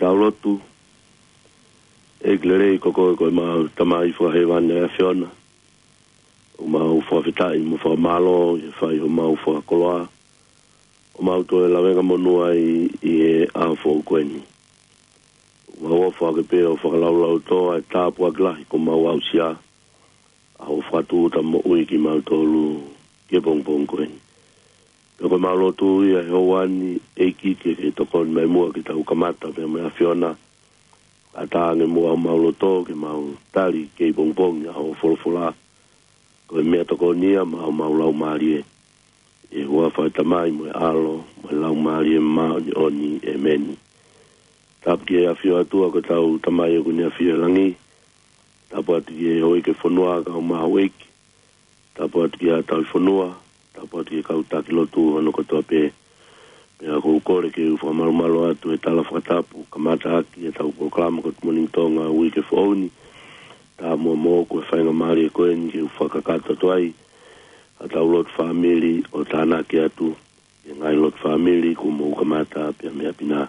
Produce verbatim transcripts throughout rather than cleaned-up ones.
Tau lotu. ʻEiki lelei, ko koe ko ʻemau Tamai fakahēvani ʻa e ʻAfiona. ʻOku mau fakafetaʻi mo fakamālō ʻi he fai homau fakakoloa ʻo mau toe lavengamonū ai ʻi he ʻaho foʻou ko eni. ʻOku mau ʻofa ke pē ʻo fakalaulauloto ʻa e tāpuaki lahi kuo mau aʻusia ʻa hoʻo fakatūʻuta moʻui kimautolu ki he pongipongi ko eni. Pea ko ʻemau lotu ia he houa ni, ʻEiki, ke ke tokoni mai muʻa ke tau kamata pea mo e ʻAfiona. ʻAtā ange muʻa homau loto ke mau tali kei pongipongi ʻa hoʻo folofola. Ko e meʻatokoni ia maʻa homau laumālie. ʻI he huafa ʻo e Tamai mo e ʻAlo mo e Laumālie Māʻoniʻoni, ʻēmeni. Tapu ki he ʻAfio ʻOtua, ko hotau Tamai ʻoku ne ʻafio ʻi langi. Tapu atu ki he houʻeiki ʻo e fonua, kau maʻu ʻeiki. Tapu atu ki he ʻa e tauhi fonua. Tapu atu ki he kau taki lotu hono kotoa pē. Pea ʻoku ou kole ke u fakamalumalu atu he tala fakatapu, kamata ʻaki ʻetau polokalama ko e Good Morning Tonga uike foʻou ni. Tamuʻa moʻoku e faingamālie ko eni ke u fakakakato atu ai ʻa ʻetau lotu fāmili ʻo tānaki atu ki he ngaahi lotu fāmili kuo mou kamata pea mei ʻapi na.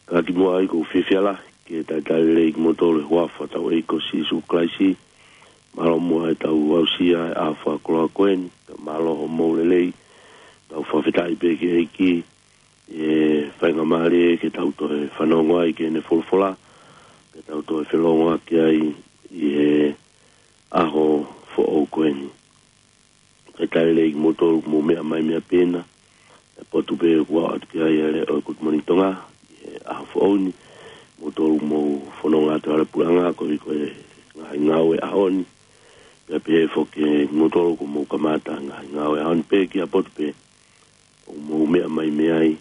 Ka kimuʻa ai, ʻoku ou fiefia lahi ke talitali lelei kimoutolu he huafa ʻo hotau ʻEiki ko Sīsū Kalaisi. Mālō muʻa ʻetau aʻusia ʻa e fakakoloa ko eni, ka mālō hoʻomou lelei. Tau fakafetaʻi pē ki he ʻEiki ʻi he faingamālie ke tau toe fanongo ai ki heʻene folofola, ke tau toe felongoaki ai ʻi he ʻaho foʻou ko eni. Talitali lelei kimoutolu ʻoku mou meʻa mai mei ʻapi na, ʻa e potu pē ʻoku aʻu atu ki ai ʻa e leʻo ʻo e Good Morning Tonga ʻi he ʻaho foʻou ni. Kimoutolu ʻoku mou fononga atu he puleʻanga koeʻuhi ko e ngaahi ngāue ʻa e ʻaho ni. Pea pehē foki kimoutolu ʻoku mou kamata ngaahi ngāue ʻa e ʻaho ni, pea ki ha potu pē ʻoku mou meʻa mai mei ai,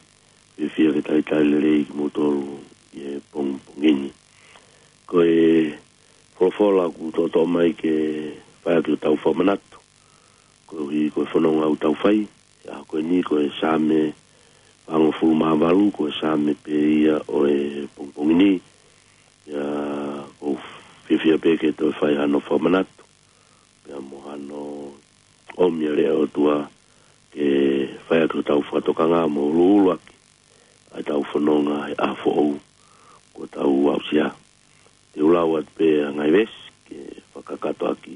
fiefia ke talitali lelei kimoutolu ʻi he pongipongi ni. Ko e folofola ʻoku toʻotoʻo mai ke fai ʻaki hotau fakamanatu koeʻuhi ko e fononga ʻoku tau fai he ʻaho ko eni, ko e Saame fāngofulu mā valu, ko e Saame pē ia ʻo e pongipongi ni. Pea ʻoku ou fiefia pē ke toe fai hano fakamanatu pea mo hano ʻomi ʻa e leʻo ʻo e ʻOtua ke fai ʻaki hotau fakatokanga mo ʻuluʻulu ʻaki ʻa ʻetau fononga he ʻaho foʻou kuo tau aʻusia. Te u lau atu pē ʻa e ngaahi veesi ke fakakakato ʻaki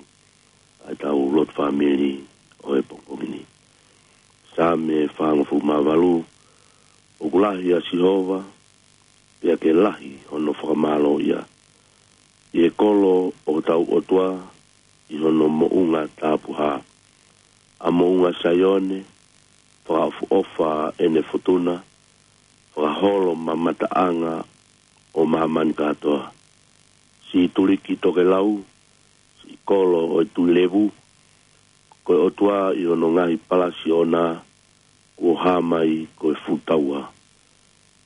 ʻa ʻetau lotu fāmili ʻo e pongipongi ni. Saame fāngofulu mā valu. ʻOku lahi ʻa Sihova, pea ke lahi hono fakamālōʻia ʻi he kolo ʻo hotau ʻOtua, ʻi hono moʻunga tapuhā. ʻA moʻunga Saione, fakaʻofoʻofa ʻene fotuna, fakaholo mamataʻanga ʻo māmani kātoa. Siʻi tuliki tokelau, siʻi kolo ʻo e Tuʻi Levu, ko e ʻOtua ʻi hono ngaahi palasi ʻoʻona, kuo hā mai ko e fuʻu taua.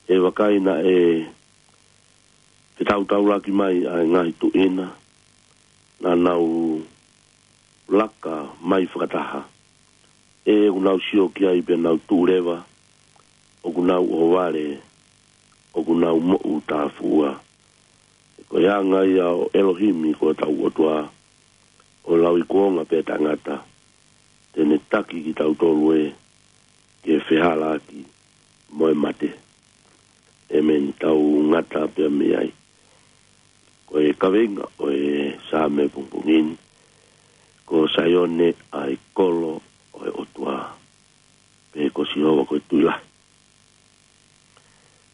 ʻE vakai naʻe fetautaulaki mai ʻa e ngaahi tuʻi na, naʻa nau laka mai fakataha. ʻE ʻoku nau sio ki ai pea nau tuʻu leva, ʻoku nau ʻohovale, ʻoku nau moʻutāfuʻua. He ko e anga ia ʻo ʻElohimi ko hotau ʻOtua, ʻo lauikuonga pē tangata, te ne taki kitautolu ē ke fehālaaki mo e mate. ʻĒmeni. Tau ngata pea mei ai. Ko e kaveinga ʻo e Saame pongipongi ni, ko Saione ʻa e kolo ʻo e ʻOtua, pe ko Sihova ko e Tuʻi Lahi.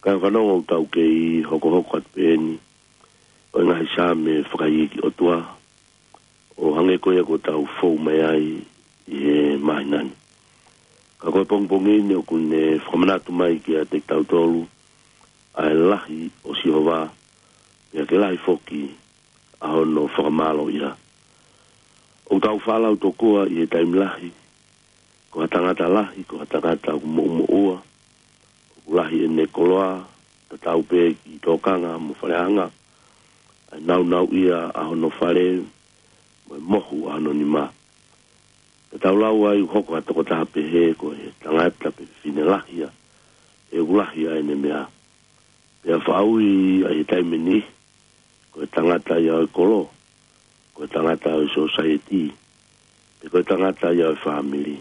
Kāinga fanongo, ʻoku tau kei hokohoko atu pē eni ʻo e ngaahi Saame fakaikiiki ʻOtua, ʻo hangē ko ia kuo tau fou mai ai ʻi he māhina ni. Ka ko e pongipongi ni ʻoku ne fakamanatu mai kiate kitautolu ʻa e lahi ʻo Sihova, pea ke lahi foki ʻa hono fakamālōʻia. ʻOku tau faʻa lau tokua ʻi he taimi lahi, ko ha tangata lahi, ko ha tangata ʻoku moʻumoʻua, ʻoku lahi ʻene koloa, tatau pē ki tōkanga mo faleʻanga, ʻa e naunauʻia ʻa hono fale, mo e mohu ʻa hono nima. Pea tau lau ai ʻoku hoko ha tokotaha pehē ko e tangata pe fefine lahi ia, he ʻoku lahi ʻa ʻene meʻa. Pea faʻa ui ia ʻi he taimi ni, ko e tangata ia ʻo e kolo, ko e tangata ʻo e sōsaieti, pe ko e tangata ia ʻo e fāmili,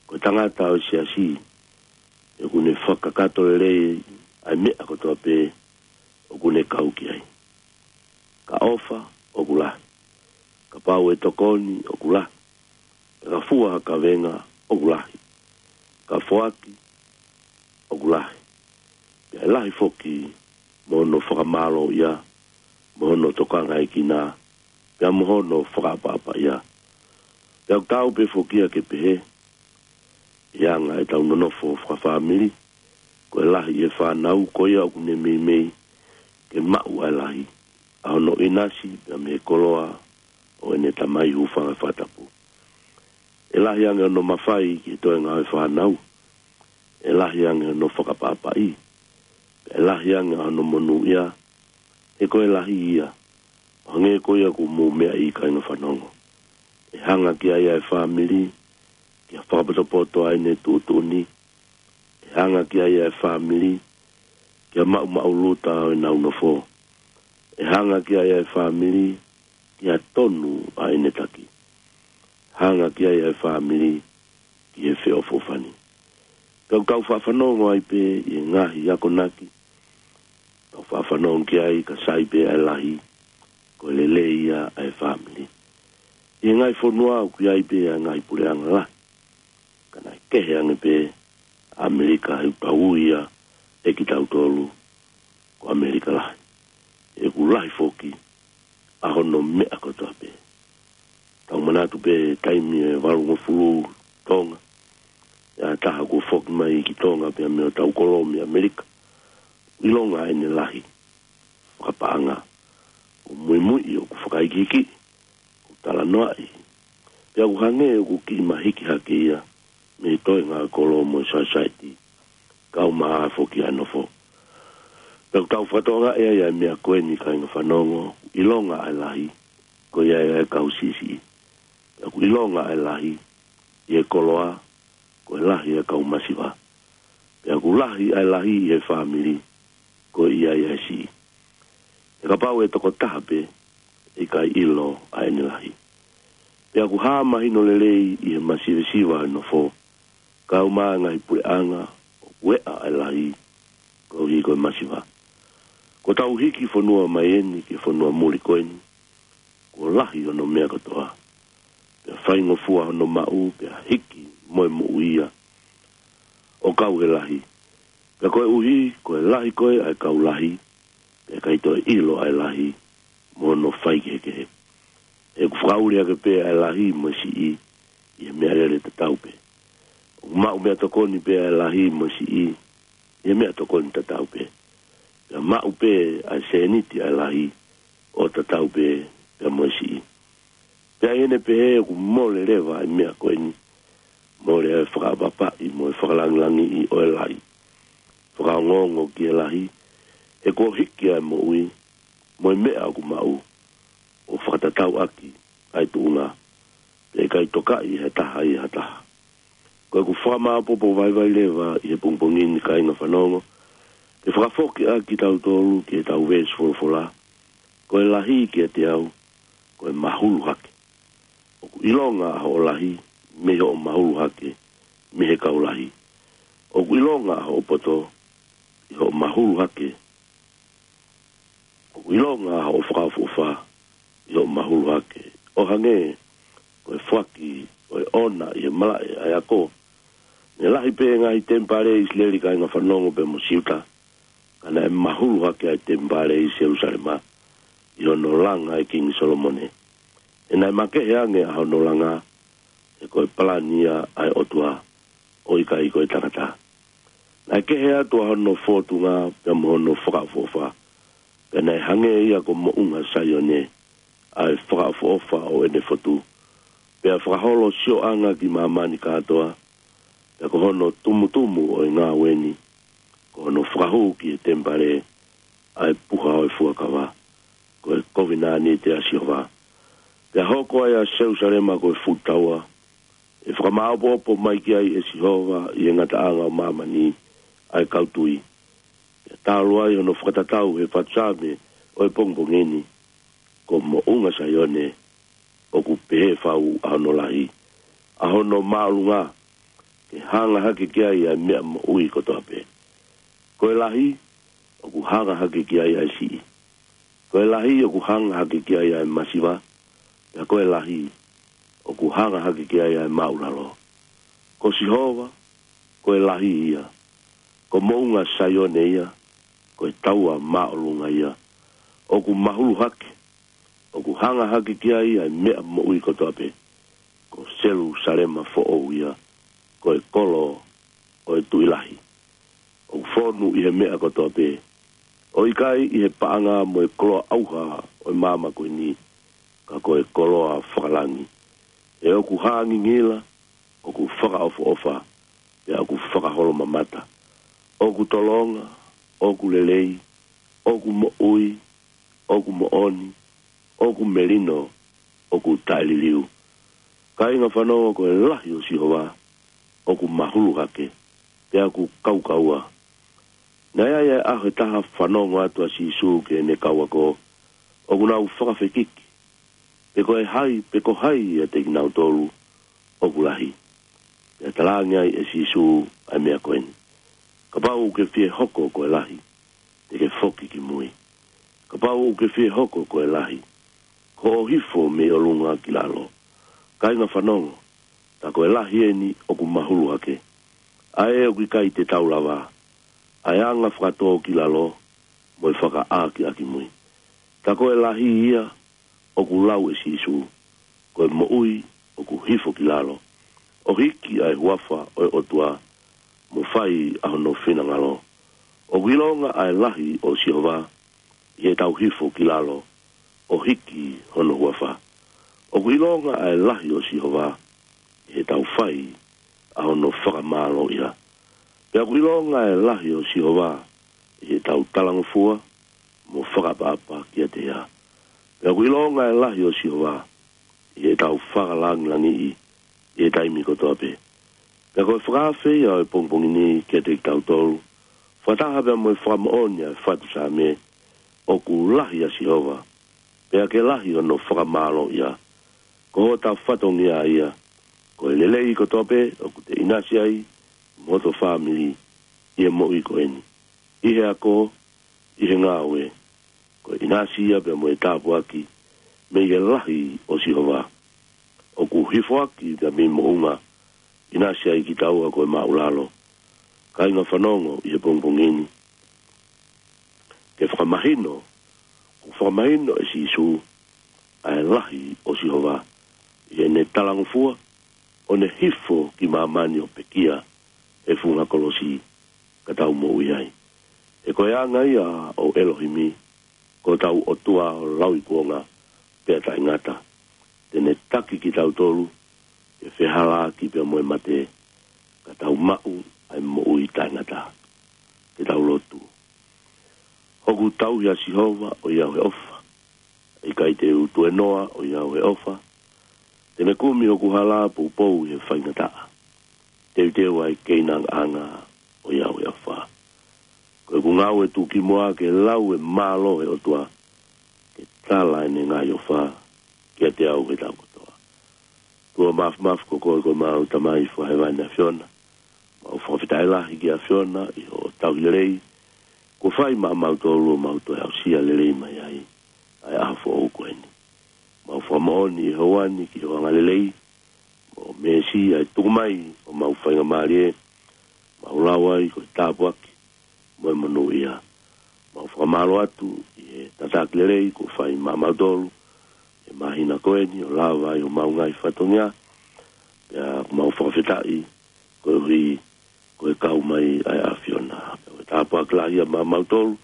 ko e tangata ʻo e siasi, he ʻoku ne fakakakato lelei ʻa e meʻa kotoa pē ʻoku ne kau ki ai. Ka ʻofa ʻoku lahi. Kapau ʻe tokoni ʻoku lahi. Ka fua ha kavenga ʻoku lahi. Ka foaki ʻoku lahi. Pea ʻe lahi foki mo hono fakamālōʻia, mo hono tokangaekina, pea mo hono fakaʻapaʻapaʻia. Pea ʻoku tau pē foki ia ke pehē, ʻi he anga ʻetau nonofo fakafāmili, ko e lahi ʻi he fānau ko ia ʻoku ne meimei ke maʻu ʻa e lahi, ʻa hono ʻinasi pea mei he koloa ʻo ʻene Tamai hūfanga he fakatapu. ʻE lahi ange hono mafai ki he toenga ʻo e fānau, ʻe lahi ange hono fakaʻapaʻapaʻi, ʻe lahi ange hono monūʻia, he ko e lahi ia, ʻo hangē ko ia ʻoku mou meaʻi, kāinga fanongo. ʻE hanga ki ai ʻa e fāmili, ke fakapotopoto ʻa ʻene tuʻutuʻuni, ʻe hanga ki ai ʻa e fāmili, ke maʻumaʻuluta ʻo ʻenau nofo. ʻE hanga ki ai ʻa e fāmili, ke tonu ʻa ʻene taki. Hanga ki ai ʻa e fāmili, ki he feʻofoʻofani. Pea ʻoku tau faʻa fanongo ai pē ʻi he ngaahi akonaki, tau faʻa fanongo ki ai ka sai pē ʻa e lahi, ko e lelei ia ʻa e fāmili. ʻI he ngaahi fonua ʻoku ʻi ai pē ʻa e ngaahi puleʻanga lahi. Ka naʻe kehe ange pē ʻa ʻAmelika, he ʻoku tau ui ia ʻe kitautolu ko ʻAmelika lahi. He ʻoku lahi foki ʻa hono meʻa kotoa pē. Tau manatu pē taimi ʻe valungofulu Tonga, ʻi he taha kuo foki mai ki Tonga pea mei hotau kolo mei ʻAmelika. ʻIlonga ʻene lahi fakapaʻanga, ʻoku muimui, ʻoku fakaikiiki, ʻoku talanoaʻi. Pea ʻoku hangē ʻoku kiʻi mahiki hake ia mei he toenga ʻo e kolo mo e sosaieti, kau mai foki ʻa e nofo. Pea ʻoku tau fakatokangaʻi ai ʻa e meʻa ko eni, kāinga fanongo, ʻilonga ʻa e lahi, ko ia ʻa e kau siʻisiʻi. Pea ʻoku ʻilonga ʻa e lahi ʻi he koloa, ko e lahi ʻa e kau masiva. Pea ʻoku lahi ʻa e lahi ʻi he fāmili, ko ia ʻa e siʻi. He kapau ʻe tokotaha pē, ʻe ʻikai ʻilo ʻa ʻene lahi. Pea ʻoku hā mahino lelei ʻi he masivesiva ʻa e nofo, kau mai ʻa e ngaahi puleʻanga ʻoku ʻeʻa ʻa e lahi, koeʻuhi ko e masiva. Kuo tau hiki fonua mai eni ki he fonua muli ko eni, kuo lahi hono meʻa kotoa. Pea faingofua hono maʻu, pea hiki mo e moʻui ia ʻo kau he lahi. Pea koeʻuhi ko e lahi ko ē ʻa e kau lahi, pea ʻikai toe ʻilo ʻa e lahi mo hono faikehekehe. He ʻoku fakaʻuli hake pē ʻa e lahi mo e siʻi ʻi he meʻalele tatau pē. ʻOku maʻu meʻatokoni pē ʻa e lahi mo e siʻi ʻi he meʻatokoni tatau pē. Pea maʻu pē ʻa e sēniti ʻa e lahi ʻo tatau pē pea mo e siʻi. Pea ʻi heʻene pehē ʻoku mole leva ʻa e meʻa ko eni, mole ʻa e fakaʻapaʻapaʻi mo e fakalangilangiʻi ʻo e lahi. Fakaongoongo ki he lahi, he kuo hiki ʻa e moʻui mo e meʻa ʻoku maʻu, ʻo fakatatau ʻaki ʻa e tuʻunga, pea ʻikai tokaʻi ʻe ha taha ia ha taha. Ko ʻeku fakamāopoopo vaivai leva ʻi he pongipongi ni, kāinga fanongo, ke fakafoki ʻaki kitautolu ki heʻetau veesi folofola, ko e lahi kiate au, ko e mahulu hake. ʻOku ʻilonga ʻa hoʻo lahi mei hoʻo mahulu hake mei he kau lahi. ʻOku ʻilonga ʻa hoʻo poto ʻi hoʻo mahulu hake. ʻOku ʻilonga ʻa hoʻo fakaʻofoʻofa ʻi hoʻo mahulu hake. ʻO hangē ko e foaki ʻo e ʻona ʻi he malaʻe ʻa e ako. Naʻe lahi pē ngaahi temipale ʻi ʻIsileli, kāinga fanongo, pea mo Siuta, ka naʻe mahulu hake ʻa e temipale ʻi Selusalema ʻi hono langa ʻe Kingi Solomone. He naʻe makehe ange ʻa hono langa, he ko e palani ia ʻa e ʻOtua, ʻo ʻikai ko e tangata. Naʻe kehe atu ʻa hono fōtunga pea mo hono fakaʻofoʻofa, pea naʻe hangē ia ko Moʻunga Saione, ʻa e fakaʻofoʻofa ʻo ʻene fotu. Pea fakaholo sioʻanga ki māmani kātoa, pea ko hono tumutumu ʻo e ngāue ni, ko hono fakahū ki he temipale ʻa e puha ʻo e fuakava, ko e kovinānite ʻa Sihova. Pea hoko ai ʻa Selusalema ko e fuʻu taua, ʻe fakamāopoopo mai ki ai ʻe Sihova ʻi he ngataʻanga ʻo māmani ʻa e kau tui. Pea talu ai hono fakatatau he fatu Saame ʻo e pongipongi ni, ko Moʻunga Saione, ʻoku pehē fau ʻa hono lahi, ʻa hono māʻolunga, ke hanga hake ki ai ʻa e meʻa moʻui kotoa pē. Ko e lahi, ʻoku hanga hake ki ai ʻa e siʻi. Ko e lahi ʻoku hanga hake ki ai ʻa e masiva, pea ko e lahi ʻoku hanga hake ki ai ʻa e māʻulalo. Ko Sihova, ko e lahi ia. Ko Moʻunga Saione ia, ko e taua māʻolunga ia. ʻOku mahulu hake, ʻoku hanga hake ki ai ʻa e meʻa moʻui kotoa pē. Ko Selusalema foʻou ia, ko e kolo ʻo e Tuʻi Lahi. ʻOku fonu ʻi he meʻa kotoa pē. ʻOku ʻikai ʻi he paʻanga mo e koloa ʻauha ʻo e māmani ko eni, ka ko e koloa fakalangi. ʻE ʻoku hā ngingila, ʻoku fakaʻofoʻofa, pea ʻoku fakaholomamata. ʻOku tolonga, ʻoku lelei, ʻoku moʻui, ʻoku moʻoni, ʻoku melino, ʻoku taʻeliliu. Kāinga fanongo, ko e lahi ʻo Sihova ʻoku mahulu hake, pea ʻoku kaukaua. Naʻe ʻi ai ʻa e ʻaho ʻe taha fanongo atu ʻa Sīsū ki heʻene kau ako, ʻoku nau fakafekiki pe ko e hai, pe ko hai ʻiate kinautolu ʻoku lahi. Pea talaange ai ʻe Sīsū ʻa e meʻa ko eni: Kapau ʻoku ke fie hoko ko e lahi, te ke foki ki mui. Kapau ʻoku ke fie hoko ko e lahi, ko hoʻo hifo mei ʻolunga ki lalo. Kāinga fanongo, tā ko e lahi eni ʻoku mahulu hake, ʻa ē ʻoku ʻikai te tau lava, ʻa e anga fakatō ki lalo mo e fakaʻākiʻakimui. Tā ko e lahi ia ʻoku lau ʻe Sīsū, ko e moʻui ʻoku hifo ki lalo, ʻo hiki ʻa e huafa ʻo e ʻOtua, mo fai ʻa hono finangalo. ʻOku ʻilonga ʻa e lahi ʻo Sihova ʻi heʻetau hifo ki lalo ʻo hiki hono huafa. ʻOku ʻilonga ʻa e lahi ʻo Sihova ʻi heʻetau fai ʻa hono fakamālōʻia. Pea ʻoku ʻilonga ʻa e lahi ʻo Sihova ʻi heʻetau talangofua mo fakaʻapaʻapa kiate ia. Pea ʻoku ʻilonga ʻa e lahi ʻo Sihova ʻi heʻetau fakalangilangiʻi ʻi he taimi kotoa pē. Pea ko e fakaafe ia ʻo e pongipongi ni kiate kitautolu, fakataha pea mo e fakamoʻoni ʻa e fatu Saame, ʻoku lahi ʻa Sihova, pea ke lahi hono fakamālōʻia. Ko hota fatongia ia, ko e lelei kotoa pē ʻoku te ʻinasi ai mo hoto fāmili ʻi he moʻui ko eni, ʻi he ako, ʻi he ngāue. Ko e ʻinasi ia pea mo e tāpuaki mei he lahi ʻo Sihova. ʻOku hifo hake pea mei Moʻunga, ʻinasi ai kitaua ko e māʻulalo. Kāinga fanongo ʻi he pongipongi ni, ke fakamahino, ʻoku fakamahino ʻe Sīsū ʻa e lahi ʻo Sihova ʻi heʻene talangofua, ʻo ne hifo ki māmani ʻo pekia he funga kolosi ka tau moʻui ai. He ko e anga ia ʻo ʻElohimi, ko hotau ʻOtua ʻo lauikuonga pea taʻengata. Te ne taki kitautolu ke fehālaaki pea mo e mate, ka tau maʻu ʻa e moʻui taʻengata. Ke tau lotu. Hoku tauhi ʻa Sihova, ʻoiauē ʻofa, ʻikai te u tuenoa, ʻoiauē ʻofa. Te ne kumi hoku hala poupou he faingataʻa. Teuteu ʻa e keinangaʻanga, ʻoiauē ʻofa. Ko ʻeku ngāue tuʻukimuʻa ke lau e mālō ʻo e ʻOtua, ke tala ʻene ngaahi ʻofa kiate au he taʻu kotoa. ʻOtua Māfimafi, ko koe ko homau Tamai Fakahēvani ʻAfiona. Mau fakafetaʻi lahi ki he ʻAfiona ʻi hoʻo tauhi lelei kuo fai maʻamautolu ʻo mau toe aʻusia lelei mai ai ʻa e ʻaho foʻou ko eni. Mau fakamoʻoni ʻi he ʻaho ni ki hoʻo angalelei mo e meesi ʻa e tuku mai ʻo homau faingamālie, mau lau ai ko e tāpuaki mo e monūʻia. Mau fakamālō atu ʻi he tataki lelei kuo fai maʻamautolu he māhina ko eni ʻo lava ai homau ngaahi fatongia. Pea mau fakafetaʻi koeʻuhi ko e kau mai ʻa e ʻAfiona. Pea ko e tāpuaki lahi ia maʻamautolu,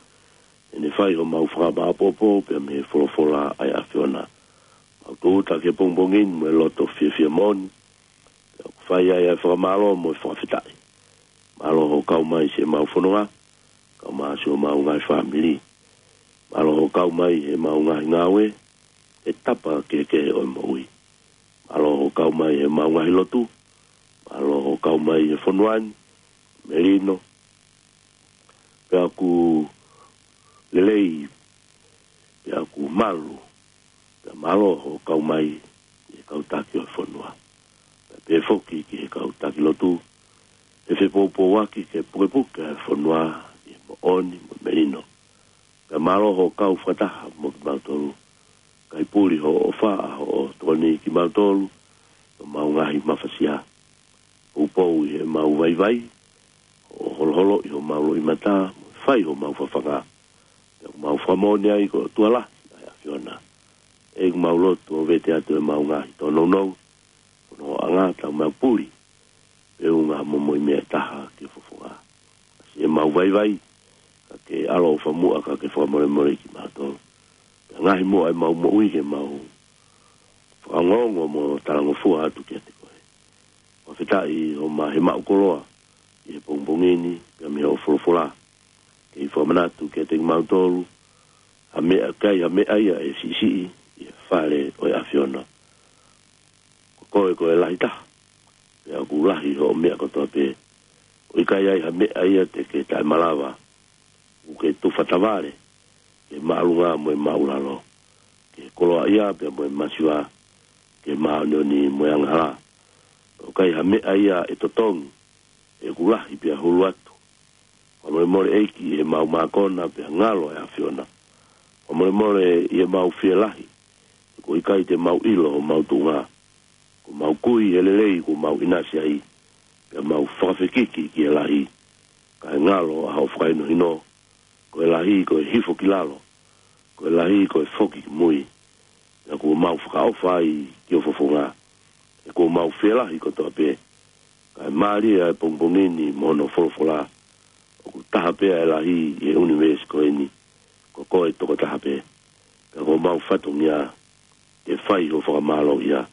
ʻene fai homau fakamaʻopoʻopo pea mei he folofola ʻa e ʻAfiona. Mau tūʻuta ki he pongipongi ni mo e loto fiefia moʻoni, pea ʻoku fai ai ʻa e fakamālō mo e fakafetaʻi. Mālō hoʻo kau mai siʻemau fononga, kau mai siʻemau ngaahi fāmili. Mālō hoʻo kau mai heʻemau ngaahi ngāue he tapa kehekehe ʻo e moʻui. Mālō hoʻo kau mai heʻemau ngaahi lotu. Mālō hoʻo kau mai he fonua ni, melino, pea ʻoku lelei, pea ʻoku malu. Pea mālō hoʻo kau mai ʻi he kau taki ʻo e fonua, pea pehē foki ki he kau taki lotu, he fepoupouaki ke pukepuke ʻa e fonua ʻi he moʻoni mo e melino. Kae mālō hoʻo kau fakataha mo kimautolu. Kae puli hoʻo ʻofa ʻa hoʻo tokoni kimautolu, ʻi homau ngaahi mafasia. Poupou ʻi heʻemau vaivai, hoʻo holoholoʻi homau loʻimata, mo fai homau fafanga. Pea ʻoku mau fakamoʻoni ai ko e ʻOtua lahi ʻa e ʻAfiona. ʻEiki, ʻoku mau lotu ʻo vete atu ʻemau ngaahi tōnounou, ko hono anga ʻetau mau puli, pe ʻoku ngaahi momoi meʻa ʻe taha ki he fofonga. ʻAsi ʻemau vaivai, ka ke ʻaloʻofa muʻa ka ke fakamolemoleʻi kimautolu. Pea ngaohi muʻa ʻemau moʻui ke mau fakaongoongo mo talangofua atu kiate koe. Fakafetaʻi hoʻo maʻu koloa ʻi he pongipongi ni, pea mei hoʻo folofola. Kei fakamanatu kiate kimautolu, ha meʻa kai, ha meʻa ia ʻe siʻisiʻi ʻi he fale ʻo e ʻAfiona. Ko koe ko e lahi taha, pea ʻoku lahi hoʻo meʻa kotoa pē. ʻOku ʻikai ai ha meʻa ia te ke taʻemalava, ʻoku ke tufa tavale, ki he māʻolunga mo e māʻulalo, ki he koloaʻia pea mo e masiva, ki he māʻoniʻoni mo e angahala. ʻOku ʻikai ha meʻa ia ʻe totongi, he ʻoku lahi pea hulu atu. Fakamolemole ʻEiki ʻi heʻemau mākona pea ngalo ʻa e ʻAfiona. Fakamolemole ʻi heʻemau fielahi, he ʻoku ʻikai te mau ʻilo homau tuʻunga. Ko ʻemau kui he lelei kuo mau ʻinasi ai, pea mau fakafekiki ki he lahi. Kae ngalo ʻa hoʻo fakahinohino, ko e lahi ko e hifo ki lalo, ko e lahi ko e foki ki mui. Pea kuo mau fakaʻofa ai ki ho fofonga, he kuo mau fielahi kotoa pē. Kae mālie ʻa e pongipongi ni mo hono folofola, ʻoku taha pē ʻa e lahi ʻi he ʻunivēsi ko eni, ko koe tokotaha pē. Pea ko homau fatongia ke fai ho fakamālō ia.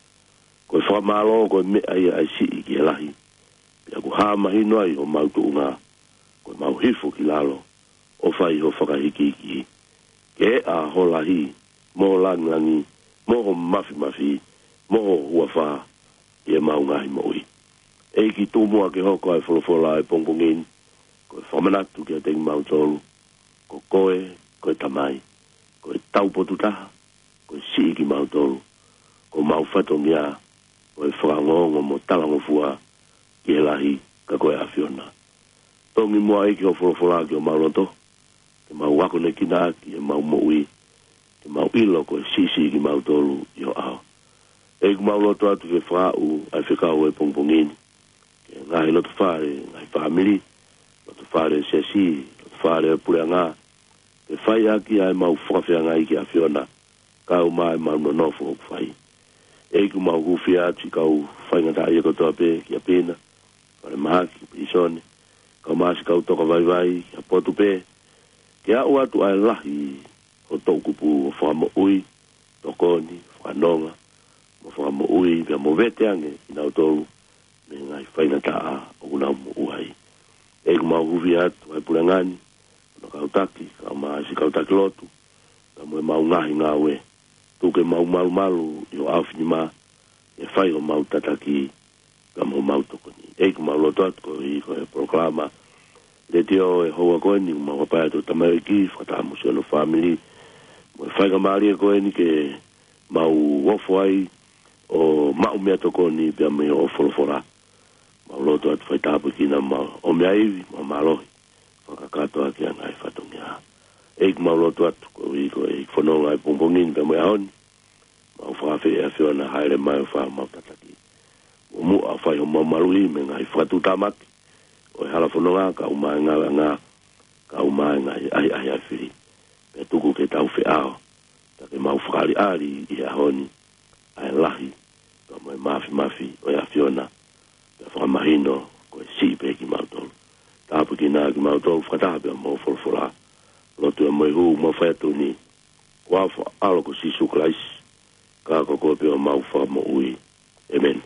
Ko e fakamālō ko e meʻa ia ʻe siʻi ki he lahi. Pea ʻoku hā mahino ai homau tuʻunga, ko ʻemau hifo ki lalo ʻo fai ho fakahikihikiʻi. Ke ʻā ho lahi, mo ho langilangi, mo ho mafimafi, mo ho huafa ʻi heʻemau ngaahi moʻui. ʻEiki, tuku muʻa ke hoko ʻa e folofola ʻo e pongipongi ni ko e fakamanatu kiate kimautolu, ko koe ko e Tamai, ko e taupotu taha, ko e siʻi kimautolu. Ko homau fatongia ko e fakaongoongo mo talangofua ki he lahi, ka ko e ʻAfiona. Tongi muʻa ʻEiki ho folofola ki homau loto, ke mau akonekina ʻaki ʻemau moʻui, ke mau ʻilo ko e siʻisiʻi kimautolu ʻi ho ʻao. ʻEiki, ʻoku mau lotu atu ke fakaaʻu ʻa e fekau ʻo e pongipongi ni ki he ngaahi loto fale, ngaahi fāmili, loto fale siasi, loto fale puleʻanga, ke fai ʻaki ʻa ʻemau fakafeangai ki he ʻAfiona, kae ʻumaʻā ʻemau nonofo ʻoku fai. ʻEiki, ʻoku mau hūfia atu siʻi kau faingataʻaʻia kotoa pē, kia Pina, falemahaki, pilīsone, kae ʻumaʻā siʻi kau toka vaivai, ki ha potu pē, ke aʻu atu ʻa e lahi ho toʻukupu ʻo fakamoʻui, tokoni, fakanonga, mo fakamoʻui, pea mo vete ange kinautolu mei he ngaahi faingataʻa ʻoku nau moʻua ai. ʻEiki, ʻoku mau hūfia atu ʻa e puleʻanga ni, hono kau taki, kae ʻumaʻā siʻi kau taki lotu, pea mo ʻemau ngaahi ngāue. Tuku ke mau malumalu ʻi ho ʻaofinima, ke fai homau tataki, pea mo homau tokoni. ʻEiki, ʻoku mau lotu atu koeʻuhi ko e polokalama letiō ʻo e houa ko eni, ʻoku mau hapai atu ki he tamaioʻeiki, fakataha mo siʻono fāmili, mo e faingamālie ko eni ke mau ofo ai ʻo maʻu meʻatokoni pea mei hoʻo folofola. Mau lotu atu fai tāpuekina mo e meʻa ivi mo e mālohi, fakakakato ʻaki ʻa e ngaahi fatongia. ʻEiki, ʻoku mau lotu atu koeʻuhi ko e fononga ʻo e pongipongi ni pea mo e ʻaho ni, mau fakaafeʻi ʻa e ʻAfiona hāʻele mai ʻo fai homau tataki, ʻo muʻa fai homau maluʻi mei he ngaahi fakatuʻutāmaki ʻo e hala fononga, kae ʻumaʻā e ngāueʻanga, kae ʻumaʻā e ngaahi ʻahiʻahi ʻa e fili. Pea tuku ke tau feʻao, pea ke mau fakaʻaliʻali ʻi he ʻaho ni ʻa e lahi pea mo e mafimafi ʻo e ʻAfiona, pea fakamahino ko e siʻi pē kimautolu. Tāpuekina kimautolu fakataha pea mo hoʻo folofola. Lotu ē mo e hū ʻoku mau fai atu ni, ʻi he huafa ʻo ho ʻAlo ko Sīsū Kalaisi, ka ko koe pē homau Fakamoʻui. ʻĒmeni.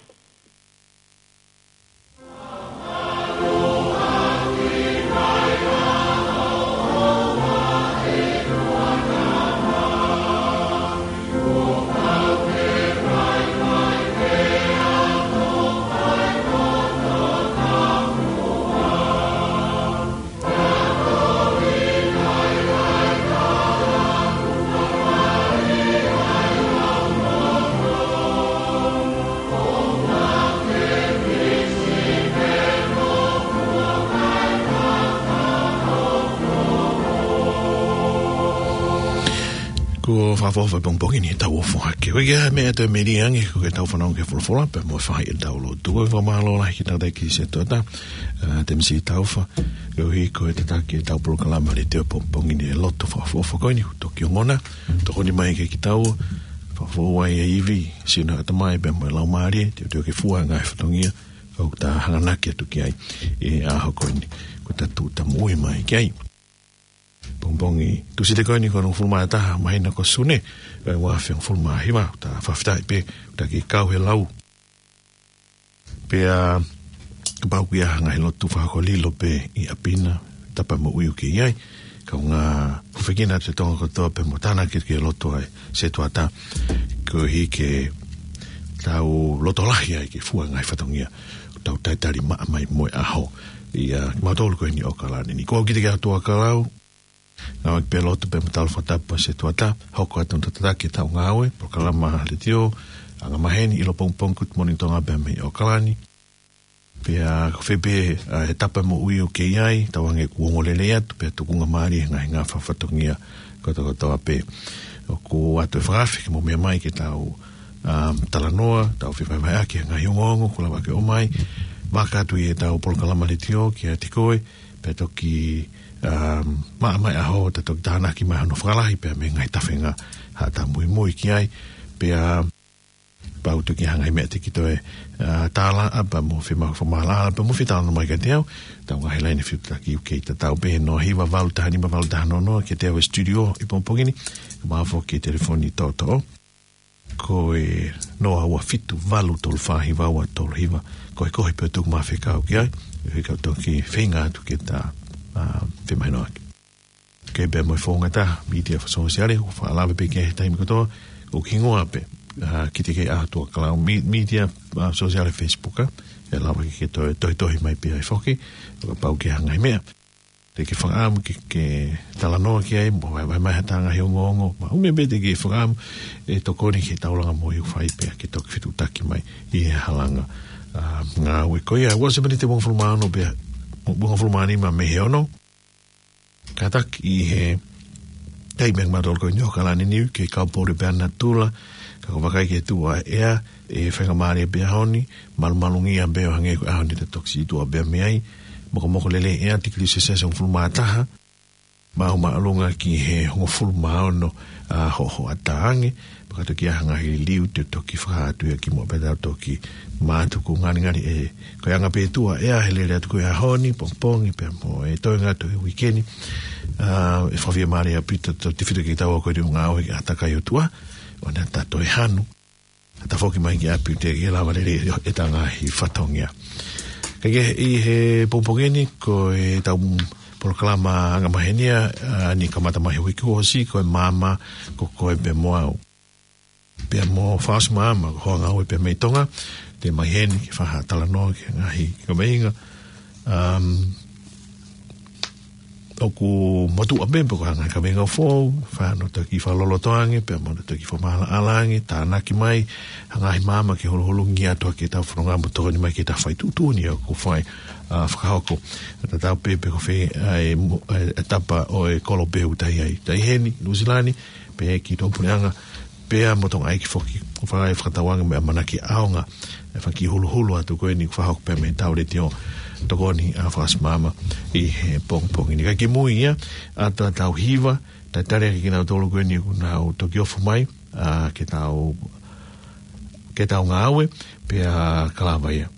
Kuo fakaʻofoʻofa e pongipongi ni, tau ʻofa hake. Ko e kiʻi meʻa ʻe toe melie ange, ko ʻetau fanongo ki he folofola, pea mo e fai ʻetau lotu. Ko e fakamālō lahi ki he tangataʻeiki sētuata, ʻa Temisi Taufa, koeʻuhi ko e tataki ʻetau polokalama letiō pongipongi ni e lotu fakaʻofoʻofa ko eni, toki ongona, tokoni mai kiate kitaua, fakafoʻou ai e ivi, sino, ʻatamai pea mo e laumālie, teuteu ke fua e ngaahi fatongia ʻoku ta hanganaki atu ki ai ʻi he ʻaho ko eni, ko ʻeta tuʻu ta moʻui mai ki ai. Pongipongi Tūsite ko eni, ko e hongofulu mā taha māhina ko Sune, ʻo e ua afe hongofulu mā hiva, ta fakafetaʻi pē, ta kiʻi kau he lau. Pea kapau ʻoku ʻi ai ha ngaahi lotu fakahoko lilo pē ʻi ʻapi na, tapa moʻui ʻoku ke ʻi ai, kaungā hūfekina atu e Tonga kotoa pea mo tānaki ki he lotu ʻa e sētuata, koeʻuhi ke tau loto lahi ai ke fua e ngaahi fatongia, tau talitali maʻa mai mo e ʻaho. ʻIa, kimautolu ko eni ʻi ʻAokalani ni. Ko au Kitike ʻAtuakalau, ngāueʻaki pē lotu pea mo tala fakatapu ʻa e sētuata, hoko atu ʻo tataki ʻetau ngāue, polokalama letiō, anga maheni, ʻilo pongipongi, Good Morning Tonga pea mei ʻAokalani. Pea ko fē pē, ʻa, e tapa moʻui ʻoku ke ʻi ai, tauange kuo ongo lelei atu, pea tukunga mālie he ngaahi ngafa fatongia kotokotoa pē. ʻOku ʻoatu e fakaafe ke mou meʻa mai ke tau, um, talanoa, tau fevahevaheʻaki e ngaahi ongoongo kuo lava ke ʻomai, vaka atu ʻi heʻetau polokalama letiō kiate koe, pea toki, um, maʻa mai e ʻaho, ta toki tānaki mai hono fakalahi pea mei he ngaahi tafenga haʻata muimui ki ai, pea kapau ʻoku ʻi ai ha ngaahi meʻa te ke toe, ʻa, tālaʻa pea mo fiemaʻu fakamaʻalaʻala pea mo fie talanoa mai kiate au, ʻetau ngaahi laine fetuʻutaki ʻoku kei tatau pē, noa hiva valu taha nima valu taha noa noa, kiate au he studio ʻi pongipongi ni, kae ʻumaʻā foki e telefoni toʻotoʻo, ko e noa ua fitu valu tolu fā hiva ua tolu hiva, ko e kohi pē ʻo tuku mai e fekau ki ai, ʻe kau toki feinga atu ke ta, ʻa, femahinoʻaki. Kei pea mo e founga ʻa e mītia fakasōsiale, ʻoku faʻa lave pē ki ai he taimi kotoa, ʻoku hingoa pē, ʻa, Kitike ʻAtuakalau, mī-, mītia, ʻa, sōsiale, Facebook, ʻa, ʻe lava ke ke toe, tohitohi mai pē ai foki, kapau ʻoku ʻi ai ha ngaahi meʻa te ke fakaʻamu ke, ke talanoa ki ai, mo vahevahe mai haʻata ngaahi ongoongo, maʻu meʻa pē te ke fakaʻamu ʻe tokoni ki he taulanga moʻui ʻoku fai pea ke toki fetuʻutaki mai ʻi he halanga, ʻa, ngāue ko ia. Ua ʻosi e miniti ʻe uofulu mā ono pea, uofulu mā nima mei he ono. Kātaki ʻi he taimi ʻa kimautolu ko eni ʻi ʻAokalani ni, ke kau pō pē ʻa natula, ka ko e vakai ki he tuʻu ʻa e ʻea, ʻe faingamālie pē ʻaho ni, malumalungia pē ʻo hangē ko e ʻaho ni ta toki sītuʻa pē mei ai, mokomoko lelei ʻea, tikilī selesiasi hongofulu mā taha, maʻu māʻolunga ki he hongofulu mā ono, ʻa, hoʻohoʻatā ange, pea ka toki ʻi ai ha ngaahi liliu te toki fakahā atu ia kimuʻa pea tau toki mātuku ngalingali ē. Ko e anga pē tuʻu ʻa e ʻea he lele atu ko ia ʻaho ni, pongipongi pea mo e toenga atu e uike ni. ʻA, ʻe fakafiemālie ʻaupito ʻetau tefito kitaua ko eni ʻoku ngāue ʻi he ʻātakai ʻo e ʻOtua, ʻo ne ta toe hanu, ta foki mai ki ʻapi ʻo teʻeki ke lava lelei ʻeta ngaahi fatongia. Ka ʻi he, ʻi he pongipongi ni, ko ʻetau polokalama anga maheni ʻa, ʻa, ne kamata mai he uike kuo ʻosi, ko e Maama ko Koe pea mo Au. Pea mo Fakaʻosi Maama, ko hoʻo ngāue pea mei Tonga, te u ʻomai heni ke fai ha talanoa ki he ngaahi kaveinga, um, ʻoku motuʻa pē pe ko e hā e ngaahi kaveinga foʻou, fai hano toki fakaloloto ange, pea mo hono toki fakamaʻalaʻala ange, tānaki mai ha ngaahi maama ke huluhulungia atu ʻetau fononga mo tokoni mai ki heʻetau fai tuʻutuʻuni ʻoku fai, ʻa, fakahoko. Tatau pē pe ko fē ʻa e mo-, ʻa e tapa ʻo e kolo pē ʻoku ta ʻi ai. Ta ʻi heni, Nuʻusila ni, pea ki Tuʻapuleʻanga, pea mo Tonga ʻEiki foki, ʻoku fai fakatauange mo e ʻamanaki ʻaonga e fanga kiʻi huluhulu atu ko eni ʻoku fakahoko pea mei heʻetau letiō, tokoni ʻa Fakaʻosi Maama ʻi he pongipongi ni. Kae kimui ia, ʻoatu ʻetau hiva, talitali ʻaki kinautolu ko eni ʻoku nau toki ofi mai, ʻa, ke tau, ke tau ngāue, pea ka lava ia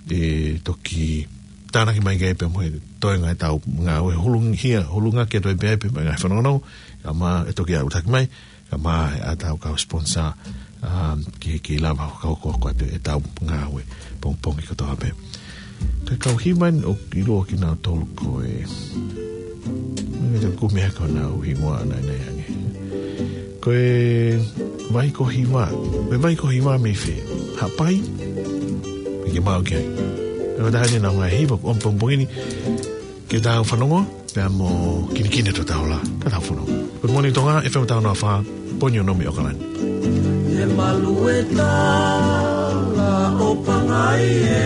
ʻe toki tānaki mai ki ai pea mo e toenga ʻetau ngāue, hulungia, hulungia ke toe pē ai pea mo e ngaahi fanongonongo, kae ʻumaʻā e toki ʻautaki mai, kae ʻumaʻā ʻetau kau sponsor, um, ke, ke lava fakahokohoko atu ʻetau ngāue pongipongi kotoa pē. Ko e kau hiva ni ʻoku ʻiloa kinautolu ko e, ʻoku ʻikai te u kumi hake honau hingoa ʻanaʻanai ange. Ko e Vai ko Hiva. Ko e Vai ko Hiva mei fē? Haʻapai? Mei ke maʻu ki ai. Ko e taha eni ʻenau ngaahi hiva ʻoku ʻomi pongipongi ni ke tau fanongo, pea mo kinikini ʻetau taula, ka tau fanongo. Good Morning Tonga, F M taha ono fā poini ono mei ʻAokalani. He malu e tala ʻo Pangai ē,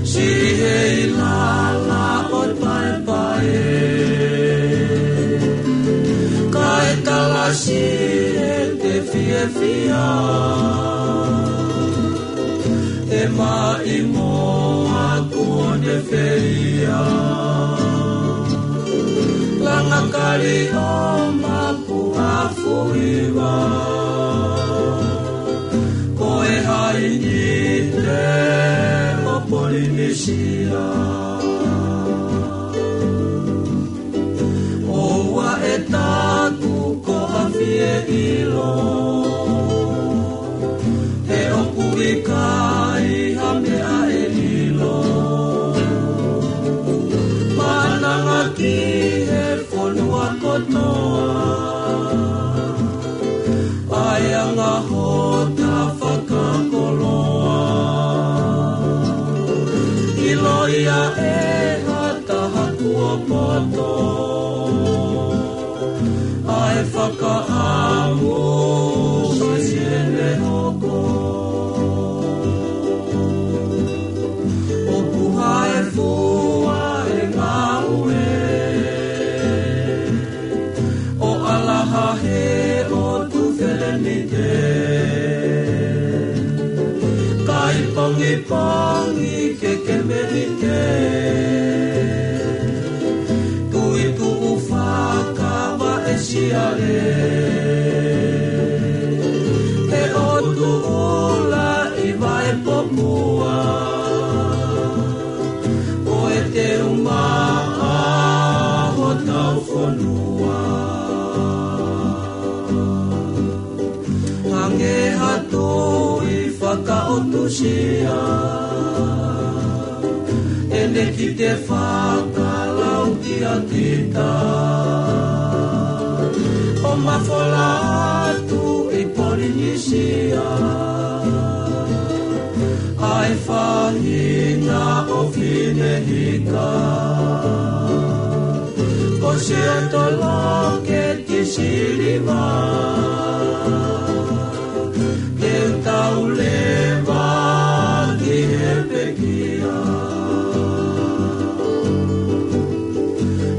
si he ilala ʻo Paepae ē. Siʻete fiefia, ʻe maʻimoa kuo ne feia. Langa kali ʻo Mapuafuiva, ko e hainite ʻo Polinisia. ʻOua ʻe taku ko ha fie ʻilo, he ʻoku ʻikai ha meʻa ʻe ʻilo. Mananga ki he fonua kotoa, ʻa e anga hota fakakoloa. ʻIloʻi ʻe ha taha kuo poto, ʻa e fakaʻamu ʻo siʻene hoko. ʻO puha e fua e ngāue, ʻo ʻalaha he ʻotu felenite. Kai pongipongi ke ke melite, tui tuʻu fakavaʻe siale. He ʻotu ʻula ʻi Vaipomua, ko e teumaʻa hotau fonua. Hangē ha tui fakaʻotusia, ʻene kite fakalaukia kita. ʻO mafola atu ʻi Polinisia, ʻa e faʻahinga ʻo Finehika. Ko Siato Loke ki Siliva, ke tau leva ki he pekia.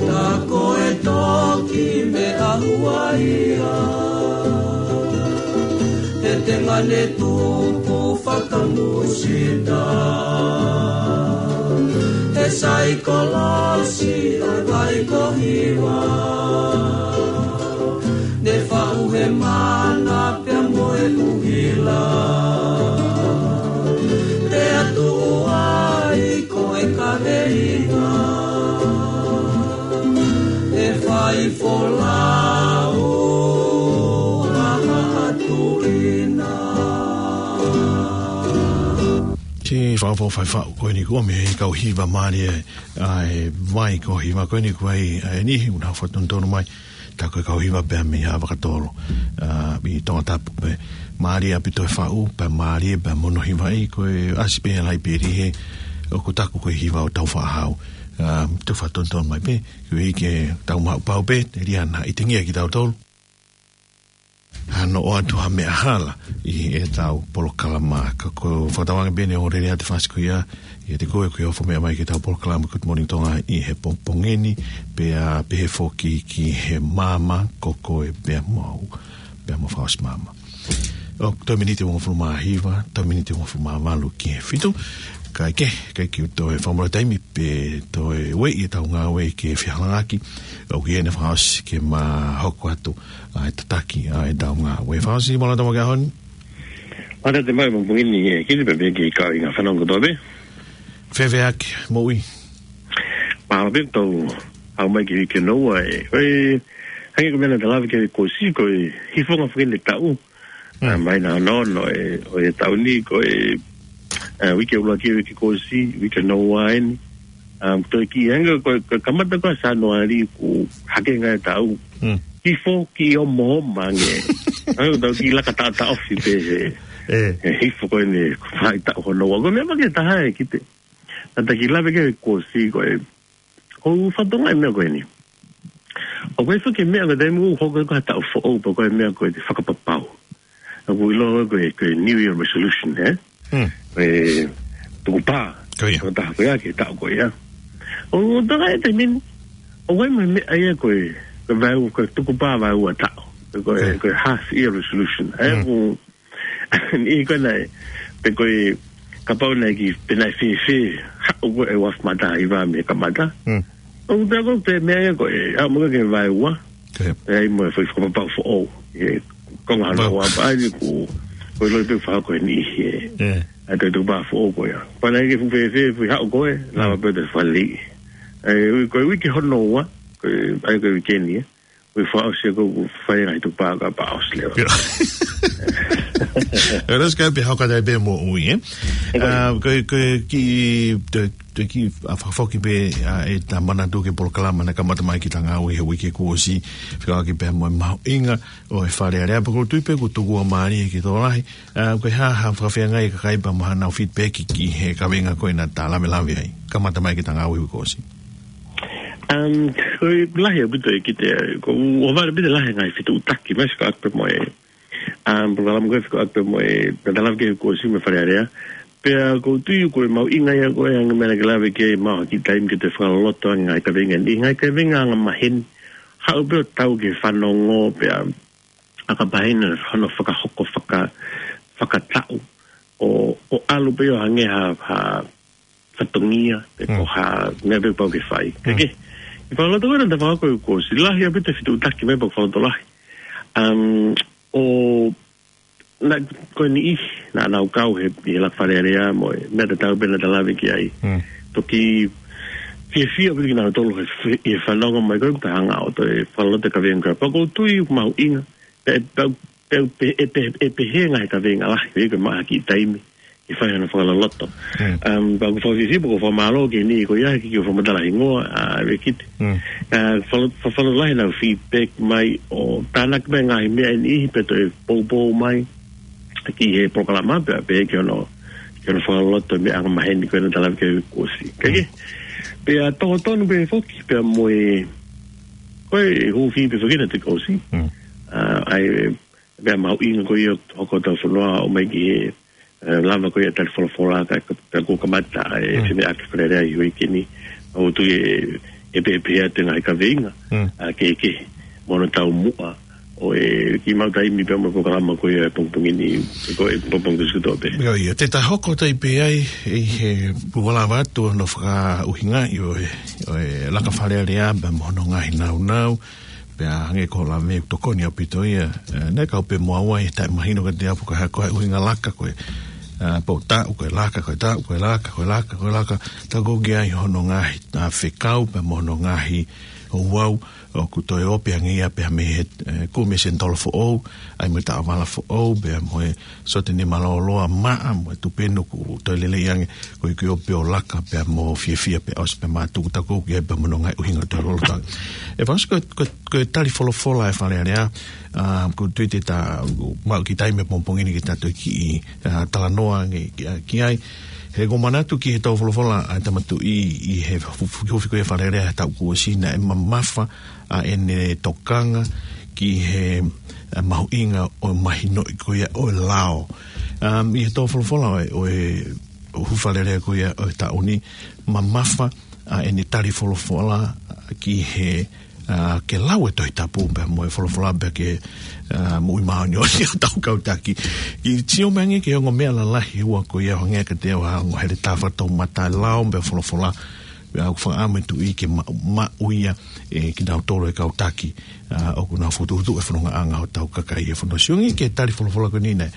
Ta ko e toki meʻa huaia, he tenga ne tupu fakamusita. He saikolosi ʻo e vai ko Hiva, ne faʻu he mana pea mo e ʻuhila. Pea tuʻu ai ko e kaveinga, ʻe fai folau ʻa Haʻatuina. Ke fakaʻofoʻofa e faʻu ko eni kuo ʻomi ʻe he kau hiva mālie ʻa e vai ko Hiva ko eni kuo ʻai ʻa e niʻihi ʻoku nau fakatonutonu mai. Tā ko e kau hiva pea mei Haʻa Vakatolo, ʻa, mei Tongatapu pē. Mālie ʻaupito e faʻu, pea mālie pea mo hono hivaʻi, ko e ʻasi pē he laipeli he ʻoku taku ko e hiva ʻo Taufaʻāhau. ʻA, ʻoku fakatonutonu mai pē, koeʻuhi ke tau maʻu pau pē, Teliana, ʻi he tengia kitautolu. Hano ʻoatu ha meʻa hala ʻi heʻetau polokalama, ka ko e fakatauange pē ʻeni ʻo lele atu e fasi ko ia, ʻiate koe ʻoku ke ofo meʻa mai ki heʻetau polokalama Good Morning Tonga ʻi he pongipongi ni, pea pehē foki ki he maama, ko koe pea mo au, pea mo Fakaʻosi Maama. ʻOku toe miniti ʻe uofulu mā hiva, toe miniti ʻe uofulu mā valu ki he fitu, kae kehe, ʻikai ke u toe fakamole taimi, pe toe ueʻi ʻetau ngāue ke fehalānaki, ʻoku ʻi heni Fakaʻosi ke ma hoko atu ʻa e tataki ʻa ʻetau ngāue. Fakaʻosi, mālō e tau mo e ʻaho ni. Mālō e tau mo e pongipongi ni, ē, kili pē pē ki he kau hingoa fānau kotoa pē. Fēfē hake, moʻui? Mālō pē, tau aʻu mai ki he uike hono ua, ē. Ko e, hangē ko e meʻa naʻa ta lave ki ai kuo ʻosi, ko e hifonga foki eni e taʻu. Mm. ʻA, mai naʻa nau ʻo e, ʻo e taʻu ni, ko e, ʻa, uike ʻuluaki, uike kuo ʻosi, uike hono ua eni. ʻA, toe kiʻi hangē ko e, ko e kamata ko ē ʻa Sānuali kuo hake ai e taʻu. Mm. Hifo ki homo homo ange. Hangē ko e tau kiʻi laka taʻotaʻofi pē he, ē, he hifo ko eni, ko e fai taʻu hono ua. Ko e meʻa makehe taha ē, kite. Naʻa ta kiʻi lave ki ai kuo ʻosi, ko e, ʻoku ou fakatokangaʻi e meʻa ko eni. ʻOku ʻi ai foki e meʻa ko e taimi ʻoku hoko ai ko ha taʻu foʻou, pe ko e meʻa ko e fakapapau. ʻOku ʻiloa ko e, ko e New Year resolution, ē? Hmm. Ko e tukupā. Ko ia. Ko e taha ko ia ki he taʻu ko ia. ʻOku ou tokanga he taimi ni, ʻoku ʻi ai mo e meʻa ia ko e, ko e vaeua, ko e tukupā vaeua taʻu. Ko e, ko e half year resolution. ʻA ia ko e niʻihi ko ē naʻe, pe ko e kapau naʻe ki, pe naʻe fēfē, haʻu ko ē ʻa e uafu matahiva mei he kamata. ʻOku pehē ko e meʻa ia ko e, haʻu mo ke vaeua. Pea ʻi ai mo e foʻi fakapapau foʻou. ʻE, ko e ngaahi ua pea ʻai ko, ko e loi pē fakako e niʻihi ē. ʻA e tukupā foʻou ko ia. Pea naʻe ke fuʻu fēfē, fuʻu haʻu ko ē, lava pē te fali. ʻE, ui, ko e uike hono ua, ko e, ʻai ko e uike ni ē. Ko e fakaʻosi ko e fai ngaahi tukupā ka pea ʻosi leva. ʻE, ʻosi ka pē hoko atu pē mo ui, ē? ʻE, ko e kiʻi, te, te kiʻi fakafoki pē, ʻa, ʻeta manatu ki he polokalama naʻe kamata mai ki he Tangata ʻi he uike kuo ʻosi, fekauʻaki pē mo e mahuʻinga ʻo e Fale Alea, pea ʻoku ou tui pē kuo tuku ʻa mālie ki he tokolahi, ʻa, ko e hā, hā fakafeangai ka kai pea mo haʻanau feedback ki he kaveinga ko ē naʻa ta lavelave ai. Kamata mai ki he Tangata ʻi he uike kuo ʻosi. Um, ko e lahi ʻaupito ʻEkete, ko e ʻohovale ʻaupito lahi ngaahi fetuʻutaki, mai fekauʻaki pē mo e, um, polokalama ko ē fekauʻaki pē mo e, naʻa ta lave ki he uike kuo ʻosi mo e Fale Alea. Pea ʻoku ou tui ko e mahuʻinga ia ko e anga e meʻa naʻa ke lave ki ai, maʻu ha kiʻi taimi ke te fakaloloto ange ngaahi kaveinga ni, ngaahi kaveinga angamaheni. Haʻu pē ʻo tau ke fanongo, pea ʻa ka pehē ni hono fakahoko faka-, fakataʻu ʻo, ʻo ʻalu pē ʻo hangē ha, ha fatongia, pe ko ha meʻa pē pau ke fai. Ke, ke, ʻi he fakaloloto ko ē naʻa ta fakahoko ʻi he uike kuo ʻosi, lahi ʻaupito e fetuʻutaki mai pea ʻoku fakalotolahi. Um, ʻo, naʻe, ko e niʻihi, naʻa nau kau he, ʻi he laka Fale Alea mo e, meʻa tatau pē naʻa ta lave ki ai. Toki fiefia ʻaupito kinautolu he, he fanongo mai ko ē ʻoku ta hanga ʻo toe fakaloloto e kaveinga ko ē. Pea ʻoku ou tui ʻoku mahuʻinga, pea, pea, pea, pe-, ʻe pe-, ʻe pehē ngaahi kaveinga lahi, ʻe ke maʻu ha kiʻi taimi ke fai hano fakaloloto. Um, pea ʻoku ou fakafiefia, pea ʻoku ou fakamālō ki he niʻihi ko ia he kiʻi fakamatala hingoa, ʻa, ʻEkete. ʻA, falo-, fa-, fakalotolahi ʻenau feedback mai ʻo tānaki mai ngaahi meʻa ʻe niʻihi pea toe poupou mai ki he polokalama pea pehē ki hono, ki hono fakaloloto e meʻa angamaheni ko ē naʻa ta lave ki ai he uike kuo ʻosi. Ka ke, pea tō tonu pē foki, pea mo e, ko e hūfi pē foki naʻa ta ʻosi. ʻA, ʻa e, pea mahuʻinga ko ia ʻoku hoko ʻetau fonua ʻo mai ki he, ʻe, lava ko ia tali folofola ka, ka, ka kuo kamata e femeʻaʻaki Fale Alea ʻi he uike ni. ʻOku ou tui ʻe, ʻe pehē pē atu e ngaahi kaveinga, ʻa, kehekehe mo hono taumuʻa ʻo e kiʻi maʻu taimi pea mo e polokalama ko ia he pongipongi ni, ko e pongipongi Tuʻisituʻa pē. ʻIo, ʻio, te ta hoko atu pē ai ʻi he polokalama atu hono fakaʻuhingaʻi ʻo e, ʻo e laka Fale Alea pea mo hono ngaahi nāunau, pea hangē ko e lave ʻoku tokoni ʻaupito ia, ʻe, naʻe kau pē mo au ai, taʻe mahino kiate au pe ko e hā ko e ʻuhinga laka ko ē, ʻa, pe ko e taʻu ko e laka, ko e taʻu ko e laka, ko e laka, ko e laka, tā ko ē ʻoku ʻi ai hono ngaahi, ʻa, fekau pea mo hono ngaahi ouau, ʻoku toe ope ange ia pea mei he, ʻe, kumi e senitola foʻou, ʻa ia mo e taʻovala foʻou, pea mo e sote ne maloloa maʻa, mo e tupenu kuo toe lelei ange, ko e kiʻi ope ʻo laka pea mo fiefia pea ʻosi pea mātuku, tā ko ē ʻoku ʻi ai pea mo hono ngaahi ʻuhinga toe lolotonga. ʻE Fasi, ko, ko, ko e tali folofola e Fale Alea, ʻa, ʻoku ou tui te ta maʻu e kiʻi taimi he pongipongi ni ke ta toe kiʻi, ʻa, talanoa ange ki, ʻa, ki ai. He ʻoku ou manatu ki he tō folofola ʻa e Tama Tuʻi ʻi he fu-, fu-, hufi ko ia e Fale Alea he taʻu kuo ʻosi naʻe mamafa ʻa ʻene tokanga ki he, ʻa, mahuʻinga ʻo e mahinoʻi ko ia ʻo e lao. Um, ʻi he tō folofola ʻo e, ʻo e, ʻo e hufi Fale Alea ko ia ʻo e taʻu ni, mamafa ʻa ʻene tali folofola ki he, ʻa, ke lau e Tohi Tapu pea mo e folofola pea ke, ʻa, moʻui māʻoniʻoni ʻa hotau kau taki. Kiʻi sio mai ange ki he ongo meʻa lalahi ua ko ia ʻoku hangē kiate au ha ongo heletā fakatoumata, lao pea folofola, pea ʻoku fakaʻamu e Tuʻi ke ma-, maʻu ia ʻe kinautolu e kau taki, ʻa, ʻoku nau fokotuʻutuʻu e fonongaʻanga hotau kakai he fonua. Sio ange ki he tali folofola ko eni naʻe,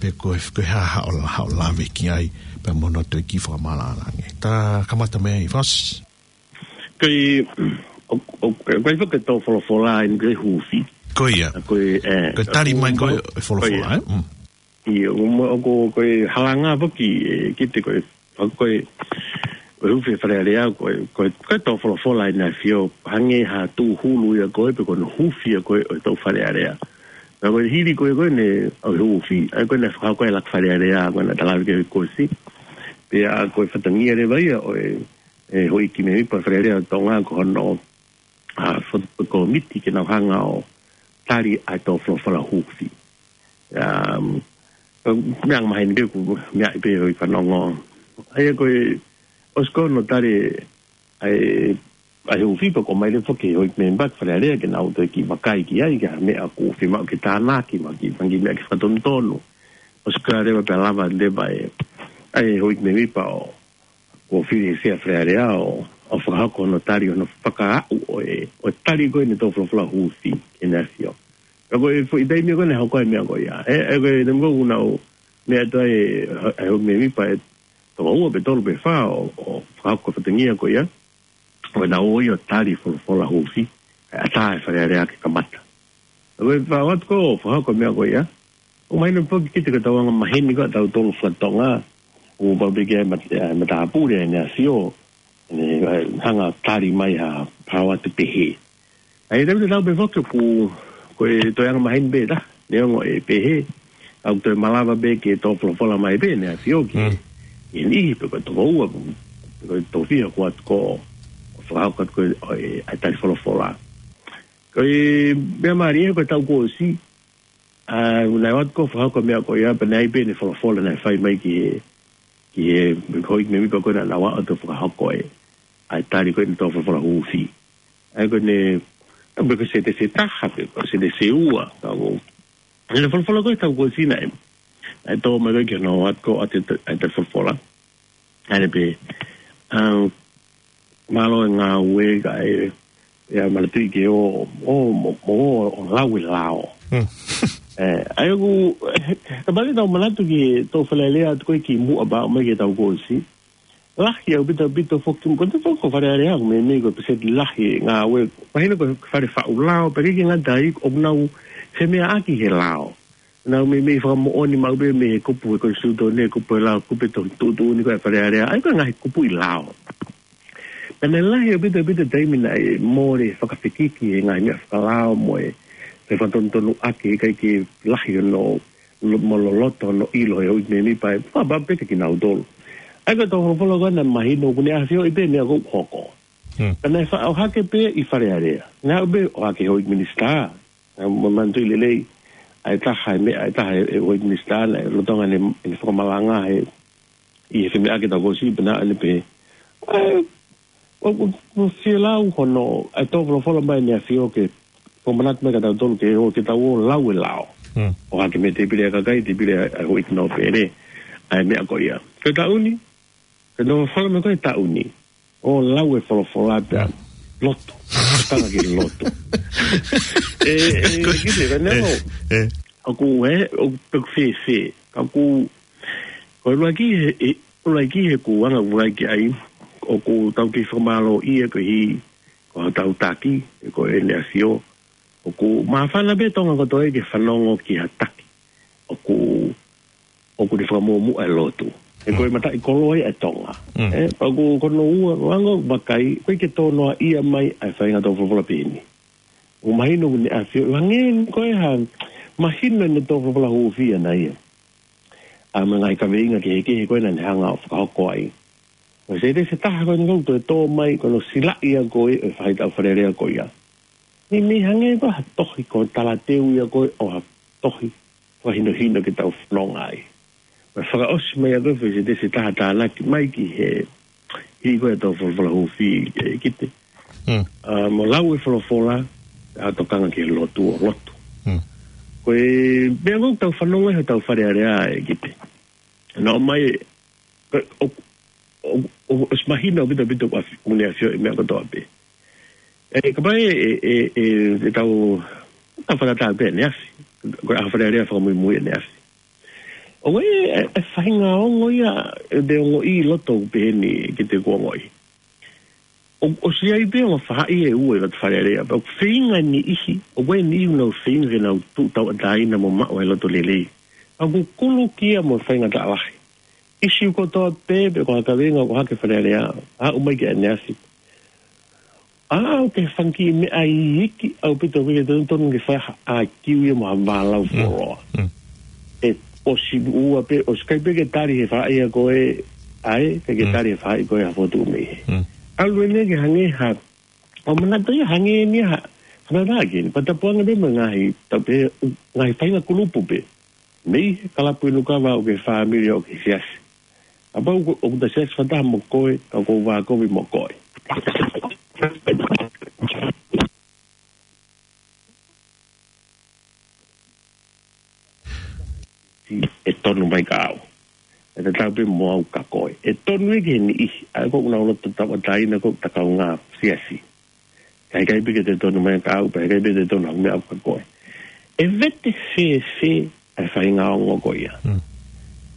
pe ko e, ko e hā haʻo la-, haʻo lave ki ai, pea mo hono toe kiʻi fakamaʻalaʻala ange. Ta kamata mei ai, Fasi. Ko e, ʻo, ʻo, ko e, ko e foki e tō folofola ʻi he hufi. Ko ia. Ko e, ʻe, ko e tali mai ko e, ʻo, e folofola, ko ia, ʻe? Mm. ʻIo, ʻoku mo-, ʻoku, ko e halanga foki, ʻEkete, ko e, ko e, ko e hufi Fale Alea, ko e, ko e, ko e tō folofola ʻi he ʻAfio, hangē ha tūhulu ia ko ē, pe ko hono hufi ia ko ē ʻo e tō Fale Alea. Pea ko e hili ko ē ko ē ʻene, ʻo e hufi, ʻa ia ko ē naʻe fakahoko ai e laka Fale Alea, ko ē naʻa ta lave ki ai he uike kuo ʻosi. Pea ko e fatongia leva ia ʻo e, ʻe, houʻeiki mēmipa Fale Alea ʻo Tonga ko hono, ʻa, fo-, kōmiti ke nau hanga ʻo tali ʻa e tō folofola hufi. Um, meʻa angamaheni pē ʻoku meaʻi pē hoʻo fanongo. ʻA ia ko e, ʻosi ko hono tali ʻa e ʻa e hūfi pea ʻomai leva foki ʻe he houʻeiki mēmipa ki Fale Alea ke nau toe kiʻi vakai ki ai, ki ha meʻa ʻoku fiemaʻu ke tānaki, mo ha kiʻi fanga kiʻi meʻa ke fakatonutonu. ʻOsi ko ia leva pea lava leva ʻe, ʻa e houʻeiki mēmipa ʻo, ʻo fili ʻe he Sea Fale Alea ʻo, ʻo fakahoko hono tali hono fakaaʻu ʻo e, ʻo e tali ko ē ʻene tō folofola hūfi ki Heʻene ʻAfio. Ka ko e foʻi taimi ko ē naʻe hoko ai e meʻa ko ia. ʻE, ʻe ko e taimi ko ē naʻe meʻa atu ai ʻe he houʻeiki mēmipa ʻe toko ua pe tolu pe fā ʻo, ʻo fakahoko e fatongia ko ia. ʻO nau ō ʻo tali folofola hūfi, ʻe ʻatā ʻe Fale Alea ke kamata. Ko e fā atu ko ē ʻo fakahoko e meʻa ko ia. ʻOku mahino foki kiate kitautolu anga maheni ko ē ʻa tautolu faka-Tonga, ʻoku pau pē ke ʻi ai e mat-, e matāpule ʻa Heʻene ʻAfio, ʻene, ʻe, hanga ʻo tali mai ha, ha ō atu pehē. ʻA ia, tau te tau pē foki ʻoku, ko e toe anga maheni pē ʻa e, neongo ʻe pehē, ʻoku toe malava pē ke tō folofola mai pē ʻEne ʻAfio ki, Mm. ki he niʻihi pe ko e toko ua, pe ko e toko fiha kuo ʻoatu ko ē, ʻo fakahoko atu ko ē, ʻo e, ʻa e tali folofola. Ko e meʻa mālie ko e taʻu kuo ʻosi, ʻa, naʻe ʻoatu ko ē ʻo fakahoko e meʻa ko ia, pea naʻe ʻi ai pē ʻene folofola naʻe fai mai ki he, ki he houʻeiki mēmipa ko ē naʻa nau ō atu ʻo fakahoko e, ʻa e tali ko ē ʻene tō folofola hūfi. ʻA ia ko ʻene, pe ko e senitesi ʻe taha, pe ko e senitesi ʻe ua, ka ko ʻene folofola ko ē he taʻu kuo ʻosi naʻe, naʻe tō mai ko ē ki hono ō atu ko ē ʻo ʻoatu e, ʻa e tali folofola. ʻA ia pē, ʻa, mālō e ngāue kae, ʻe, manatuʻi ke ō, ō, mo, mo, ō ʻo lau e lao. Hmm. ʻE, ʻa ia ʻoku, ʻe, kapau leva te tau manatu ki he tō Fale Alea atu ko ē kimuʻa pea ō mai ki he taʻu kuo ʻosi. Lahi ʻaupito, ʻaupito foki, ko e taʻu ko ē Fale Alea ʻoku meimei ko e peseti lahi e ngāue. Mahino ko e fale faʻu lao, pea ʻikai ke ngata ai, ʻoku nau femeʻaʻaki he lao. Nau meimei fakamoʻoni maʻu pē mei he kupu ʻo e konisitūtone, kupu ʻo e lao, kupu ʻo e tuʻutuʻuni ko ē ʻa Fale Alea. ʻA ia ko e ngaahi kupuʻi lao. Pea naʻe lahi ʻaupito, ʻaupito taimi naʻe mole fakafekiki he ngaahi meʻa fakalao mo e, mo e fakatonutonu ʻaki, ʻikai ke lahi hono, lo-, mo loloto hono ʻilo ʻe he houʻeiki mēmipa, ʻe fakapapau pē kiate kinautolu. ʻA ia ko e tō folofola ko ē naʻe mahino ʻoku ne ʻafioʻi pē e meʻa ʻoku hoko. Hmm. Pea naʻe faʻa ʻohake pē ʻi Fale Alea. Naʻe ʻohake houʻeiki minisitā. Naʻa mo manatuʻi lelei, ʻa e taha e meʻa, ʻa e taha e, e houʻeiki minisitā naʻe lolotonga ʻene, ʻene fakamalanga he, ʻi he femeʻaʻaki he taʻu kuo ʻosi pea naʻa ne pehē. ʻA e, ʻo, ʻo, ʻo fielau hono, ʻa e tō folofola mai ʻEne ʻAfio ke, fakamanatu mai kiate kitautolu ke ō, ke tau ō ʻo lau e lao. Hmm. ʻOhake mei he tēpile ʻa e kakai, tēpile ʻa e, ʻa e houʻeiki nōpele, ʻa e meʻa ko ia. Ko e taʻu ni, ko e tō folofola mai ko ē he taʻu ni. ʻO lau e folofola pea lotu. Tokanga ki he lotu. ʻE, ʻe, Ko- kiʻi, ka neongo, ʻE, ʻe. ʻoku ʻi ai, ʻoku peku fēfē. Ka ʻoku, ko e ʻuluaki he, ʻe, ʻuluaki he ʻoku anga ʻuluaki ai, ʻoku tau kei fakamālōʻia koeʻuhi, ko hotau taki, ʻe ko ʻEne ʻAfio. ʻOku māfana pē Tonga kotoa ke fanongo ki ha taki. ʻOku ʻoku ne fakamuʻomuʻa e lotu. He ko e Mm. mataʻikoloa ia ʻa Tonga. Mm. ʻE, pea ko hono ua, ʻoange ʻo vakai, ʻoku ʻikai ke tō noaʻia mai ʻa e faʻahinga tō folofola pehē ni. ʻOku mahino ʻoku ne ʻafio, hangē ko e hā, mahino ʻene tō folofola hūfi ʻana ia. ʻA e ngaahi kaveinga kehekehe ko ē naʻa ne hanga ʻo fakahoko ai. Ko e senitesi ʻe taha ko eni ʻoku toe tō mai, ko hono silaʻi ia ko ē ʻo e faʻahitaʻu Fale Alea ko ia. Meimei hangē ko ha tohi, ko e talateu ia ko ē ʻo ha tohi fakahinohino ke tau fononga ai. Pea fakaʻosi mai ia ko ē foʻi senitesi ʻe taha tānaki mai ki he, hili ko ē e tō folofola hūfi ʻe Kite. Hmm. ʻA, mo lau e folofola, ʻa, tokanga ki he lotu ʻo lotu. Hmm. Ko e meʻa ʻoku tau fanongo ai hotau Fale Alea ʻe Kite. Naʻe ʻomai, ʻo, ʻo, ʻo, ʻosi mahino ʻaupito ʻaupito ʻoku ʻafi-, ʻoku ne ʻafioʻi e meʻa kotoa pē. ʻE, kapau ʻe, ʻe, ʻe, ʻe tau, tau fakatātā pē ʻEne ʻAfio. Ko e ʻaho Fale Alea fakamuimui ʻEne ʻAfio. ʻOku ʻi ai e, e faʻahinga ongo ia, ʻe te ongoʻi ʻi loto pehē ni Kite, ʻoku ongoʻi. ʻO, ʻosi ʻi ai pē ongo faʻahi ʻe ua ʻi loto Fale Alea, pea ʻoku feinga e niʻihi, ʻoku ʻi ai e niʻihi ʻoku nau feinga ke nau tuʻu tauʻatāina mo maʻu ʻa e loto lelei. ʻOku kulukia mo e faingataʻa lahi. ʻIsiū kotoa pē, pe ko ha kaveinga ʻoku ʻohake ʻi Fale Alea, aʻu mai ki ʻEne ʻAfio. ʻA, ʻoku ʻi ai e fanga kiʻi meʻa iiki ʻaupito ʻoku ʻikai ke totonu ke fai ha ʻa kiu ia mo ha vālau Mm. fuoloa. Mm. ʻE, ʻosi ua pē, ʻosi ʻikai pē ke tali ʻe he faʻahi ko ē ʻa ē, ʻikai ke Mm. tali ʻe he faʻahi ko ē ha fotu mei hē. Mm. ʻAlu eni ke hangē ha, ʻo manatu ia hangē ni ha, ha meʻa ke ni, pea tapu ange pē mo e ngaahi, tau pehē, ngaahi faʻahinga kulupu pē. Mei he kalapu inu kava ʻo e fāmili ʻo e siasi. Kapau ʻoku, ʻoku ta siasi fakataha mo koe, ka ʻoku ou vākovi mo koe. ʻE tonu mai ka au. ʻE tatau pē mo au ka koe. ʻE tonu ia ki he niʻihi, ʻa ia ko ʻenau loto tauʻatāina ko ʻeta kaungā siasi. Ka ʻikai pē ke te tonu mai ka au, pea ʻikai pē te tonu au meʻa au ka koe. ʻE vete fēfē ʻa e faʻahinga ongo ko ia. Mm.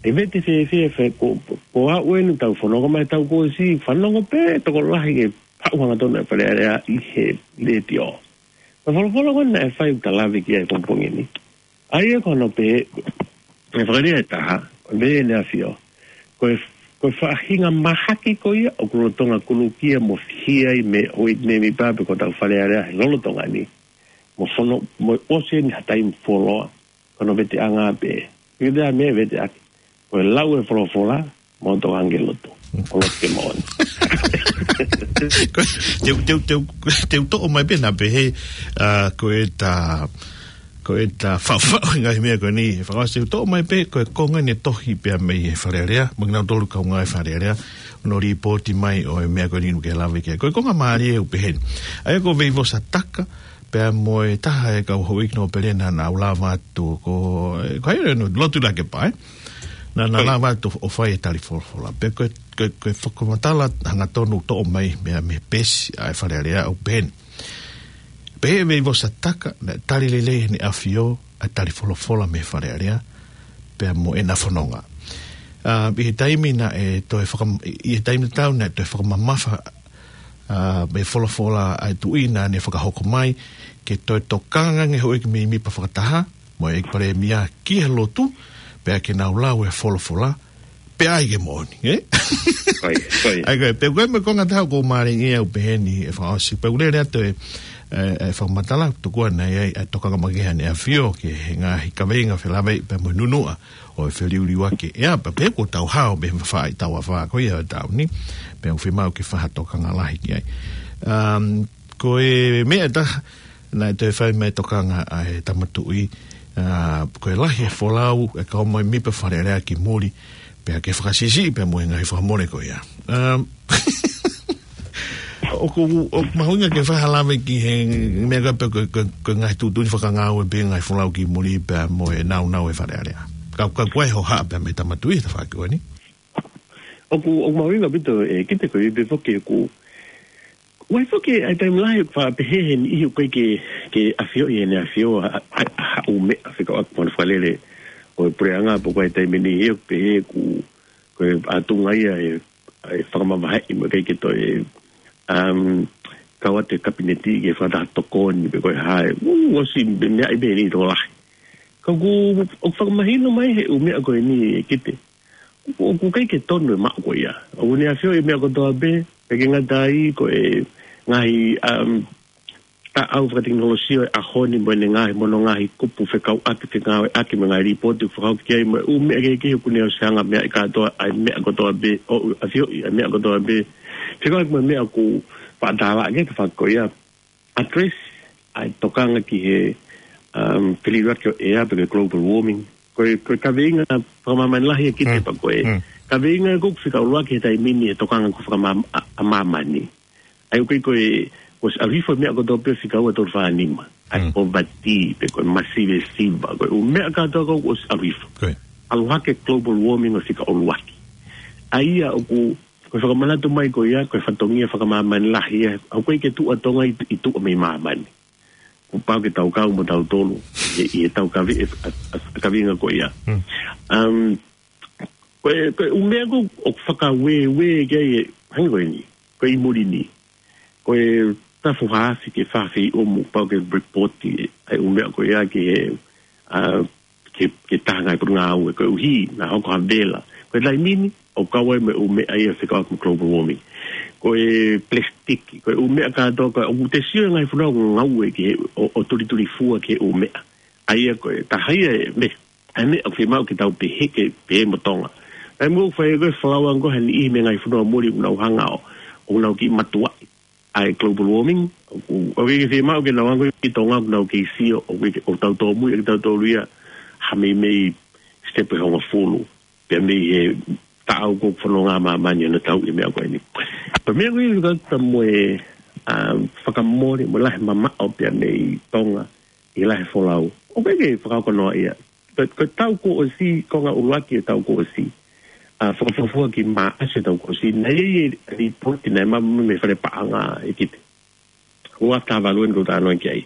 ʻE vete fēfē, fē ko, ko au eni tau fononga mai tau ko si, fanongo pē tokolahi ke paʻu hangatonu e Fale Alea ʻi he letiō. Ko e folofola ko ena ʻe fai ʻoku ta lave ki ai pongipongi ni. ʻA ia ko hono pehē, ʻe fakalea ʻe taha, ko e pehē ʻEne ʻAfio. Ko e, ko e faʻahinga mahaki ko ia, ʻoku lolotonga kulukia mo fihia ai mei, ʻo e, mei, mei pāpe ko ʻetau Fale Alea, he lolotonga ni. Mo fono, mo ʻosi eni ha taimi fuoloa, ko hono veteʻanga pē. Ki te a me veteʻaki. Ko e lau e folofola, mo tokanga ki he lotu. ʻO lotu ke moʻoni. Ko, te u, te u, te u, te u toʻo mai pē naʻa pehē, ʻa, ko ʻeta, ko ʻeta faʻufaʻu e ngaahi meʻa ko eni. Fakaʻosi te u toʻo mai pē, ko e konga eni e tohi pea mei he Fale Alea, mo kinautolu kaungā e Fale Alea, ʻo nau lipooti mai ʻo e meʻa ko eni ʻoku ke lave ki ai. Ko e konga mālie ʻoku pehē ni. ʻA ia ko Veivosa Taka, pea mo e taha e kau houʻeiki nōpele naʻa nau lava atu ko, ko hai ʻoku nau lotu lake pae. Naʻa nau lava atu ʻo fai e tali folofola. Pea ko e, ko e, ko e fakamatala hangatonu toʻo mai mei he peesi ʻa e Fale Alea ʻoku pehē ni. Pehē ʻe Veivosa Taka, naʻe tali lelei ʻe heʻene ʻAfio ʻa e tali folofola mei he Fale Alea, pea mo ʻena fononga. ʻA, ʻi he taimi naʻe toe fakam-, ʻi he taimi tatau naʻe toe fakamamafa ʻa, mei he folofola ʻa e Tuʻi naʻa ne fakahoko mai, ke toe tokanga ange houʻeiki mei MIPA fakataha, mo e ʻEiki Palēmia ki he lotu, pea ke nau lau e folofola, pea ʻai ke moʻoni, ē? Ko ia, ko ia. ʻA ia ko e, pea ko e meʻa konga taha ʻoku mālie ʻoku pehē ni ʻe fakaʻosi, pea ʻoku lele atu e, e, e fakamatala, tokua naʻe ʻi ai, e tokanga makehe ʻa ʻEne ʻAfio, ki he ngaahi kaveinga felāveʻi, pea mo e nunuʻa, ʻo e feliuliuaki ʻe ʻa, pea pē ko ʻetau hao, pē faʻahi tau afā ko ia ʻo e taʻu ni, pea ʻoku fiemaʻu ke fai ha tokanga lahi ki ai. Um, ko e meʻa ʻe taha, naʻe toe fai mai tokanga ʻa e Tama Tuʻi, ʻa, ko e lahi e folau, ʻe kau mai MIPA Fale Alea ki muli, pea ke fakasiʻisiʻi, pea mo e ngaahi fakamole ko ia. Um, ʻOku, ʻoku mahuʻinga ke fai ha lave ki he meʻa ko ē pē ko, ko, ko e ngaahi tuʻutuʻuni fakangāue pē ngaahi folau ki muli pea mo e nāunau e Fale Alea. Ka, ka ko e hohaʻa pē mei he Tama Tuʻi he tafaʻaki ko eni. ʻOku, ʻoku mahuʻinga ʻaupito ʻEkite ko e pehē foki ʻoku, ʻoku ʻi ai foki ʻa e taimi lahi ʻoku faʻa pehē he niʻihi ʻoku ʻikai ke, ke ʻafioʻi ʻe heʻene ʻAfio ʻa, ʻa, ʻa, ʻa e ʻū meʻa fekauʻaki mo hono fakalele ʻo e puleʻanga pe ko e taimi ni ʻoku pehē ʻoku, ko e ʻatunga ia e ʻa e fakamavaheʻi mo e ʻikai ke toe, um, kau atu e Kapineti ke fakataha tokoni pe ko e hā e, ʻū, ʻosi meʻa ʻi pē ni tokolahi. Ka ʻoku, ʻoku fakamahino mai he ʻū meʻa ko eni ʻEkite. ʻOku, ʻoku ʻikai ke tonu e maʻu ko ia. ʻOku ne ʻafioʻi e meʻa kotoa pē, ʻikai ke ngata ai ko e ngaahi, um, taʻau fakatekinolosia ʻo e ʻaho ni mo ʻene ngaahi mo hono ngaahi kupu fekauʻaki fengāueʻaki mo e ngaahi lipooti ʻoku fakahoko ki ai mo e ʻū meʻa kehekehe ʻoku ne ʻosi hanga meaʻi kātoa ʻa e meʻa kotoa pē ʻo ʻafioʻi ʻa e meʻa kotoa pē. Fekauʻaki mo e meʻa ʻoku faʻa tālaʻa ki he tafaʻaki ko ia. Address ʻa e tokanga ki he, um, feliuliuaki ʻo e ʻea pe ko e global warming. Ko e, ko e kaveinga fakamāmani lahi ʻEkite pea ko e kaveinga ʻoku fika ʻuluaki he taimi ni e tokanga ʻoku fakamā-, ʻa, ʻa māmani. ʻA ia ʻoku ʻikai ko e, ʻosi ʻalu hifo e meʻa kotoa pē fika ua tolu fā nima. ʻA e poverty, pe ko e masivesiva, ko e ʻū meʻa kātoa ʻoku ʻosi ʻalu hifo. ʻAlu hake global warming ʻo fika ʻuluaki. ʻA ia ʻoku, ko e fakamanatu mai ko ia, ko e fatongia fakamāmani lahi ia, ʻoku ʻikai ke tuʻu ʻa Tonga ʻi, ʻi tuʻa mei māmani. ʻOku pau ke tau kau mo tautolu, ʻi, ʻi heʻetau kave-, ʻa, ʻa, ʻa kaveinga ko ia. Um, Ko e, ko e ʻū meʻa ʻoku, ʻoku fakaueue ki ai e, hangē ko eni. Ko e ʻi muli ni. Ko e tafu hafi ke fafei ʻoku pau ke repooti ʻa e ʻū meʻa ko ia ki he, ʻa, ke, ke taha ngaahi potungāue. Koeʻuhi, naʻa hoko ha vela. Ko e taimi ni, ʻoku kau ai mo e ʻū meʻa ia fekauʻaki mo global warming. Ko e plastiki, ko e ʻū meʻa kātoa, ko e ʻoku te sio e ngaahi fonua ʻoku ngāue ki he, ʻo, ʻo tulitulifua ki he ʻū meʻa. ʻA ia ko e taha ia e meʻa ʻa e meʻa ʻoku fiemaʻu ke tau pehē ke pehē mo Tonga. Taimi ʻoku fai ko e folau ange ko e ha niʻihi mei he ngaahi fonua muli ʻoku nau hanga ʻo, ʻoku nau kiʻi matuaʻi ʻa e global warming, ʻoku, ʻoku ʻikai ke fiemaʻu ke nau hanga ki Tonga ʻoku nau kei sio, ʻoku ʻikai ke, ʻoku tau tōmui ʻaki tautolu ia, ha meimei step ʻe hongofulu, pea mei he taʻau ʻoku fononga māmani ʻo nau tauʻi e meʻa ko eni. Pea meʻa ko eni ka ta mo e ʻa, fakamole mo e lahi mamaʻo pea mei Tonga ʻi he lahi folau. ʻOku ʻikai ke fakahoko noa ia. Ko, ko e taʻu kuo ʻosi, konga ʻuluaki e taʻu kuo ʻosi, ʻa, fakafuafua ki Maʻasi e taʻu kuo ʻosi, naʻe ʻi ai e lipooti naʻe maʻu mei he fale paʻanga ʻi ʻIkipite. Ua taha valu eni ʻoku ou talanoa ki ai.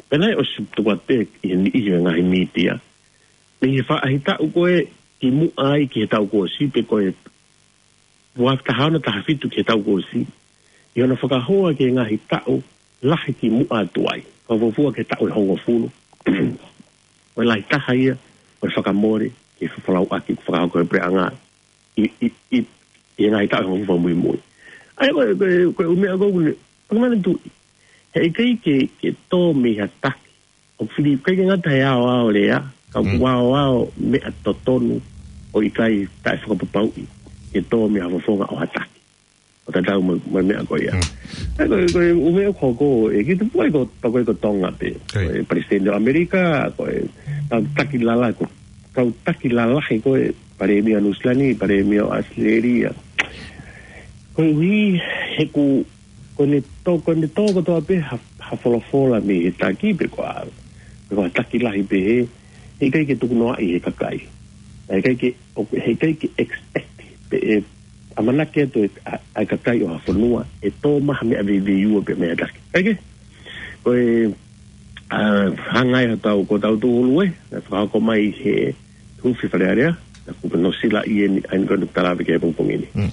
Pea naʻe ʻosi tuku atu pē ʻi he niʻihi ʻo e ngaahi mītia, mei he faʻahitaʻu ko ē kimuʻa ai ki he taʻu kuo ʻosi, pe ko e ua taha ono taha fitu ki he taʻu kuo ʻosi, ʻi hono fakahoa ki he ngaahi taʻu lahi kimuʻa atu ai, fakafuafua ki he taʻu ʻe hongofulu. Ko e lahi taha ia ʻo e fakamole ki he fefolauʻaki ʻoku fakahoko ʻe he puleʻanga ʻi, ʻi, ʻi, ʻi he ngaahi taʻu ʻe hongofulu fakamuimui. ʻA ia ko e, ko e, ko e ʻū meʻa ko ē ʻoku ne, ʻoku ne tuʻu. Heʻikai ke, ke tō mei ha taki. ʻOku fili, ʻikai ke ngata he aoao lea, ka ʻoku Mm. aoao meʻa totonu ʻoku ʻikai taʻefakapapauʻi ke tō mei ha fofonga ʻo ha taki. ʻO tatau mo, mo e meʻa ko ia. Mm. ʻA ia ko e, ko e ʻū meʻa ʻoku hoko, ʻe ki tupu ai ko, pea ko e ko Tonga pē. Ko e Palesiteni ʻo ʻAmelika, ko e kau taki lalahi ko, kau taki lalahi ko e Palēmia ʻo Nuʻu Sila ni, Palēmia ʻo ʻAositelēlia. Koeʻuhi he ʻoku, ko ʻene tō, ko ʻene tō kotoa pē ha, ha folofola mei he taki pe ko ha, pe ko ha taki lahi pehē, heʻikai ke tukunoaʻi ʻe he kakai. Heʻikai ke, ʻo, heʻikai ke expect pe ʻe ʻamanaki atu ʻe, ʻa, ʻa e kakai ʻo ha fonua ʻe tō mai ha meʻa veiveiua pē mei ha taki. ʻIkai ke? Ko e, ʻa, hangē ko ʻetau, ko ʻetau tūhulu ē, naʻe fakahoko mai he Hufi Fale Alea, naʻa ku pano sila ʻi heni, ʻa eni ko ʻeku talave ki he pongipongi ni. Mm.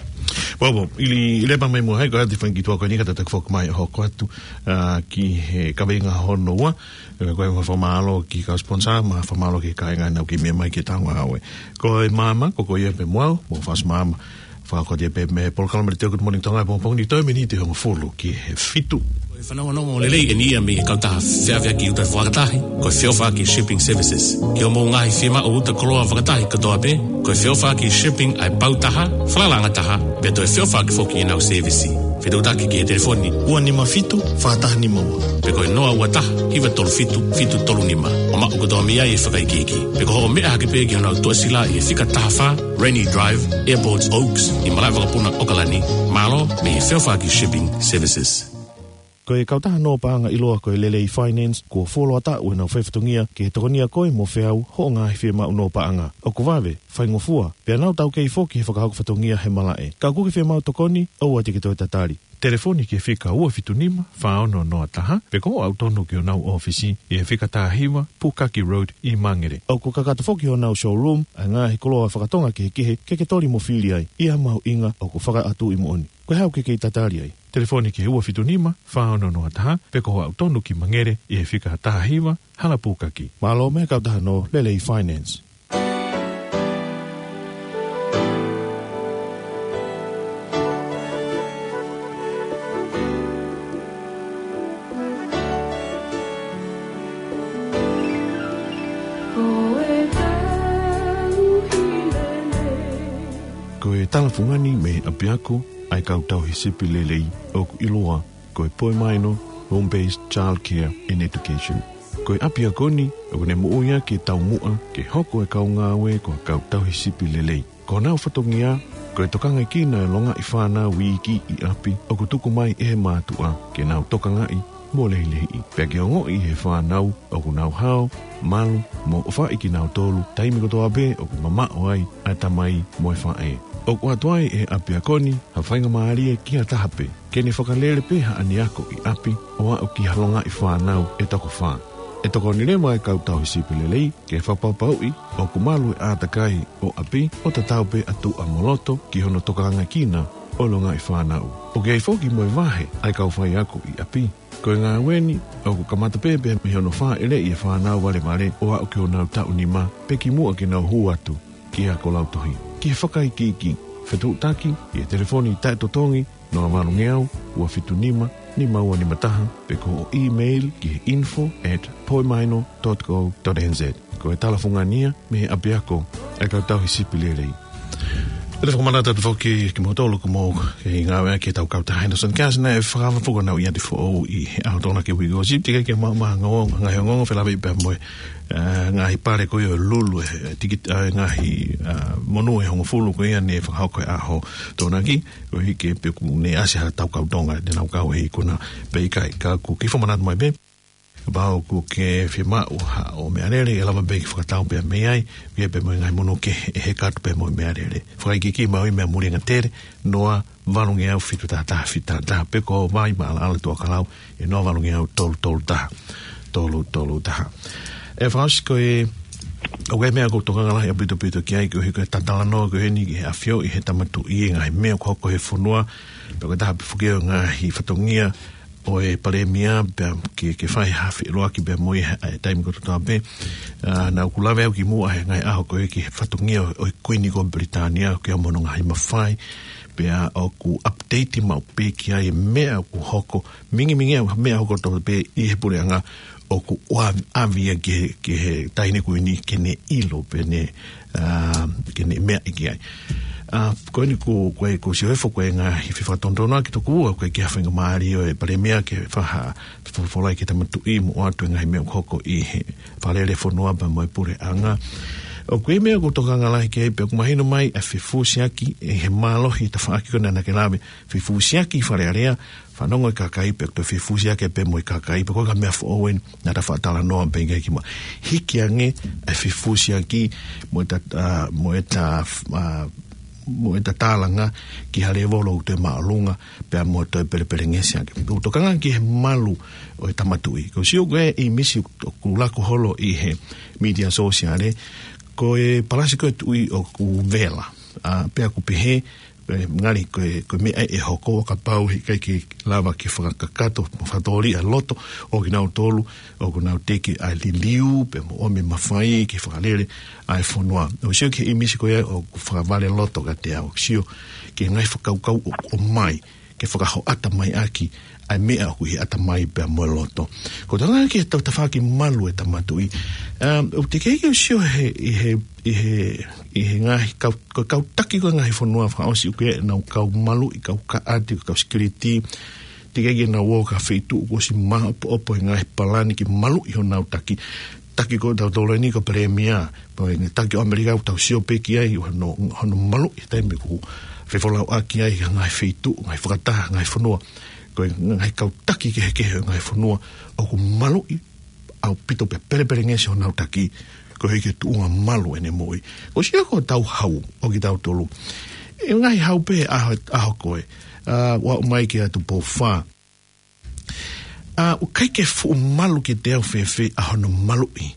Well, well, ʻi he, ʻi he lepa mai mo hai, ko e ati fanga kiʻi tuʻa ko eni ka tataki foki mai ʻo hoko atu, ʻa, ki he kaveinga hono ua, ʻa, ko e fakamālō ki he kau sponsor, mo e fakamālō ki he kāinga naʻa nau kiʻi meʻa mai ki heʻetau ngāue. Ko e maama, ko ko ia pē mo au, mo Fasi Maama, fakakotia pē mei he polokalama Good Morning Tonga he pongipongi ni, toe miniti hongofulu ki he fitu. Ko e fanongonongo lelei eni ia mei he kautaha feʻaveʻaki uta fakatahi, ko e Feʻofaʻaki Shipping Services. Ki hoʻomou ngaahi fiemaʻu uta koloa fakatahi kotoa pē, ko e Feʻofaʻaki Shipping ʻa e pau taha, falalaʻanga taha, pea toe feʻofaʻaki foki ʻenau sēvisi. Fetuʻutaki ki he telefoni ua nima fitu, fā taha nima ua. Pe ko e noa ua taha, hiva tolu fitu, fitu tolu nima. ʻO maʻu kotoa mei ai e fakaikiiki. Pe ko hoʻo meʻa hake pē ki honau tuʻasila ʻi he fika taha fā, Rennie Drive, Airports Oaks, ʻi Malaʻevakapuna, ʻAokalani. Mālō, mei he Feʻofaʻaki Shipping Services. Ko e kautaha nō paʻanga ʻiloa ko e Lelei Finance, kuo fuoloa taʻu ʻenau faifatongia ke tokonia koe mo feau hoʻo ngaahi fiemaʻu nō paʻanga. ʻOku vave, faingofua, pea nau taukei foki he fakahoko fatongia he malaʻe. Ka ʻoku ke fiemaʻu tokoni, ʻoua te ke toe tatali. Telefoni ki he fika ua fitu nima, fā ono noa taha, pe ko hoʻo aʻu tonu ki honau ʻōfisi ʻi he fika taha hiva, Pukaki Road ʻi Mangere. ʻOku kakato foki honau showroom ʻa e ngaahi koloa fakatonga kehekehe ke ke toli mo fili ai, ʻi ha mahuʻinga ʻoku fakaʻatuʻi moʻoni. Ko e hā ʻoku ke kei tatali ai? Telefoni ki he ua fitu nima, fā ono noa taha, pe ko hoʻo aʻu tonu ki Mangere ʻi he fika taha hiva, Hala Pukaki. Mālō mei he kautaha nō Lelei Finance. Ko e talafungani mei he ʻapiako ʻa e kau tauhi sipi lelei ʻoku ʻiloa ko e Poimaino Home Based Child Care and Education. Ko e ʻapiako ni ʻoku ne moʻui ʻaki e taumuʻa ke hoko e kau ngāue ko e kau tauhi sipi lelei. Ko honau fatongia, ko e tokangaekina e longaʻi fānau iiki ʻi ʻapi ʻoku tuku mai ʻe he mātuʻa ke nau tokangaʻi mo lehilehiʻi. Pea ke ongoʻi ʻe he fānau ʻoku nau hao, malu, mo ʻofaʻi kinautolu taimi kotoa pē ʻoku mamaʻo ai ʻa e tamai mo e faʻē. ʻOku ʻoatu ai ʻe he ʻapiako ni ha faingamālie ki ha taha pē ke ne fakalele pē haʻane ako ʻi ʻapi ʻo aʻu ki ha longaʻi fānau ʻe toko fā. ʻE tokoni leva e kau tauhi sipi lelei ke fakapapauʻi ʻoku malu e ʻātakai ʻo ʻapi ʻo tatau pē ʻa tuʻa mo loto ki hono tokangaekina ʻo e longaʻi fānau. ʻOku ʻi ai foki mo e vahe ʻa e kau faiako ʻi ʻapi. Ko e ngāue ni ʻoku kamata pē pea mei hono fāʻeleʻi e fānau valevale ʻo aʻu ki honau taʻu nima pe kimuʻa ke nau hū atu ki he ako lautohi. Ki he fakaikiiki, fetuʻutaki ʻi he telefoni taʻetotongi noa valu ngeau, ua fitu nima, nima ua nima taha, pe ko hoʻo email ki he info at poimaino dot co dot N Z. Ko e talafungani ia mei he ʻapiako ʻa e kau tauhi sipi lelei. Te u fakamanatu atu foki kimoutolu ʻoku mou kei ngāueʻaki ʻetau kautaha Henderson Cares naʻe fakafokona ʻi ʻAtifoʻou ʻi he ʻaho Tokonaki uike kuo ʻosi, teʻeki ke mou maʻu ha ngaahi ongoongo felāveʻi pea mo e, ā, ngaahi pale ko ia ʻo e lulu, ē, tikit-, ā, ngaahi, ā, monū ʻe hongofulu ko ia naʻe fakahoko he ʻaho Tokonaki, koeʻuhi ke pē ʻoku ne ʻasi ha tau kau Tonga, te nau kau he ikuna pe ʻikai, ka ʻoku kei fakamanatu mai pē. Kapau ʻoku ke fiemaʻu haʻo meʻalele, ʻe lava pē ke fakatau pē mei ai, ʻoku ʻi ai pē mo e ngaahi monū kehe ʻe heka atu pē mo e meʻalele. Fakaikiiki maʻu ʻi he meʻa muli angatele, noa valungeau fitu taha taha fitu taha taha, pe ko Vaimāʻalaʻala Tuʻakalau, ʻe noa valungeau tolu tolu taha, tolu tolu taha. ʻE Fakaʻosi, ko e, ʻoku ʻi ai e meʻa ʻoku ou tokanga lahi ʻaupito ʻaupito ki ai, koeʻuhi ko e talanoa ko eni ki he ʻafioʻi ʻe he Tama Tuʻi e ngaahi meʻa ʻoku hoko he fonua, pea ko e taha pē foki ʻo e ngaahi fatongia ʻo e Palēmia, pea ke, ke fai ha feʻiloaki pea mo ia he taimi kotoa pē. Ā, naʻá ku lave au kimuʻa he ngaahi ʻaho ko ē ki he fatongia ʻo, ʻo e Kuini ko Pilitānia, ʻoku ʻi ai hono ngaahi mafai, pea ʻoku update maʻu pē ki ai e meʻa ʻoku hoko, mingimingi ʻa e meʻa hoko kotoa pē ʻi he puleʻanga ʻoku ʻoa-, ʻave ia ki he, ki he Taʻahine Kuini ke ne ʻilo pe ne, ā, ke ne meʻa ki ai. Ā, ko eni ko, ko e, ko Siosefa ko e ngaahi fefakatonutonu ʻaki tokua, ko e ki ha faingamālie ʻo e Palēmia ke fai ha fefolofola ki he Tama Tuʻi mo ʻoatu e ngaahi meʻa ʻoku hoko ʻi he Fale Alea Fonua pea mo e puleʻanga. ʻOku ʻi ai e meʻa ʻoku ou tokanga lahi ki ai pea ʻoku mahino mai ʻa e fefusiaki ʻe he mālohi tafaʻaki ko ena naʻá ke lave, fefusiaki Fale Alea, fanongo e kakai pea ko e fefusiaki pē mo e kakai, pea ko e ka meʻa foʻou eni naʻá ta fakatalanoa pē ki ai kimuʻa. Hiki ange e fefusiaki mo ʻeta, ā, mo ʻeta, ā, mo ʻeta tālanga ki ha lēvolo ʻoku toe māʻolunga, pea mo toe pelepelengesi ange. ʻOku ou tokanga ki he malu ʻo e Tama Tuʻi. ʻOku ou sio ko e ʻīmisi ʻoku laku holo ʻi he mītia sōsiale, ko e palasi ko ē tuʻi ʻoku vela. Ā, pea ʻoku pehē, ē, ngali ko e, ko e meʻa ʻe hoko ʻo kapau he ʻikai ke lava ke fakakakato mo fakatōliʻa loto ʻo kinautolu ʻoku nau teke ʻa e liliu pea mo ʻomi e mafai ke fakalele ʻa e fonua. ʻOku ou sio ki he ʻīmisi ko ia ʻoku fakavaleloto kiate au. ʻOku ou sio ki he ngaahi fakakaukau ʻoku ʻomai ke fakahoʻata mai ʻaki ʻa e meʻa ʻoku ʻi he ʻatamai pea mo e loto. ʻOku ou tokanga ki he tafaʻaki malu ʻo e Tama Tuʻi. Um, ʻoku teʻeki ke u sio he, ʻi he, ʻi he, ʻi he ngaahi kau, ko e kau taki ko e ngaahi fonua Fakaʻosi ʻoku ʻi ai ʻenau kau maluʻi, kau kaʻati, kau sikiliti. Teʻeki ke nau ō ki ha feituʻu kuo ʻosi maʻopoʻopo e ngaahi palani ke maluʻi honau taki. Taki ko ē ʻotautolu eni ko e Palēmia, pea ko e ngaahi taki ʻo ʻAmelika ʻoku tau sio pē ki ai, hono, hono maluʻi he taimi ʻoku fefolauʻaki ai ha ngaahi feituʻu, ngaahi fakataha, ngaahi fonua. Ko e ngaahi kau taki kehekehe ʻo e ngaahi fonua ʻoku maluʻi ʻaupito pea pelepelengesi honau taki, koeʻuhi ko e tuʻunga malu ʻene moʻui. ʻOku ou sio ko ʻetau hau ʻo kitautolu, ʻe ngaahi hau pē ʻaho, ʻaho ko ē, ā, ʻo aʻu mai ki he Atu Pou Fā. Ā, ʻoku ʻikai ke fuʻu malu kiate au fēfē ʻa hono maluʻi.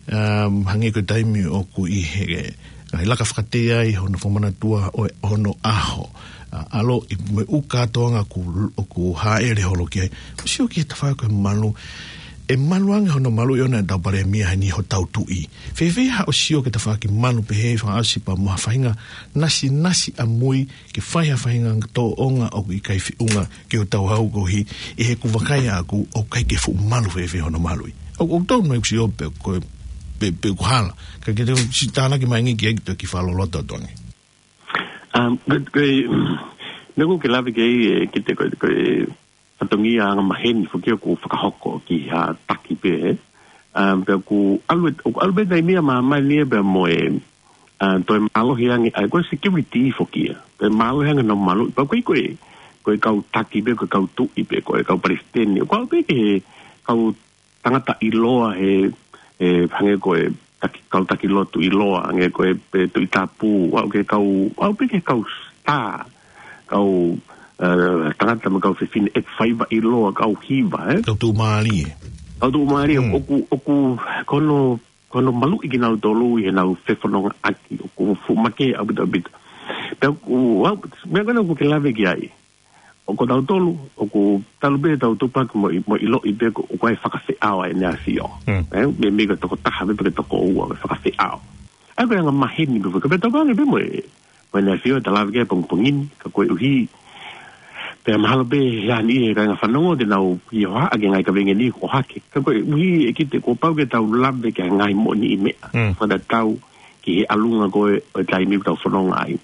Um, hangē ko e taimi ʻoku ʻi he, ngaahi laka fakatea ai hono fakamanatua ʻo e, hono ʻaho. Ā, ʻaloʻi mo e ʻū kātoanga ʻoku, ʻoku hāʻele holo ki ai. ʻOku ou sio ki he tafaʻaki ko e malu. ʻE malu ange hono maluʻi ʻona ʻetau Palēmia heni hotau Tuʻi. Fēfē haʻo sio ki he tafaʻaki malu pehē Fakaʻosi pea mo ha faʻahinga nasinasi ʻamui ke fai ha faʻahinga tōʻonga ʻoku ʻikai feʻunga ki hotau hau koeʻuhi, ʻi heʻeku vakai ʻaʻaku ʻoku ʻikai ke fuʻu malu fēfē hono maluʻi. ʻOku, ʻoku tonu ʻeku sio pē ko e, pē, pē ʻoku hala. Ka ke te siʻi tānaki mai ange ki ai ke toe kiʻi fakaloloto atu ange. Um, ko, ko e, meʻa ʻoku ke lave ki ai, ē, ki he, ko e, ko e fatongia angamaheni foki ʻoku fakahoko ki ha taki pē, ē. Um, pea ʻoku ʻalu ē, ʻoku ʻalu pē taimi ia māmani ia pea mo e, ā, toe mālohi ange, ʻa e ko e security foki ia. Toe mālohi ange hono maluʻi, pea ʻoku ʻikai ko e, ko e kau taki pē, ko e kau tuʻi pē, ko e kau palesiteni. ʻOku ʻalu pē ki he kau tangata ʻiloa he, he hangē ko e taki, kau taki lotu ʻiloa, hangē ko e, e Tuʻi Tapu, ʻalu ki he kau, ʻalu pē ki he kau star, kau, ē, tangata mo e kau fefine ʻeku faiva ʻiloa, kau hiva, ē? Kau tuʻumālie. Kau tuʻumālie, Hmm. ʻoku, ʻoku, ko hono, ko hono maluʻi kinautolu ʻi heʻenau fefonongaʻaki, ʻoku fuʻu makehe ʻaupito ʻaupito. Pea ʻoku, ʻa, meʻa ko ena ʻoku ke lave ki ai. ʻOku tautolu, ʻoku talu pē ʻetau tupulaki mo ʻi-, mo ʻiloʻi pē ko, ʻoku ʻi ai e fakafeʻao ʻa ʻEne ʻAfio. Hmm. Ē, meimei ko e tokotaha pē pe ko e tokoua, ko e fakafeʻao. ʻA ia ko e angamaheni pē, ka pea tau pehē ange pē mo e, mo ʻEne ʻAfio ʻe ta lave ki ai he pongipongi ni, ka koeʻuhi, pea mahalo pē he ʻaho ni he kāinga fanongo te nau ʻi hohaʻa ki he ngaahi kaveinga ni ʻoku ʻohake. Ka koeʻuhi ʻe kite kuo pau ke tau lave ki he ngaahi moʻoniʻi meʻa. Hmm. Fakatatau ki he ʻalunga ko ē ʻo e taimi ʻoku tau fononga ai.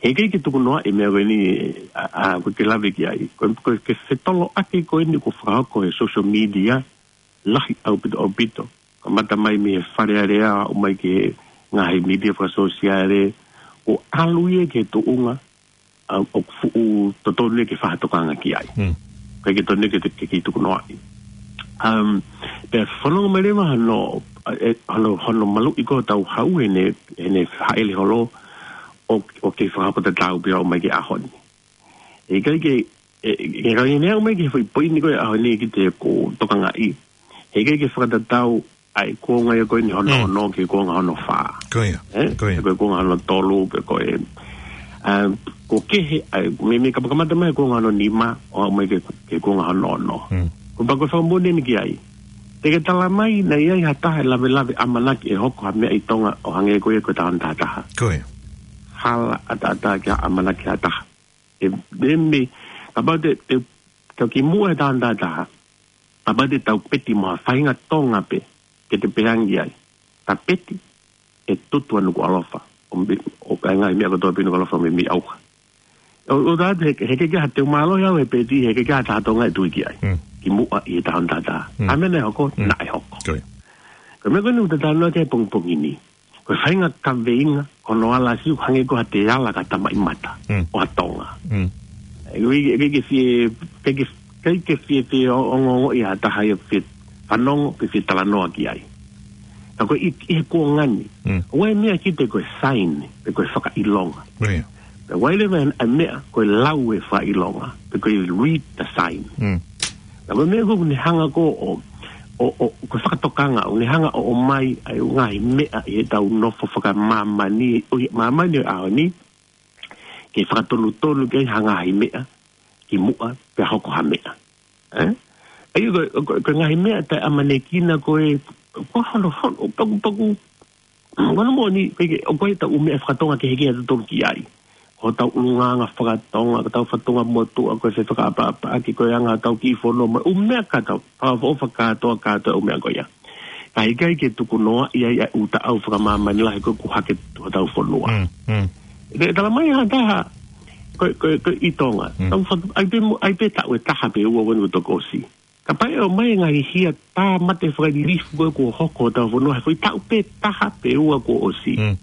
He ʻikai ke tukunoaʻi e meʻa ko eni, ʻa, ʻa, ko e ke lave ki ai. Ko, ko e ke fetoloʻaki ko eni kuo fakahoko he social media, lahi ʻaupito, ʻaupito. Kamata mai mei he Fale Alea, ʻo aʻu mai ki he ngaahi media fakasōsiale, ʻo ʻalu ia ki he tuʻunga, ʻa, ʻoku fuʻu totonu ia ke fai ha tokanga ki ai. Mm. ʻIkai ke totonu ia ke, ke, ke tukunoaʻi. Um, pea fanongo mai leva hono, ʻa, ʻe, hono, hono maluʻi ko ē hotau hau heʻene, heʻene hāʻele holo ʻo, ʻo kei fakahoko tatau pē ʻo aʻu mai ki he ʻaho ni. ʻIkai ke, ʻe, ʻe, ʻe, ka ʻi heʻene aʻu mai ki he foʻi poini ko ē ʻaho ni ʻoku te ko tokangaʻi. He ʻikai ke fakatatau ʻa e kuonga ia ko eni hono Mm. ono ki he kuonga hono fā. Ko ia, ʻE? ko ia. Pe ko e kuonga hono tolu, pe ko e, ʻa, ko e kehe, ʻa, mei, mei kamakamata mai kuonga hono nima, ʻo aʻu mai ki he, ki he kuonga hono ono. Mm. Ko e pea ko e fakamoʻoni eni ki ai. Te ke tala mai, naʻe ʻi ai ha taha ʻe lavelave ʻamanaki ʻe hoko ha meʻa ʻi Tonga ʻo hangē ko ia ko e taʻu taha taha. Ko ia. Hala ʻataʻatā ke ʻamanaki ha taha. ʻE, ʻe mei, kapau te, te, tau kimuʻa he taʻu taha taha. Kapau te tau peti mo ha faʻahinga Tonga pē, ke te pehē ange ki ai. Ta peti, ʻe tutu ʻa Nukuʻalofa. ʻO mei, ʻo ka e ngaahi meʻa kotoa pē ʻi Nukuʻalofa mei, mei ʻauha. ʻO, ʻo tā te, he, he ʻikai ke ʻi ai ha teu mālohi au he peti, he ʻikai ke ʻi ai ha taha Tonga ʻe tui ki ai. Mm. Kimuʻa ʻi he taʻu taha taha. Mm. ʻA e meʻa naʻe hoko, Mm. naʻe hoko. Ko ia. Ko e meʻa ko eni ʻoku te talanoa ki ai he pongipongi ni. Ko e faʻahinga kaveinga, ko hono ala siʻi ʻoku hangē ko ha te ala ka tamaʻimata, Mm. ʻo ha Tonga. Mm. ʻE, ʻikai ke, ʻikai ke fie, ʻikai ke, ʻikai ke fie, fie ʻo, ʻo, ʻo, ʻo, ʻi ha taha ia fie fanongo, pe fie talanoa ki ai. Ka ko e ʻi, ʻi he kuonga ni. Mm. ʻOku ʻi ai e meʻa ʻoku te ko e sign, pe ko e fakaʻilonga. Ko ia. Pea ʻoku ʻi ai leva e meʻa, ko e lau e fakaʻilonga, pe ko e read the sign. Mm. Pea ko e meʻa ko ē ʻoku ne hanga ko ē ʻo, ʻo, ʻo, ko e fakatokanga, ʻoku ne hanga ʻo, ʻomai ʻa e ngaahi meʻa ʻi heʻetau nofo fakamāmani, ʻo ʻi māmani ʻo e ʻaho ni, ke fakatonutonu ki ai ha ngaahi meʻa, kimuʻa, pea hoko ha meʻa. ʻE? ʻA ia ko, ko, ko e ngaahi meʻa taʻeʻamanekina ko ē, ko hono, hono, pakupaku, Ngana moʻoni, ko e ke, ʻoku ʻi ai ʻetau ʻū meʻa fakatonga kehekehe ʻoku totonu ke ʻi ai. Ko hotau ʻulungaanga fakatonga, ko hotau fatongia motuʻa, ko e fefakaʻapaʻapaʻaki, ko e anga hotau kiʻi fonua, mo e ʻū meʻa kātoa, fakaʻofoʻofa kātoa, kātoa ʻū meʻa ko ia. Ka ʻikai ke tukunoaʻi ai ʻa e ʻū taʻau fakamāmani lahi ko ē ʻoku hake hotau fonua. Mm, mm. Te tala mai ha taha, ko, ko, ko ʻi Tonga. Mm. Tau fatu, ʻai pē mo, ʻai pē taʻu ʻe taha pe ua ʻoku toki ʻosi. Kapau ʻe ʻomai e ngaahi hia tāmate fakalilifu ko ē kuo hoko hotau fonua he foʻi taʻu pē taha pe ua kuo ʻosi. Mm.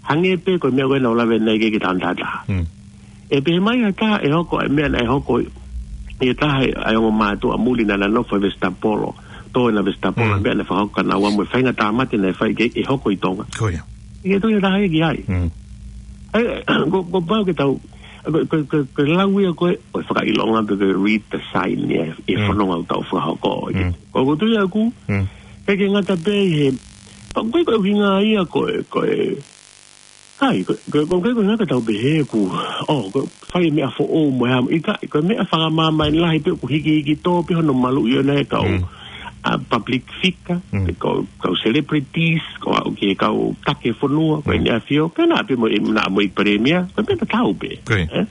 Hangē pē ko e meʻa ko ē naʻa ku lave ʻanenai ki he taʻu taha taha. Mm. ʻE pehē mai ha taha ʻe hoko e meʻa naʻe hoko ʻi he taha ʻa e ongo mātuʻa muli naʻa na nofo he Vesitapolo. Tō ʻena Vesitapolo Mm. meʻa naʻe fakahoko kia naua mo e faʻahinga tāmate naʻe fai ke ʻe hoko ʻi Tonga. Ko ia. ʻIkai toe ʻi ai ha taha ia ki ai. Mm. ʻAi, ko, ko pau ke tau, ko, ko, ko, ko e lau ia ko ē, ʻo e fakaʻilonga pe ko e read the sign ia, e Mm. fononga ʻoku tau fakahoko. Mm. Ko, ko e tui ʻaʻaku, Mm. ʻikai ke ngata pē ʻi he, pea ko e, ko e ʻuhinga ia ko e, ko e, kai, ko, ko, ko, ko e ʻuhinga ke tau pehē ʻoku, ʻo, ko e fai e meʻa foʻou mo e hā, ʻikai, ko e meʻa fakamāmani lahi pē ʻoku hikihiki tō pē hono maluʻi ʻona e kau, Mm. ʻa, public figure, Mm. pe kau, kau celebrities, ko e aʻu ki he kau taki fonua, ko Mm. ʻEne ʻAfio, pea naʻa pē mo, naʻa mo e palēmia, ko e meʻa tatau pē. Ko ia. ʻE?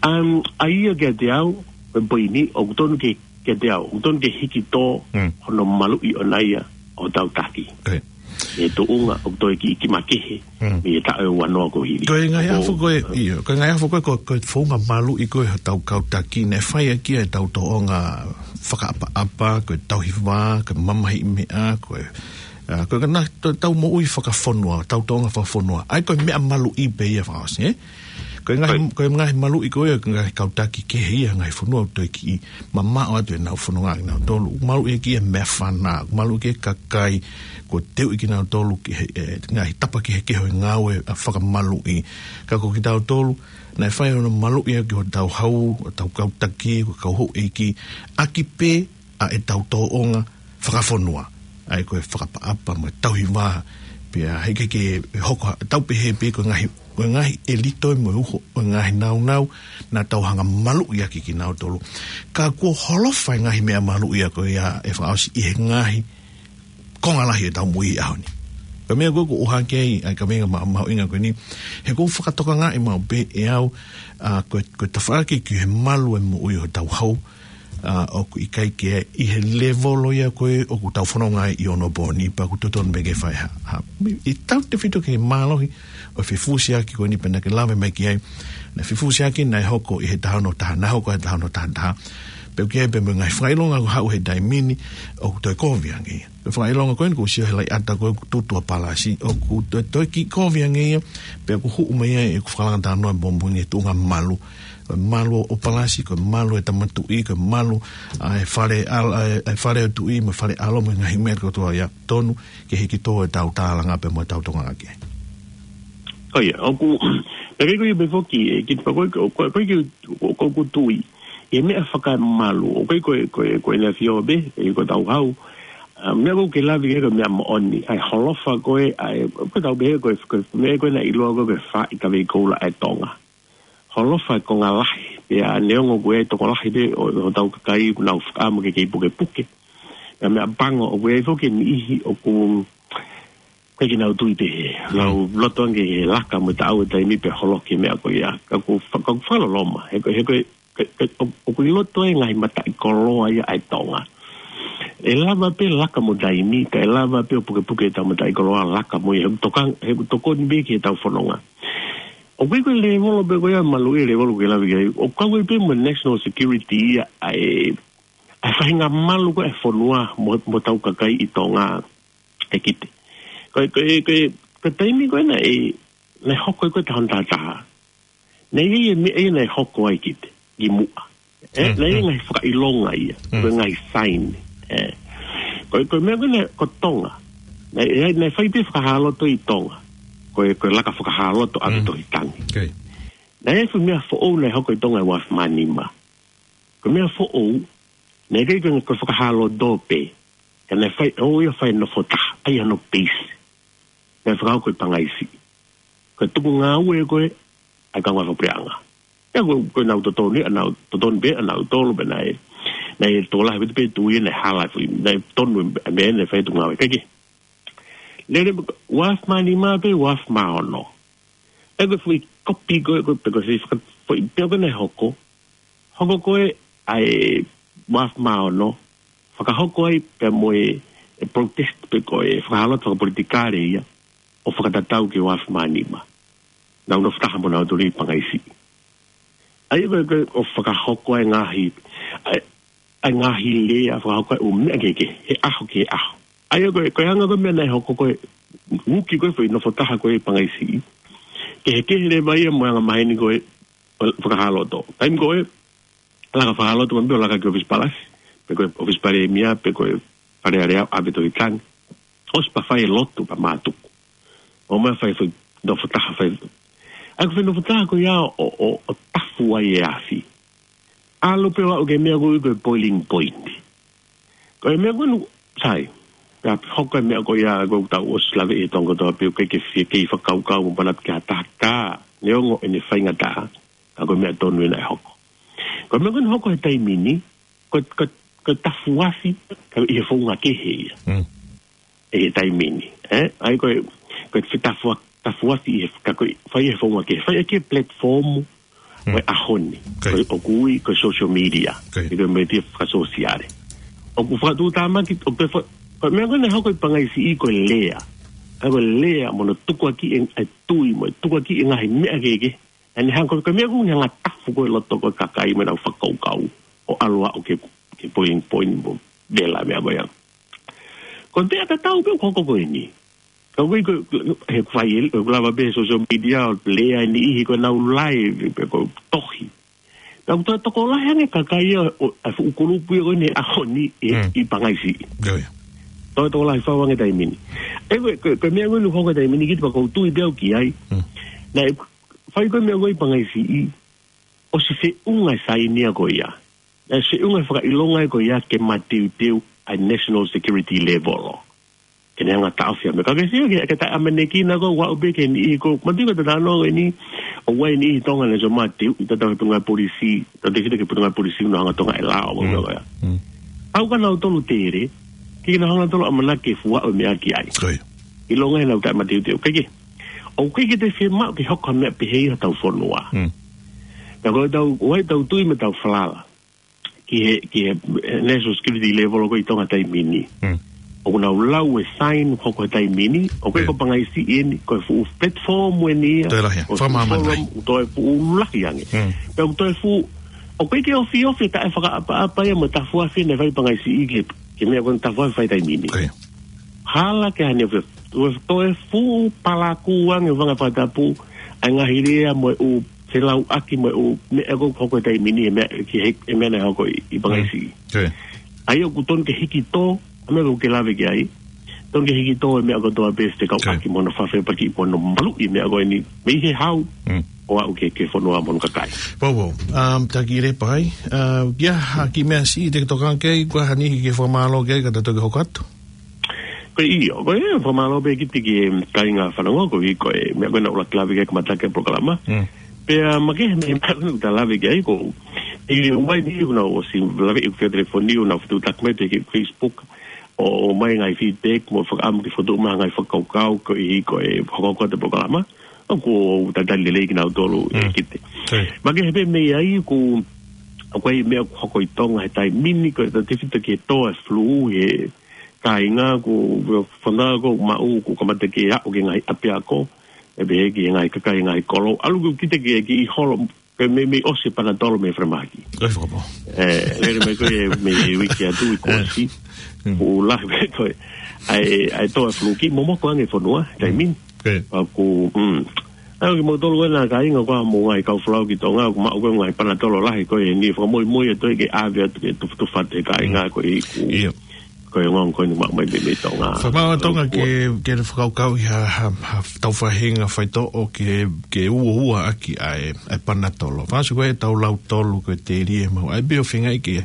Um, ʻa ia kiate au, ko e poini, ʻoku totonu ke, kiate au, ʻoku totonu ke hiki tō, Mm. hono maluʻi ʻona ia, ʻo hotau taki. Ko ia. ʻI he tuʻunga, ʻoku toe kiʻi kiʻi makehe, Mm. ʻi he taʻu ʻe ua noa kuo hili. Ko e ngaahi Ko, afo ko ē, ʻio, ko e ngaahi afo ko ē, ko, ko e founga maluʻi ko ē hotau kau taki, naʻe fai ʻaki ʻetau tōʻonga fakaʻapaʻapa, ko e tauhi vā, ko e mamahiʻi meʻa, ko e, ʻa, ko e ngaahi tau, tau moʻui fakafonua, tau tōʻonga fakafonua. ʻAi ko e meʻa maluʻi pē ia fakaʻosi, ē? Ko e ngaahi, Right. ko e ngaahi maluʻi ko ē, ko e ngaahi kau taki kehe ia, ngaahi fonua ʻoku toe kiʻi mamaʻo atu ʻenau fononga kinautolu. Maluʻi ʻaki e meʻafana, maluʻi ʻaki e kakai, kuo teuʻi kinautolu ki he, e, ngaahi tapa kehekehe ʻo e ngāue ʻa e fakamaluʻi. Ka ko kitautolu, naʻe fai hono maluʻi ʻaki hotau hau, hotau kau taki, ko e kau houʻeiki, ʻaki pē ʻa ʻetau tōʻonga fakafonua. ʻAi ko e fakaʻapaʻapa mo e tauhi vā, pea heʻikai ke hoko, tau pehē pē ko e ngaahi, ko e ngaahi ʻelito mo e uho, ʻo e ngaahi nāunau, naʻa tau hanga maluʻi ʻaki kinautolu. Ka kuo holofa e ngaahi meʻa maluʻi ia ko ia ʻe fakaʻosi ʻi he ngaahi konga lahi ʻetau moʻui he ʻaho ni. Ko e meʻa ko ē ʻoku ou ʻohake ai, ʻa e kaveinga ma-, mahuʻinga ko eni, he ʻoku ou fakatokangaʻi maʻu pē ʻe au, ʻa, ko e, ko e tafaʻaki ki he malu e moʻui ʻo hotau hau, ʻa, ʻoku ʻikai ke ʻi he levolo ia ko ē ʻoku tau fononga ai ʻi onopooni, pea ʻoku totonu pē ke fai ha, ha, ʻi tautefito ki he mālohi ʻo e fefusiaki ko eni pea naʻa ke lave mai ki ai. Naʻe fefusiaki naʻe hoko ʻi he taha ono taha, naʻe hoko he taha ono taha taha. Pea ʻoku ʻi ai pē mo e ngaahi fakaʻilonga ʻoku haʻu he taimi ni ʻoku toe kovi ange ia. Ko e fakaʻilonga ko eni ʻoku ou sio he laʻiʻata ko ē ʻoku tutu ʻa Palasi, ʻoku toe, toe kiʻi kovi ange ia, pea ʻoku huʻu mai ai ʻeku fakalanga talanoa mo mo e tuʻunga malu. Ko e malu ʻo Palasi, ko e malu ʻa e tama tuʻi, ko e malu ʻa e fale ʻal-, ʻa e, ʻa e fale ʻo e tuʻi, mo e fale ʻalo, mo e ngaahi meʻa kotoa ia, tonu ke hiki tō ʻetau tālanga pea mo ʻetau tokanga ki ai. ʻIo, ʻoku, pea ʻikai ko ia pē foki, ʻe, kiʻi pea ko e, ko e, ko e, ko e, ko e, ko e tui. ʻI he meʻa fakamalu, ʻoku ʻikai ko e, ko e, ko e ʻEne ʻAfio pē, ʻe ko ʻetau hau. ʻA, meʻa ʻoku ke lave ki ai ko e meʻa moʻoni, ʻa e holofa ko ē, ʻa e, ko ʻetau pehē ko e, ko e meʻa ko ē naʻe ʻiloa ko e, ko e faaʻi kavei koula ʻa e Tonga. Holofa e konga lahi, pea neongo ko e tokolahi pē ʻo, ʻo hotau kakai, ʻoku nau fakaʻamu ke kei pukepuke. Pea meʻa pango, ʻoku ʻi ai foki e niʻihi ʻoku ʻikai ke nau tui pehē. Nau loto ange he laka mo e taʻau e taimi pea holoki e meʻa ko ia. Ka ʻoku fa-, ka ʻoku fakaloloma. He ko, he ko, ke, ke, ʻo, ʻoku ʻi loto e ngaahi mataʻikoloa ia ʻa e Tonga. ʻE lava pē laka mo taimi, ka ʻe lava pē ʻo pukepuke ʻetau mataʻikoloa laka mo ia. He ʻoku toka, he ʻoku tokoni pē ki heʻetau fononga. ʻOku ʻi ai ko e levolo pē ko ia malu ʻi he levolo ʻoku ke lave ki ai. ʻOku kau ai pē mo e national security ia ʻa e, ʻa e faʻahinga malu ko ē ʻa e fonua mo, mo hotau kakai ʻi Tonga. ʻE Kite. Ko e, ko e, ko e, ko e taimi ko ē naʻe, naʻe hoko ai ko e taha ono taha taha. Naʻe ʻi ai e meʻa ia naʻe hoko ai Kite, ki muʻa. ʻE, naʻe ʻi ai e ngaahi fakaʻilonga ia, ko e ngaahi sign. ʻE. Ko e, ko e meʻa ko ē naʻe ko Tonga. Naʻe, naʻe, naʻe fai pē fakahāloto ʻi Tonga. Ko e, ko e laka fakahāloto ʻa e Tohi Tangi. Naʻe ʻi ai e fuʻu meʻa foʻou naʻe hoko ʻi Tonga ʻi he ua afe mā nima. Ko e meʻa foʻou, naʻe ʻikai ko e, ko e fakahāloto pē. Ka naʻe fai, ʻo ia fai nofo taha, ʻa ia hono peisi. Naʻe fakahoko ʻi Pangaisiʻi. Ko e tuku ngāue ko ē, ʻa e kau ngāue fakapuleʻanga. ʻIa ko, ko ʻenau totonu, ʻenau totonu pē, ʻenau tolo pē naʻe. Naʻe tokolahi pē tui naʻe hala foʻi, naʻe tonu e meʻa naʻe fai tuku ngāue. Kae kehe. Lele, ua afe mā nima pē, ua afe mā ono. ʻE ko e foʻi kopi ko ē, ko e pē ko e foʻi, foʻi pē ko ē naʻe hoko. Hoko ko ē ʻa e ua afe mā ono. Fakahoko ai pea mo e, e protest pe ko e fakahāloto fakapolitikale ia. ʻO fakatatau ki he ua afe mā nima. Nau nofo taha mo nautolu ʻi Pangaisiʻi. ʻA ia ko e, ko e, ʻo fakahoko ai ngaahi, ʻa e, ʻa e ngaahi lea, fakahoko ai ʻū meʻa kehekehe, he ʻaho ki he ʻaho. ʻA ia ko e, ko e anga ko ē meʻa naʻe hoko ko ē, uki ko ē foʻi nofo taha ko ē ʻi Pangaisiʻi. Kehekehe leva ia mo e anga maheni ko ē, ʻo fakahāloto. Taimi ko ē, laka fakahāloto mai pē ʻo laka ki ʻōfisi palasi, pe ko e ʻōfisi palēmia, pe ko e Fale Alea ʻo ʻave Tohi Tangi. ʻOsi pea fai e lotu pea mātuku. ʻO mai fai foʻi nofo taha fai. ʻA ia ko e foʻi nofo taha ko ia ʻo, ʻo, ʻo tafu ai e afi. ʻAlu pē ʻo aʻu ki he meʻa ko ē ko e boiling point. Ko e meʻa ko ē nu, sai. Pea hoko e meʻa ko ia ko ē ʻoku tau ʻosi lave ʻi he tonga kotoa pē ʻoku ʻikai ke fie kei fakakaukau mo panatu ki ha taha ka neongo ʻene faingataʻa. Ka ko e meʻa tonu ē naʻe hoko. Ko e meʻa ko ē naʻe hoko he taimi ni, ko, ko, ko e tafu afi, ka ʻi he founga kehe ia. ʻI he taimi ni, ē? ʻA ia ko e, ko e fetafu-, tafu afi ʻi he, ka ko e, fai ʻi he founga kehe, fai ʻaki e platform, ko e ʻaho ni, ko e ʻoku ui, ko e social media, ʻi ko e media fakasōsiale. ʻOku fakatuʻutāmaki, ʻoku te fa-, ko e meʻa ko ē naʻe hoko ʻi Pangaisiʻi ko e lea. ʻA ia ko e lea mo hono tukuakiʻi e, e tui mo e tukuakiʻi e ngaahi meʻa kehekehe. ʻA ia ne hanga ko e, ko e meʻa ko ē ne hanga tafu ko ē loto ko ē kakai mo ʻenau fakakaukau. ʻO ʻalu ʻo aʻu ki he, ki he boiling point mo vela meʻa ko ia. Ko e meʻa tatau pē ʻoku hoko ko eni. Ka ʻoku ʻikai ko, he fai e, ʻoku lava pē he social media ʻo lea e niʻihi ko ʻenau live pe ko e tohi. Ka ʻoku toe tokolahi ange kakai ia ʻo, ʻa e fuʻu kulupu ia ko eni he ʻaho ni ʻi, ʻi Pangaisiʻi. Toe tokolahi fau ange taimi ni. ʻE ko e, ko e, ko e meʻa ko eni ʻoku hoko taimi ni Kite pea ʻoku ou tui pē au ki ai. Naʻe fai ko e meʻa ko ē ʻi Pangaisiʻi, ʻosi feʻunga e sainia ko ia. Naʻe feʻunga e fakaʻilonga ko ia ke mateuteu ʻa e national security level. Ke ne hanga taʻofi ʻa e meʻa. Ka ke sio ki he, ke taʻeʻamanekina ko ē ʻoku aʻu pē ki he niʻihi ko ē. Manatuʻi ko e talanoa ko eni, ʻoku ʻi ai e niʻihi ʻi Tonga naʻe ʻosi mateu, ʻi he tatau he potungāue polisi, tatau ki he potungāue polisi, nau hanga ʻo tokangaʻi e lao, ʻo meʻa ko ia. Pau ka nau tolu tele, ke nau hanga tolu ʻamanaki ke fuaʻu e meʻa ki ai. ʻIlonga ʻenau taʻemateuteu. Kae kehe, ʻoku ʻikai ke toe fiemaʻu ke hoko ha meʻa pehē ʻi hotau fonua. Ka ko ʻetau, ʻoku ʻi ai ʻetau tui mo ʻetau falala. ki he, ki he, eh, national security level ʻoku ʻi Tonga he taimi ni. Mm. ʻOku nau lau e sign hoko he taimi ni, ʻoku ʻikai ko Pangaisiʻi eni, ko e fuʻu platform eni ia. Toe lahi, ʻOku fuʻu fakamana forum, ʻoku toe fuʻu lahi ange. Mm. Pea ʻoku toe fuʻu, ʻoku ʻikai ke ofiofi taʻefakaʻapaʻapa ia mo e tafuafi naʻe fai Pangaisiʻi ki he, ki he meʻa ko eni tafuafi fai taimi ni. Hala ke hane fe-, toe, toe fuʻu palakū ange vanga fakatapu, ʻa e ngaahi lea mo e ʻū felauʻaki mo e ʻū meʻa ko ē ʻoku hoko he taimi ni, e meʻa ki he, e meʻa naʻe hoko ʻi, ʻi Pangaisiʻi. Mm. ʻA ia ʻoku tonu ke hiki tō, ʻa e meʻa ʻoku ke lave ki ai. Tonu ke hiki tō e meʻa kotoa pē fekauʻaki mo hono fefakapaki mo hono maluʻi e meʻa ko eni. Mei he hau, ʻo aʻu ki he, ki he fonua mo hono kakai. Pau, pau. Um, taki le pai. Uh, ia, ha ki meʻa siʻi te ke tokanga ki ai, ko e hā e niʻihi ke fakamālō ki ai, ka ta toki hoko atu. Ko ia, ko e fakamālō pē ki he, ki he kāinga fanongo, koeʻuhi ko e meʻa ko ē naʻa ku lave ki ai he kamataʻanga e polokalama. Mm. Pea makehe mei he meʻa ko ē naʻa ta lave ki ai ko e, ʻi he ʻomai ni ʻoku nau ʻosi lave ʻi he telefoni, ʻoku nau fetuʻutaki mai pē ki he Facebook, ʻo, ʻomai ngaahi feedback, mo fakaʻamu ke fokotuʻu mai ha ngaahi fakakaukau, koeʻuhi ko e hokohoko atu e polokalama. ʻOku ou talitali lelei kinautolu ʻe kite. Makehe pē mei ai ʻoku, ʻoku ʻi ai e meʻa ʻoku hoko ʻi Tonga he taimi ni, ko e tautefito ki he tō e flu he kāinga, ʻoku fanau ʻoku maʻu, ʻoku kamata ke aʻu ki he ngaahi ʻapiako, ʻe pehē ki he ngaahi kakai, ngaahi kolo. ʻAlu ʻoku kite ke, ke ʻi holo, ke mei, mei ʻosi e Panatolo mei falemahaki. ʻOi, fakapō. ʻE, lele mai ko e mei uike atu ʻi kuo ʻosi. Mm. ʻOku lahi pē ko e, ʻa e, ʻa e tō e flu ki, momoko ange fonua, taimi ni. ʻOku, mm. ʻA ia kimoutolu ena kāinga ʻoku mou ngaahi kau folau ki Tonga, ʻoku maʻu ko e ngaahi Panatolo lahi ko eni, fakamoimoi atu ke ʻave atu ke tufutufa atu he kāinga koeʻuhi ko e ongoongo ko eni ʻoku maʻu mai mei, mei Tonga. Fakamaau ʻa Tonga ke, ke fakakaukauʻi ha, ha, ha tau faʻahinga faitoʻo ke, ke uouaʻaki ʻa e, ʻa e Panatolo. Fakaʻosi ko e tau lau tolu ko e telie maʻu. ʻA ia pē ʻoku feinga ke,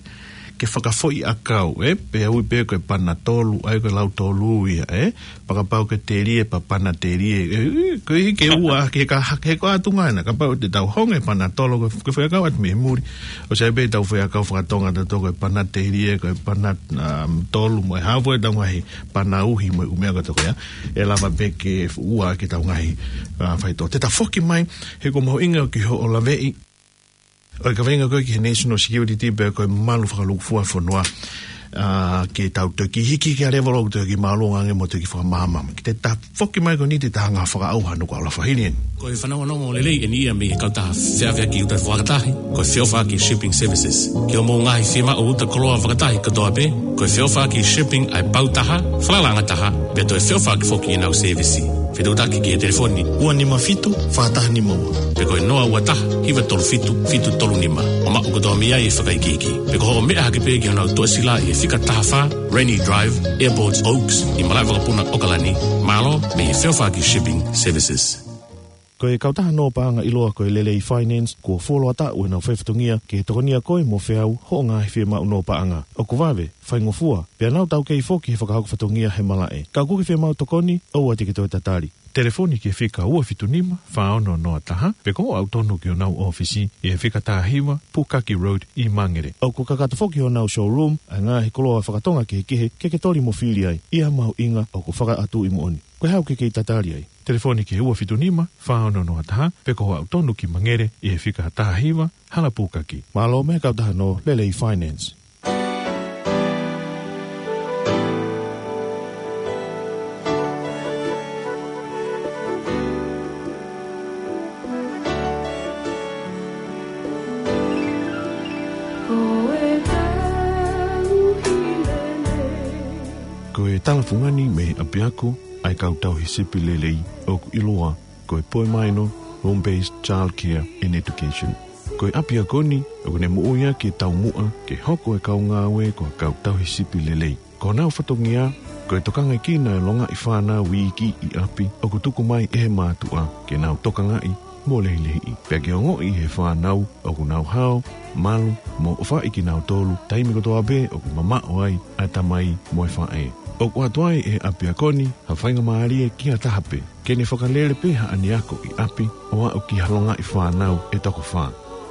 ke fakafoʻi ʻakau, ē? Pea ui pē ko e Panatolu, ʻa ia ko e lau tolu ia, ē? Fakapapau ko e telie pea Panatelie. ʻE, ʻe, ko e ke ua, ke ka, ke ko atu ngana, kapau te tau honge Panatolo, ko, ko e fekau atu mei muli. ʻOsi ʻi ai pē tau fekau fakatonga ʻatautolu ko e Panatelie, ko e Pana, um, tolu mo e hā fua ʻetau ngaahi Panauhi mo e ʻū meʻa kotoa ia. ʻE lava pē ke ua ke tau ngaahi, uh, faitoʻo. Te ta foki mai, he ʻoku mahuʻinga ke hoʻo laveʻi, ʻo e kaveinga ko ē ki he national security pea ko e malu fakalūkufua fonua, ʻa, ke tau toki hiki ki ha levolo ʻoku toki māʻolunga ange mo toki fakamaama. Ki te ta foki mai ko eni te ta hanga fakaʻauha nuku ala fahili eni. Ko e fanongonongo lelei eni ia mei he kautaha feʻaveʻaki uta fakatahi, ko e feʻofaʻaki shipping services. Ki hoʻomou ngaahi fiemaʻu uta koloa fakatahi kotoa pē, ko e feʻofaʻaki shipping ʻa e pau taha, fakalanga taha, pea toe feʻofaʻaki foki ʻenau sēvisi. Fetuʻutaki ki he telefoni ua nima fitu, fā taha nima ua. Pe ko e noa ua taha, hiva tolu fitu, fitu tolu nima. ʻO maʻu kotoa mei ai e fakaikiiki. Pe ko hoʻo meʻa hake pē ki honau tuʻasila ʻi he fika taha fā, Rennie Drive, Airport Oaks, ʻi malaʻe vakapuna ʻOkalani. Mālō, mei he feʻofaʻaki shipping services. Ko e kautaha nō paʻanga ʻiloa ko e Lelei Finance, kuo fuoloa taʻu ʻenau faifatongia ke tokonia koe mo feau hoʻo ngaahi fiemaʻu nō paʻanga. ʻOku vave, faingofua, pea nau taukei foki he fakahoko fatongia he malaʻe. Ka ʻoku ke fiemaʻu tokoni, ʻoua te ke toe tatali. Telefoni ki he fika ua fitu nima, fā ono noa taha, pe ko hoʻo aʻu tonu ki honau ʻōfisi, ʻi he fika taha hiva, Pukaki Road, ʻi Mangere. ʻOku kakato foki honau showroom, ʻa e ngaahi koloa fakatonga kehekehe, ke ke toli mo fili ai, ʻi ha mahuʻinga ʻoku fakaʻatuʻi moʻoni. Ko e hā ʻoku ke kei tatali ai? Telefoni ki he ua fitu nima, fā ono noa taha, pe ko hoʻo aʻu tonu ki Mangere, ʻi he fika taha hiva, Hala Pukaki. Mālō mei he kautaha nō Lelei Finance. Ko e talafungani mei ʻapiako ʻa e kau tauhi sipi lelei ʻoku ʻiloa ko e Poemaino Home Based Child Care and Education. Ko e ʻapiako ni, ʻoku ne moʻui ʻaki e taumuʻa ke hoko e kau ngāue ko e kau tauhi sipi lelei. Ko honau fatongia, ko e tokangekina e longaʻi fānau iiki ʻi ʻapi, ʻoku tuku mai ʻe he mātuʻa ke nau tokangaʻi mo lehilehiʻi. Pea ke ongoʻi ʻe he fānau ʻoku nau hao, malu, mo ʻofaʻi kinautolu, taimi kotoa pē ʻoku mamaʻo ai ʻa e tamai mo e faʻē. ʻOku ʻoatu ai ʻe he ʻapiako ni ha faingamālie ki ha taha pē ke ne fakalele pē haʻane ako ʻi ʻapi ʻo aʻu ki ha longaʻi fānau ʻe toko fā.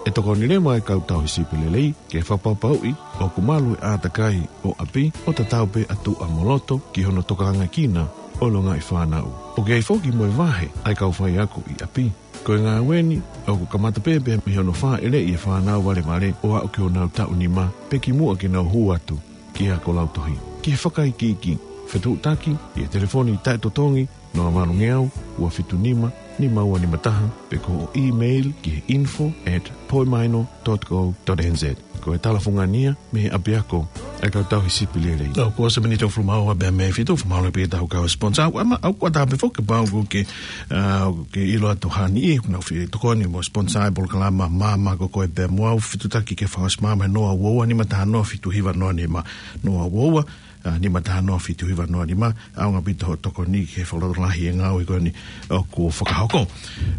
ʻE tokoni leva e kau tauhi sipi lelei ke fakapapauʻi ʻoku malu e ʻātakai ʻo ʻapi ʻo tatau pē ʻa tuʻa mo loto ki hono tokangekina ʻolunga ʻi fānau. ʻOku ʻi ai foki mo e vahe ʻa e kau faiako ʻi ʻapi. Ko e ngāue ni ʻoku kamata pē pea mei hono fāʻeleʻi e fānau valevale ʻo aʻu ki honau taʻu nima pe kimuʻa ke nau hū atu ki he ako lautohi. Ki he fakaikiiki, fetuʻutaki ʻi he telefoni taʻetotongi noa valu ngeau, ua fitu nima, nima ua nima taha, pe ko hoʻo email ki he info at poimaino dot co dot N Z. Ko e talafungani ia mei he ʻapiako ʻa e kau tauhi sipi lelei. Nō, kuo ʻosi e miniti ʻe hongofulu mā ua pea mei he fitu, ʻoku mālō pē ʻetau kau sponsor. ʻOku ʻama, ʻoku ʻatā pē foki pau ʻoku ke, ʻa, ke ʻilo atu hani i, ʻoku nau fie tokoni mo sponsor e polokalama Maama Ko Koe Pea Mo Au, fetuʻutaki ke fakaʻosi maama he noa ua ua nima taha noa fitu hiva noa nima, noa ua ua, ʻa, nima taha noa fitu hiva noa nima, ʻaonga ʻaupito hoʻo tokoni ki he fakalotolahi e ngāue ko eni ʻoku fakahoko.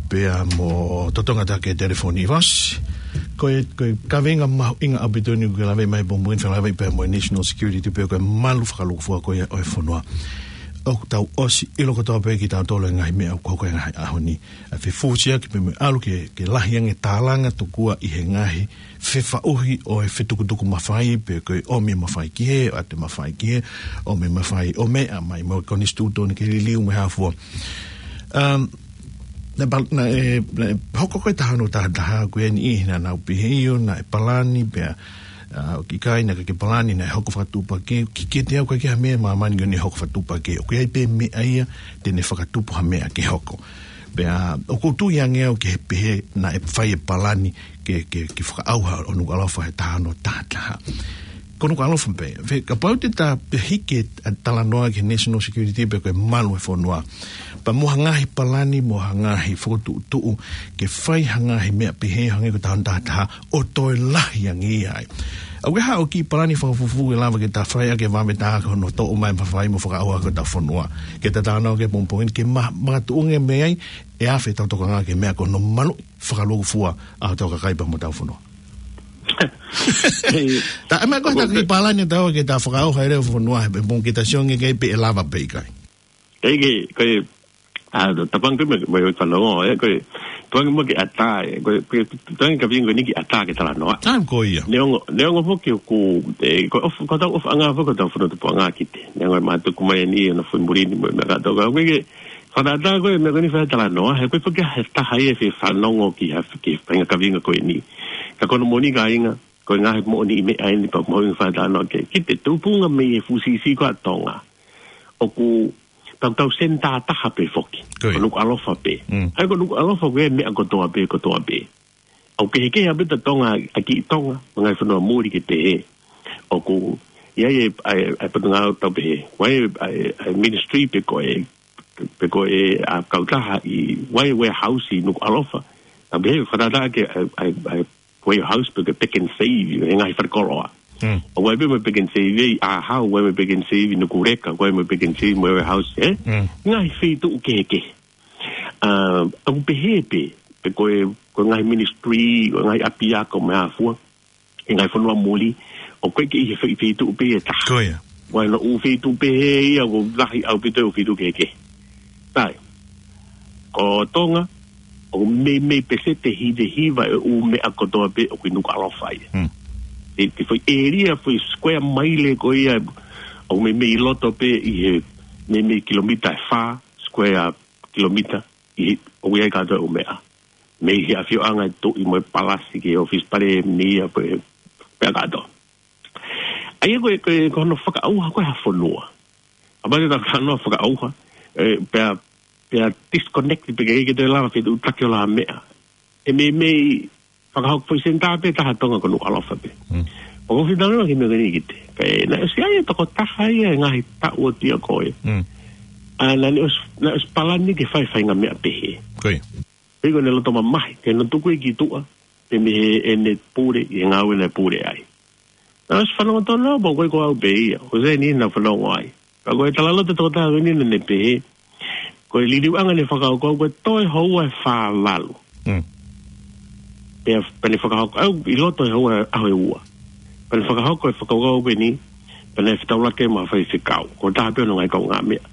Pea mo totongi atu ki he telefoni, Vasi. Ko e, ko e kaveinga mahuʻinga ʻaupito eni ʻoku ke lave mai he pongipongi ni, fekauʻaki pea mo e national security pe ko e malu fakalūkufua ko ia ʻo e fonua. ʻOku tau ʻosi ʻilo kotoa pē kitautolu e ngaahi meʻa ʻoku hoko he ngaahi ʻaho ni. ʻA e fefusiaki pea mo e ʻalu ke, ke lahi ange tālanga tokua ʻi he ngaahi fefaʻuhi ʻo e fetukutuku mafai, pe ko e ʻomi mafai ki hē, ʻoatu mafai ki hē, ʻomi mafai ʻo meʻa mai mo e konisitūtone ke liliu mo e hā fua. Um, naʻe pal-, naʻe, naʻe hoko ko e taha ono taha taha ko eni ʻi he naʻa nau pehē ʻio, naʻe palani pea, ʻa, ʻoku ʻikai, naʻe ʻikai ke palani, naʻe hoko fakatuʻupakē, ki, kiate au ʻoku ʻikai ha meʻa ʻi māmani ko eni ʻe hoko fakatuʻupakē. ʻOku ʻi ai pē meʻa ia te ne fakatupu ha meʻa ke hoko. Pea ʻoku ou tui ange au ki he pehē naʻe fai e palani ke, ke, ke fakaʻauha ʻo Nukuʻalofa he taha ono taha taha. Ko Nukuʻalofa pē, fē, kapau te ta pehē ke talanoa ki he national security pe ko e malu e fonua. Pea mo ha ngaahi palani, mo ha ngaahi fokotuʻutuʻu ke fai ha ngaahi meʻa pehē hangē ko e taha ono taha taha ʻo toe lahi ange ai. ʻOku ʻi ai haʻo kiʻi palani fakafufū ʻe lava ke ta fai ʻaki e vave taha ko hono toʻo mai mafai mo fakaʻauha ko ʻetau fonua. Ke ta talanoa ki ai he pongipongi ni ke ma-, makatuʻunga mei ai, ʻe afe ʻetau tokanga ki he meʻa ko hono maluʻi fakalūkufua ʻa hotau kakai pea mo hotau fonua. Hei. Ta, ʻa e meʻa ko e ta kiʻi palani ʻe taha ke ta fakaʻauha e lea ʻo e fonua he pongipongi ni ke ta sio ange ki ai pe ʻe lava pe ʻikai. Hei, ke, ko e, ʻa, tapang ke me, me, me fanongo, ē, ko e, tuangi mo ke ʻatā, ē, ko e, ko e, tuangi ka vingo ni ke ʻatā ke talanoa. Taimi ko ia. Neongo, neongo foki ʻoku, ē, ko e ʻofa, ko hotau ʻofaʻanga foki ko hotau fonua tupuʻanga ki te. Neongo ʻe mātuku mai eni ʻi hono fuimuli ni mo e meʻa kātoa. Ko e ke, fakaʻatā ko e meʻa ko eni fai talanoa, he ko e foki he taha ia ʻe fanongo ki ha, ki he faʻahinga kaveinga ko eni. Ka ko hono moʻoni kāinga, ko e ngaahi moʻoniʻi meʻa eni pea ʻoku mahuʻinga fai talanoa ki ai. Ki te tupunga mei he fuʻu siʻisiʻi ko ē ʻa Tonga. ʻOku tau, tau senitā taha pē foki. Ko ia. Ko Nukuʻalofa pē. Mm. ʻA ia ko Nukuʻalofa ko e meʻa kotoa pē, kotoa pē. ʻOku kehekehe ʻaupito Tonga, ʻa kiʻi Tonga, mo e ngaahi fonua muli ke pehē. ʻOku ʻi ai e, ʻa e, ʻa e potungāue tau pehē. ʻOku ʻi ai e, ʻa e, ʻa e ministry pe ko e, pe ko e, ʻa, kautaha ʻi, ʻoku ʻi ai e warehouse ʻi Nukuʻalofa. Tau pehē, fakatātā ke, ʻa e, ʻa e, ʻa e warehouse pe ko e Pick n Save, he ngaahi falekoloa. Mm. ʻOku ʻi ai pē mo e Pick n Save ʻi ʻAhau, ʻoku ʻi ai mo e Pick n Save ʻi Nukuleka, ʻoku ʻi ai mo e Pick n Save mo e warehouse, ē? Mm. Ngaahi feituʻu kehekehe. ʻA, ʻoku pehē pē, pe ko e, ko e ngaahi ministry, ko e ngaahi ʻapiako mo e hā fua, ʻi he ngaahi fonua muli, ʻoku ʻikai ke ʻi he fei-, feituʻu pē ʻe taha. Ko ia. ʻOku ʻi ai hono ʻū feituʻu pehē ia, ʻoku lahi ʻaupito e ʻū feituʻu kehekehe. Sai. Ko Tonga, ʻoku meimei peseti hiva hiva e ʻū meʻa kotoa pē ʻoku ʻi Nukuʻalofa ia. Hmm. Te, te foʻi ʻēlia, foʻi square mile ko ia, ʻoku meimei ʻi loto pē ʻi he meimei kilomita ʻe fā, square kilomita, ʻi he, ʻoku ʻi ai kātoa e ʻū meʻa. Mei he ʻafioʻanga e tuʻi mo e palasi ki he ʻōfisi palēmia pea, pea kātoa. ʻA ia ko e, ko e, ko hono fakaʻauha ko ē ha fonua. ʻA pau te ta talanoa fakaʻauha, ē, pea, pea disconnect pe ke, ke te lava fetuʻutaki ʻo ha meʻa. ʻE meimei fakahoko foʻi senitā pē taha Tonga ko Nukuʻalofa pē. Mm. ʻOku ou fie talanoa ki he meʻa ko eni ki te. Kae naʻe ʻosi ʻi ai e tokotaha ia he ngaahi taʻu ʻo aʻu ki ai. Mm. ʻA, naʻa ne ʻosi, naʻe ʻosi palani ke fai faʻahinga meʻa pehē. Ko ia. Pea ko ʻene loto mamahi, ke ne tuku ia ki tuʻa, pea mei he ʻene pule, ʻi he ngāue naʻe pule ai. Naʻe ʻosi fanongo tonu au, pea ko e ko au pē ia, ʻoku sai ni naʻa fanongo ai. Pea ko e talaloto tokotaha ko eni naʻa ne pehē, ko e liliuʻanga ʻene fakakaukau, ko e toe houa ʻe fā valu. Mm. Pea, pea ne fakahoko, ʻa ia ʻi loto he houa ʻaho ʻe ua. Pea ne fakahoko e fakakaukau ko eni, pea ne fetaulaki mo ha faifekau. Ko e taha pē hono ngaahi kaungāmeʻa.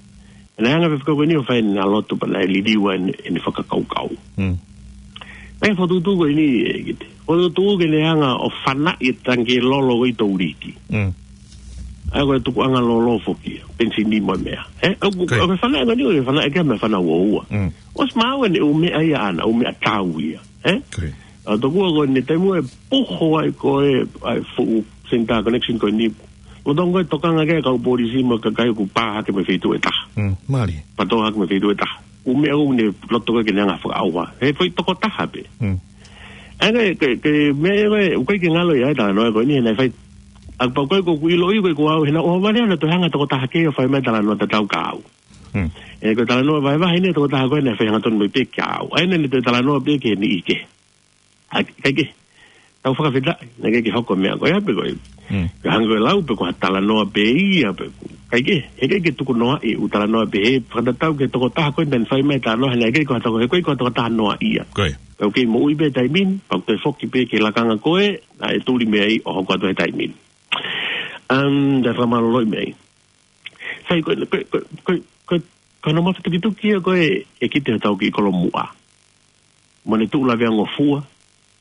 Naʻe hanga ʻe he faifekau ko eni ʻo fai ʻene lotu pea naʻe liliu ai ʻene, ʻene fakakaukau. Mm. Naʻe fokotuʻutuʻu ko eni ʻe Kite. Fokotuʻutuʻu ke ne hanga ʻo fanaʻi e tangikē lolo ko ē ʻi Touriki. Mm. ʻA ia ko e tukuʻanga lōlō foki ia, penisini mo e meʻa. Ē, ʻoku, ʻoku fanauʻi ʻa e ngaahi, ʻoku fanauʻi ʻaki ʻa e meʻa fanauʻi ʻo ua. Mm. ʻOsi maau ʻene ʻū meʻa ia ʻaʻana, ʻū meʻatau ia. Ē? Ko ia. ʻA ia tokua ko eni taimi ʻe puho ai ko ē, ʻa e fuʻu senitā connection ko eni. Lolotonga ko e tokanga ki ai e kau polisi mo e kakai ʻoku pā hake mei he feituʻu ʻe taha. Mm, mālie. Pā tō hake mei he feituʻu ʻe taha. ʻŪ meʻa ʻoku ne loto ko ē ke ne hanga ʻo fakaʻauha. He foʻi tokotaha pē. Mm. ʻA ia ko e, ko e, ko e meʻa ko ē, ʻoku ʻikai ke ngalo ia ʻa e talanoa ko eni, he naʻe fai. ʻA ia pau ko ē ʻoku ou ʻiloʻi ko ē ko au, he naʻe ʻohovale ʻa e tokotaha kehe ʻo fai mai e talanoa tatau kia au. Mm. Ē, ko e talanoa vahevahe eni ʻa e tokotaha ko ē naʻe fai hangatonu mai pē kia au. ʻA ia naʻa ne toe talanoa pē ki he niʻihi kehe. ʻA, kae kehe, tau fakafetaʻi, naʻe ʻikai ke hoko e meʻa ko ia pē ko ē. Mm. Ka hangē ko e lau pē ko ha talanoa pē ia pē. Kae kehe, heʻikai ke tukunoaʻi e ʻū talanoa pehē, fakatatau ki he tokotaha ko ē naʻa ne fai mai e talanoa, he naʻe ʻikai ko ha toko, heʻikai ko ha tokotaha noaʻia. Ko ia. Pea ʻoku kei moʻui pē he taimi ni, pea ʻoku toe foki pē ki he lakanga ko ē naʻe tuli mei ai ʻo hoko atu he taimi ni. Um, te u fakamālōlōʻi mei ai. Sai, ko, ko, ko, ko, ko, ko hono mafatukituki ia ko ē ʻa e kite hotau kiʻi kolomuʻa. Mo ʻene tuʻu laveangofua,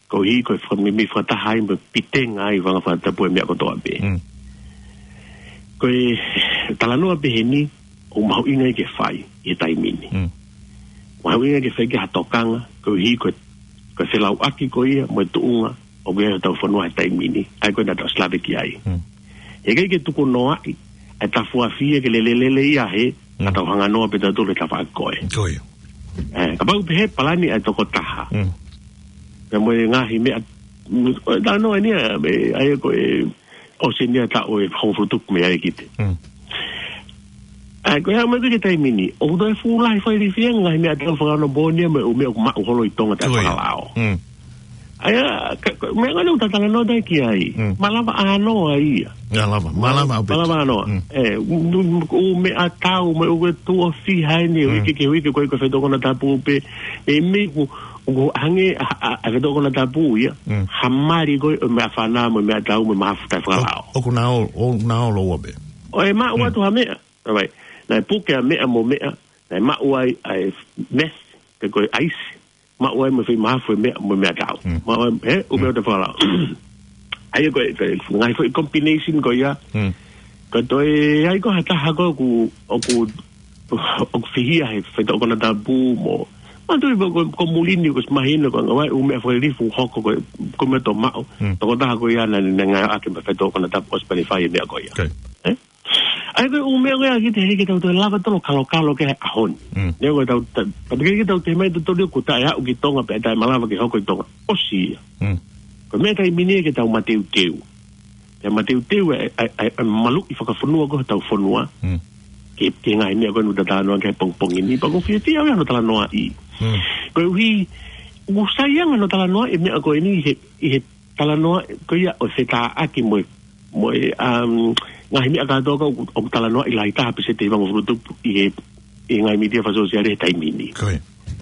koeʻuhi ko e fakameimei fakataha ai mo e pitenga ai e fanga fakatapu e meʻa kotoa pē. Mm. Ko e talanoa pehē ni, ʻoku mahuʻinga ia ke fai ʻi he taimi ni. Mm. Mahuʻinga ia ke fai ki ha tokanga, koeʻuhi ko e, ko e felauʻaki ko ia mo e tuʻunga ʻoku ʻi ai hotau fonua he taimi ni, ʻa ia ko ē naʻa tau ʻosi lave ki ai. Mm. Heʻikai ke tukunoaʻi ʻa e tafuafi ia ke lelelele ia he, mm, ka tau hanga noa pē tautolu he tafaʻaki ko ē. Ko ia. Ē, kapau pehē palani ʻa e tokotaha. Mm. Pea mo e ngaahi meʻa, mm, ʻo e talanoa eni ʻa, ē, ʻa ia ko e ʻosi eni ʻa e taʻu ʻe hongofulu tupu mei ai e kite. Mm. ʻA ia, ko e hā mai ki he taimi ni, ʻoku toe fuʻu lahi fai liliu ange e ngaahi meʻatau fakaonopooni mo e ʻū meʻa ʻoku maʻu holo ʻi Tonga taʻe, ko ia, fakalao. Mm. ʻA ia, ka, ka, meʻa ngani ʻoku ta talanoa atu ki ai. Mm. Malava ʻānoa ia. Malava, malava ʻaupito. Malava ʻānoa. Mm. Ē, ʻū, ʻū, ʻū meʻatau, mo e ʻū tuʻo fiha eni, ʻū, mm, uike ki he uike, ko e, ko e feituʻu konatapu pē. Meimei ʻoku, ʻoku hangē ʻa, ʻa, ʻa e feituʻu konatapu ia. Mm. Ha mali ko ē ʻo e meʻafana mo e meʻatau mo e mahafu taʻe fakalao. ʻO, ʻoku na ō, ʻoku na ō lōua pē. ʻO e maʻu, mm, atu ha meʻa. All right. Naʻe puke ʻa e meʻa mo e meʻa, naʻe maʻu ai ʻa e meth, pe ko e ʻaisi, maʻu ai mo e foʻi mahafu e meʻa, mo e meʻatau. Mm. Maʻu ai, ē, ʻū meʻa, mm, taʻe fakalao. ʻA ia ko e, ko e ngaahi foʻi combination ko ia. Mm. Ka toe ʻi ai ko ha taha ko ē ʻoku, ʻoku, ʻoku fihia he feituʻu konatapu mo. Manatuʻi pē ko, ko muli ni kuo ʻosi mahino ko e ngaahi ʻū meʻa fakalilifu hoko ko e, ko e meʻa tō maʻu. Mm. Tokotaha ko ia naʻa ne, ne ngāueʻaki mei he feituʻu konatapu ʻosi pē ʻene fai e meʻa ko ia. Okay. Ē? ʻA ia ko e ʻū meʻa ko ia ʻoku ʻikai ke tau toe lava tautolu ʻo kalokalo ki ai he ʻaho ni. Mm. Neongo ʻetau, ta-, pea ʻikai ke tau toe ʻomai tautolu ia kuo taʻe aʻu ki Tonga pea taʻe malava ke hoko ʻi Tonga. ʻOsi ia. Mm. Ko e meʻa taimi ni ke tau mateuteu. Ke mateuteu e, e, e, e maluʻi fakafonua ko ē hotau fonua. Mm. Ki he, ki he ngaahi meʻa ko ē naʻa ta talanoa ki ai he pongipongi ni. Pea ʻoku ou fiefia au ia hono talanoaʻi. Mm. Koeʻuhi, ʻoku sai ange hono talanoaʻi e meʻa ko eni he, ʻi he talanoa ko ia ʻo e fetāʻaki mo e, mo e, um, ngaahi meʻa kātoa ko ē ʻoku, ʻoku talanoaʻi lahi taha pē ʻi he hivangofulu tupu ʻi he, ʻi he ngaahi mītia fakasōsiale he taimi ni. Ko ia.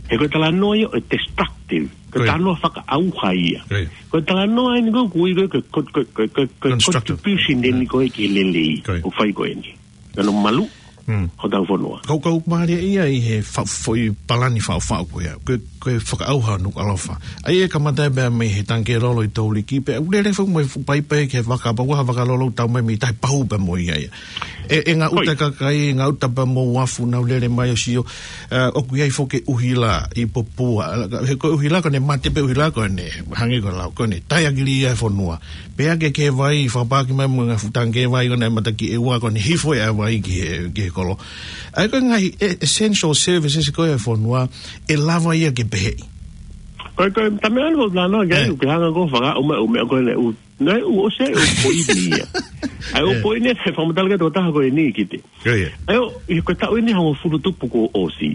He ko e talanoa ia ʻo e destructive. Ko e, ko ia, talanoa fakaʻauha ia. Ko ia. Ko e talanoa eni ko ē ʻoku ui ko ē ko e, ko e, ko e, ko e, ko e, ko e constructive, contribution eni, mm, ko ē ki he lelei, ko ia, ʻoku fai ko eni. Ko hono maluʻi, mm, hotau fonua. Kau, kau mālie ia ʻi he fa-, foʻi palani faʻufaʻu ko ia. Ko e, ko e fakaʻauha Nukuʻalofa. ʻA ia ʻe kamata pē mei he tangikē lolo ʻi Touliki pea ʻoku lele foki mo e fuʻu paipai ki he vaka, pea ʻoku ʻi ai ha vaka lolo ʻoku tau mai mei tahi pahu pē mo ia ia. ʻE, ʻe ngaahi, ko ia, uta kakai, ngaahi uta pea mo uafu naʻa nau lele mai ʻo sio, ē, ʻoku ʻi ai foki e ʻuhila ʻi Popua. He ko e ʻuhila ko ē naʻe mate pē ʻuhila ko ē naʻe hangē ko e lau ko ē naʻe taiakili ia e fonua. Pea ke, ke vai, fakapaaki mai mo e ngaahi fuʻu tangikē vai ko ē naʻe mata ki ʻEua ko ē naʻe hifo e vai ki he, ki he kolo. ʻA ia ko e ngaahi, e, essential services ko ē e fonua, ʻe lava ia ke peheʻi. Ko e, ko e, tā meʻa ʻoku ou talanoa ki ai, ē, ʻoku ke hanga ko ē ʻo fakaʻumaʻā e ʻū meʻa ko ē naʻe ʻū, naʻe ʻū ʻosi e ʻū poini ia. ʻA ia ʻū, ē, poini ē, fakamatala ki he tokotaha ko eni, Kite. Ko ia. ʻA ia ʻū, ʻi he ko e taʻu eni hongofulu tupu kuo ʻosi.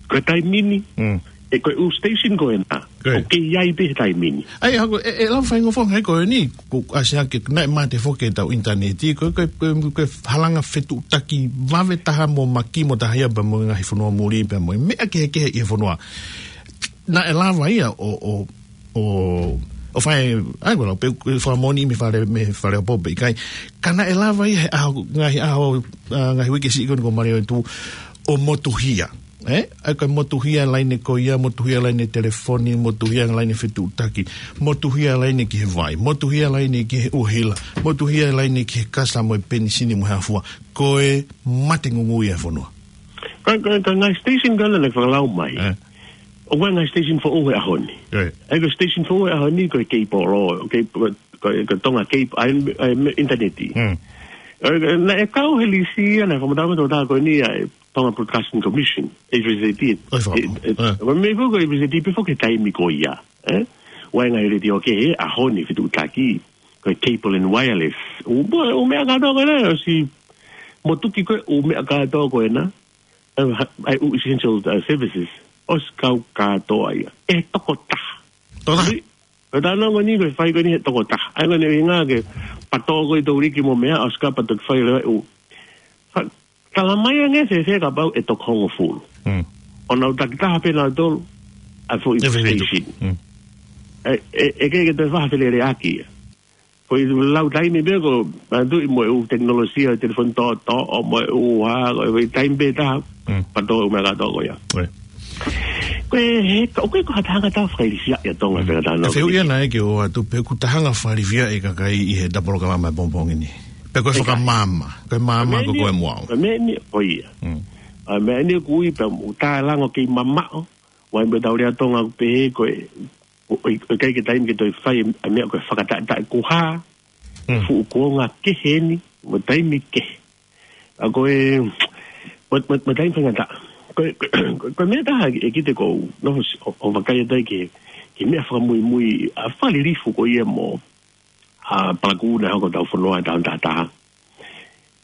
Ko e taimi ni, mm, ē, ko e ʻū station ko ena, ko ia, ʻoku kei ʻi ai pē he taimi ni. ʻA ia, hangē ko e, ʻe lava faingofua ngaahi ko eni, ko e ʻasi hake naʻe mate foki ʻetau ʻinitaneti, ko e, ko e, ko e, ko e halanga fetuʻutaki vave taha mo makimo taha ia pea mo e ngaahi fonua muli pea mo e meʻa kehekehe ʻi he fonua. Naʻe lava ia ʻo, ʻo, ʻo, ʻo fai, ʻa ia ko e lau pē, ko e fakamoʻoni mei Fale, mei Faleʻapo pe ʻikai. Ka naʻe lava ia he ʻaho, ngaahi ʻaho, ā, ngaahi uike siʻi ko eni kuo maliu atu ʻo motuhia. ʻE, ʻa ia ko e motuhia laine ko ia, motuhia laine telefoni, motuhia laine fetuʻutaki, motuhia laine ki he vai, motuhia laine ki he ʻuhila, motuhia laine ki he kasa mo e penisini mo e hā fua, ko e mate ngungū ia e fonua. Ka, ka, ka ngaahi station ka lana fakalau mai. ʻE. ʻOku ʻi ai ngaahi station foʻou he ʻaho ni. ʻE. ʻA ia ko e station foʻou he ʻaho ni ko e cable, ko e, ko e, ko e Tonga cable, ʻa e, ʻa e initaneti. Mm. ʻE, naʻe kau he lisi ia, naʻe fakamatala mai ʻe he tokotaha ko eni ʻa e Tonga Broadcasting Commission, A B C T. ʻOi, faka-, ʻE, ʻe, ʻe. Ko e meʻa foki ko e A B C T pē foki he taimi ko ia, ʻe? ʻOku ʻi ai ngaahi letiō kehe he ʻaho ni fetuʻutaki, ko e cable and wireless. ʻOku, ʻoku meʻa kātoa ko ena, ʻosi motuki ko ē, ʻoku meʻa kātoa ko ena, ʻa e, ʻa e ʻū essential, uh, services, ʻosi kau kātoa ia. ʻE tokotaha. Tokotaha. Ko e talanoa ko eni ko e fai ko eni he tokotaha. ʻA ia ko eni ʻuhinga ke pato ko e tau liki mo meʻa, ʻosi kau pato ke fai leva ʻū. Fa-, tala mai ange fēfē kapau ʻe toko hongofulu. Mm. ʻO nau takitaha pē nautolu, ʻa e foʻi station. Mm. ʻE, ʻe, ʻe ʻikai ke toe fai ha feleleʻaki ia. Ko e lau taimi pē ko, manatuʻi mo e ʻū tekinolosia, telefoni tōtō, ʻo mo e ʻū hā, ko e foʻi taimi pē taha, Mm. pato ʻū meʻa kātoa ko ia. ʻOi. Ko e he, ko, ko e ko ha taha ʻoku tau fakailifia ia Tonga, Mm. pē kātoa. ʻE fehuʻi ʻana ē ke ʻoatu pe ʻoku taha ʻoku fakailifia e kakai ʻi he polokalama pongipongi ni. Pe ko e ʻIkai. fakamaama, ko e maama Ko e ko meʻa ko e ni, muau. ko e meʻa ni, ko ia. Mm. ʻA e meʻa ni ʻoku ui pē ʻoku talango kei mamaʻo, ʻa ia mo e tau lea Tonga ʻoku pehē ko e, ʻo, ʻo, ʻo ʻikai ke taimi ke toe fai e meʻa ko e fakataʻetaʻe kuo hā, Mm. fuʻu kuonga kehe ni, mo e taimi kehe. ʻA ko e, mo, mo, mo e taimi faingataʻa. Ko e, ko e, ko e meʻa taha ʻe kiʻi te kou, nofo si-, ʻo, ʻo vakai atu ai ki he, ki he meʻa fakamuimui, ʻa e fakalilifu ko ia mo, ʻa e palakū naʻe hoko ʻi hotau fonua ʻi he taʻu taha taha.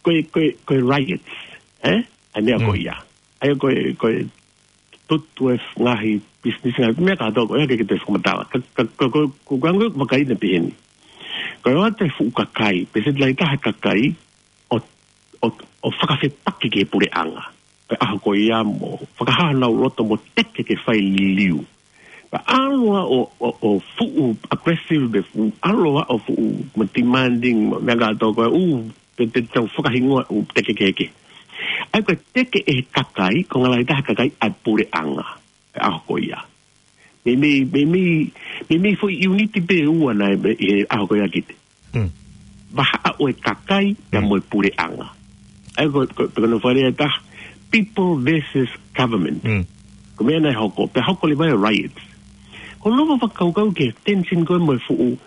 Ko e, ko e, ko e riots, ʻe? ʻA e meʻa ko Mm. ia. ʻA ia ko e, ko e tutu e f-, ngaahi business ngaahi meʻa kātoa ko ia ke, ke te fakamatala. Ka, ka, ka, ko, ko, ko, ko, ko, vakai ʻana pehē ni. Ko e ʻoatu e fuʻu kakai, pe se lai taha kakai, ʻo, ʻo, ʻo fakafepaki ki he puleʻanga. Ko e ʻaho ko ia mo, fakahā honau loto mo teke ke fai liliu. Pea ʻalu ʻo, ʻo, ʻo fuʻu aggressive pe fuʻu, ʻalu ʻo fuʻu mo demanding, mo meʻa kātoa ko e ʻū, pe, pe tau fakahingoa ʻū teke kehekehe. ʻA ia ko e teke ʻe he kakai, ko e ngaahi taha kakai ʻa e puleʻanga, he ʻaho ko ia. Meimei, meimei, meimei foʻi uniti pē ʻe ua naʻe, ʻi he ʻaho ko ia kiʻi te. Mm. Vahaʻa ʻo e kakai, pea Mm. mo e puleʻanga. ʻA ia ko, ko, ko hono fakalea ʻe taha, people versus government. Mm. Ko e meʻa naʻe hoko, pea hoko leva e riots. Ko hono fakakaukau ki he tension ko ē mo e fuʻu,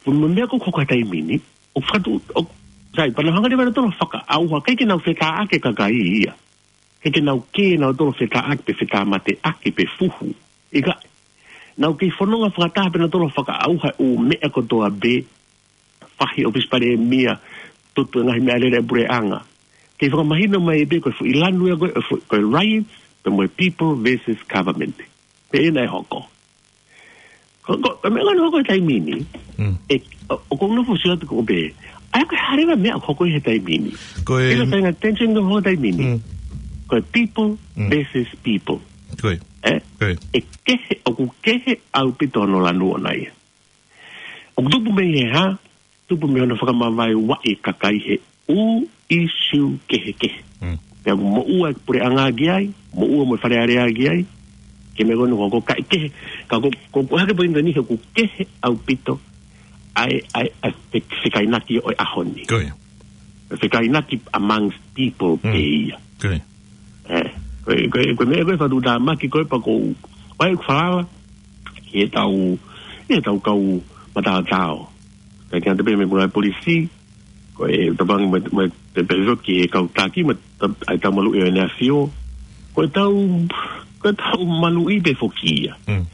fuʻu mo e meʻa ko ē ʻoku hoko he taimi ni, ʻo fakatu-, ʻo, sai, pea nau hanga leva ʻe nautolu ʻo fakaʻauha, ʻikai ke nau fetāʻaki e kakai ia. ʻIkai ke nau kē nautolu ʻo fetāʻaki pe fetāmateʻaki pe fuhu. ʻIkai, nau kei fononga fakataha pē nautolu ʻo fakaʻauha e ʻū meʻa kotoa pē, fahi ʻōfisi palēmia, tutu e ngaahi meʻalele ʻa e puleʻanga. Kei fakamahino mai pē ko e foʻi lanu ia ko e, ko e riots, pea mo e people versus government. Pea ʻena ʻe hoko. Ko, ko, ko e meʻa ko ē naʻe hoko he taimi ni, Mm. ʻe, ʻo, ʻoku ou nofo ʻo sio atu ko ē pē. ʻA ia ko e hā leva e meʻa ʻoku hoko he taimi ni. Ko e ʻIlo tainga tension ko ē hoko he taimi ni. Mm. Ko e people Mm. versus people. Ko e. ʻE? Ko e. ʻE kehe, ʻoku kehe ʻaupito hono lanu ʻona ia. ʻOku tupu mei he hā, tupu mei hono fakamavaevaeʻi e kakai he ʻū issue kehekehe. Mm. Pea ʻoku moʻua e puleʻanga ki ai, moʻua mo e Fale Alea ki ai, ke meʻa ko eni ʻoku hoko kae kehe, ka ko, ko, ko e hā e poini ko eni he ʻoku kehe ʻaupito ʻa e, ʻa e, ʻa e fe-, fekainaki ʻo e ʻaho ni. Ko ia. Fekainaki amongst people Mm. pē ia. Ko ia. ʻE, ko e, ko e, ko e meʻa ko ē fakatuʻutāmaki ko ē pea ʻoku ou, ʻai ʻeku falala, ki he tau, ki he tau kau mataotao. Kae kehe atu pē mei he ngaahi polisi, ko e tapangi mo, mo, te pehē ki he kau taki, mo, ta-, ʻa e tau maluʻi ʻo e ʻEne ʻAfio. Ko e tau, ko e tau maluʻi pē foki ia. Mm.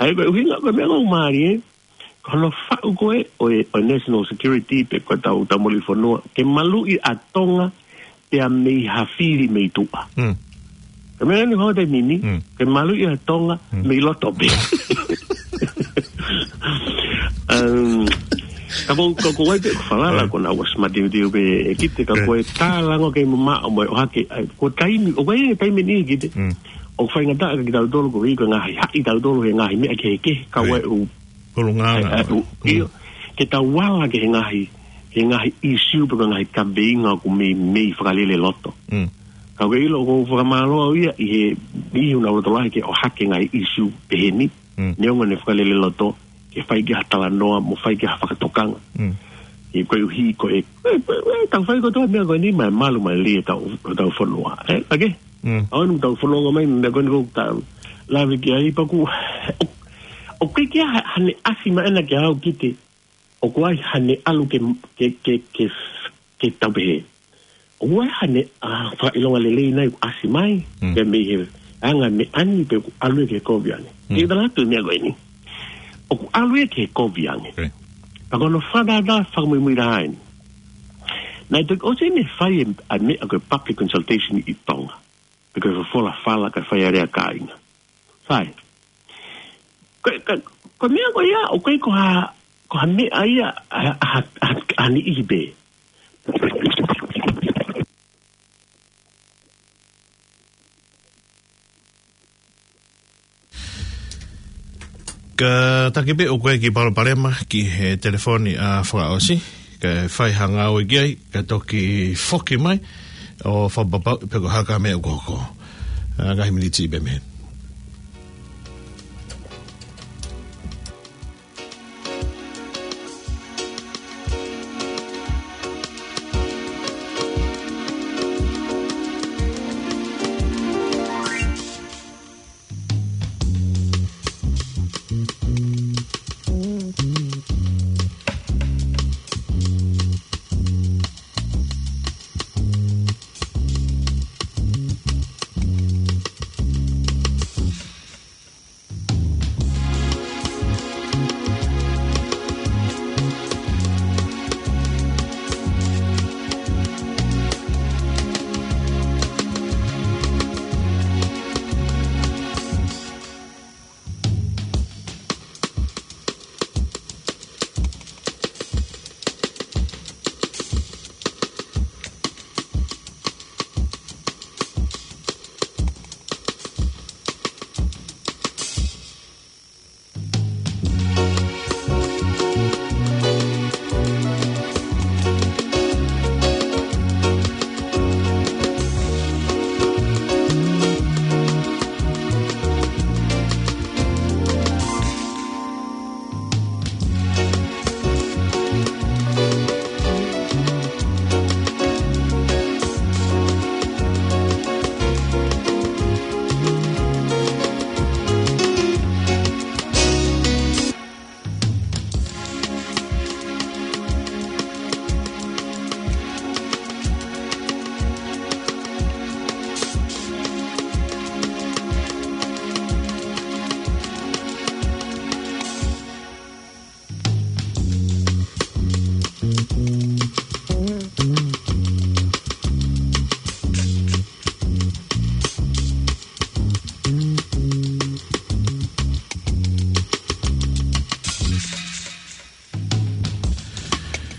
ʻA ia ko e ʻuhinga, ko e meʻa ʻoku mālie, ko hono faʻu ko ē ʻo e, ʻo e national security pe ko e tau, tau maluʻi fonua, ke maluʻi ʻa Tonga, pea mei ha fili mei tuʻa. Mm. Ko e meʻa ni hoko he taimi ni, Mm. ke maluʻi ʻa Tonga, Mm. mei loto pē. Um, ka ko, ko, ko e ʻai pē ʻeku falala, ʻOi. ko ena ʻoku ʻosi māteuteu pē ʻe kiʻi te ka ʻOi. ko e talango kei mamaʻo mo e ʻohake, ʻa, ko e taimi, ʻoku ʻi ai e taimi ni kiʻi te. Mm. ʻOku faingataʻa kia kitautolu ko e ʻi ko e ngaahi haʻi tautolu he ngaahi meʻa kehekehe, ka ʻOi. ʻoku ʻi ai e ʻū Hulungaanga. ʻE, ʻe, ʻū, Mm. ʻio, ke tau ala ki he ngaahi, ki he ngaahi issue pe ko e ngaahi kaveinga ʻoku meimei fakalele loto. Mm. Ka ʻoku ke ʻilo ʻoku ou fakamālō au ia ʻi he, Niʻihi ʻoku nau lotolahi ke ʻohake ngaahi ʻīsiu pehē ni, Mm. neongo ʻene fakalele loto, ke fai ki ai ha talanoa, mo fai ki ai ha fakatokanga. Mm. He koeʻuhi ko e, e, e, e, tau fai kotoa e meʻa ko eni, maʻa e malu, maʻa e lelei ʻetau, ʻetau fonua. Ē, ake? Mm. ʻA eni ʻoku tau fononga mai, meʻa ko eni ʻoku tau lave ki ai pea ʻoku, ʻo, ʻoku ʻikai ke ʻi ai ha, haʻane ʻasi mai ena kia au ki he, ʻoku ʻi ai haʻane ʻalu ke, ke, ke, ke, ke tau pehē. ʻOku ʻi ai haʻane, ʻa, fakaʻilonga lelei nai ʻoku ʻasi mai, Mm. ke mei he anga meʻa ni pe ʻoku ʻalu ia ki he kovi ange. Mm. Ke tala atu e meʻa ko eni. ʻOku ʻalu ia ki he kovi ange. Okay. Pea ko hono fakatātā fakamuimui lahi eni. Naʻe toki ʻosi ʻene fai e, ʻa e meʻa ko e public consultation ʻi Tonga. Pe ko e folofola fala kae fai ʻa e lea kāinga. Sai. Ko, ko, ko e meʻa ko ia, ʻoku ʻikai ko ha, ko ha meʻa ia, ʻa, ʻa, ʻa, ʻa niʻihi pē. Kātaki pē ʻoku ʻi ai e kiʻi palopalema ki he telefoni ʻa Fakaʻosi, kae fai ha ngāue ki ai, kae toki foki mai ʻo fakapapauʻi pe ko e hā e meʻa ʻoku hoko. ʻA, ngaahi miniti pē mei heni.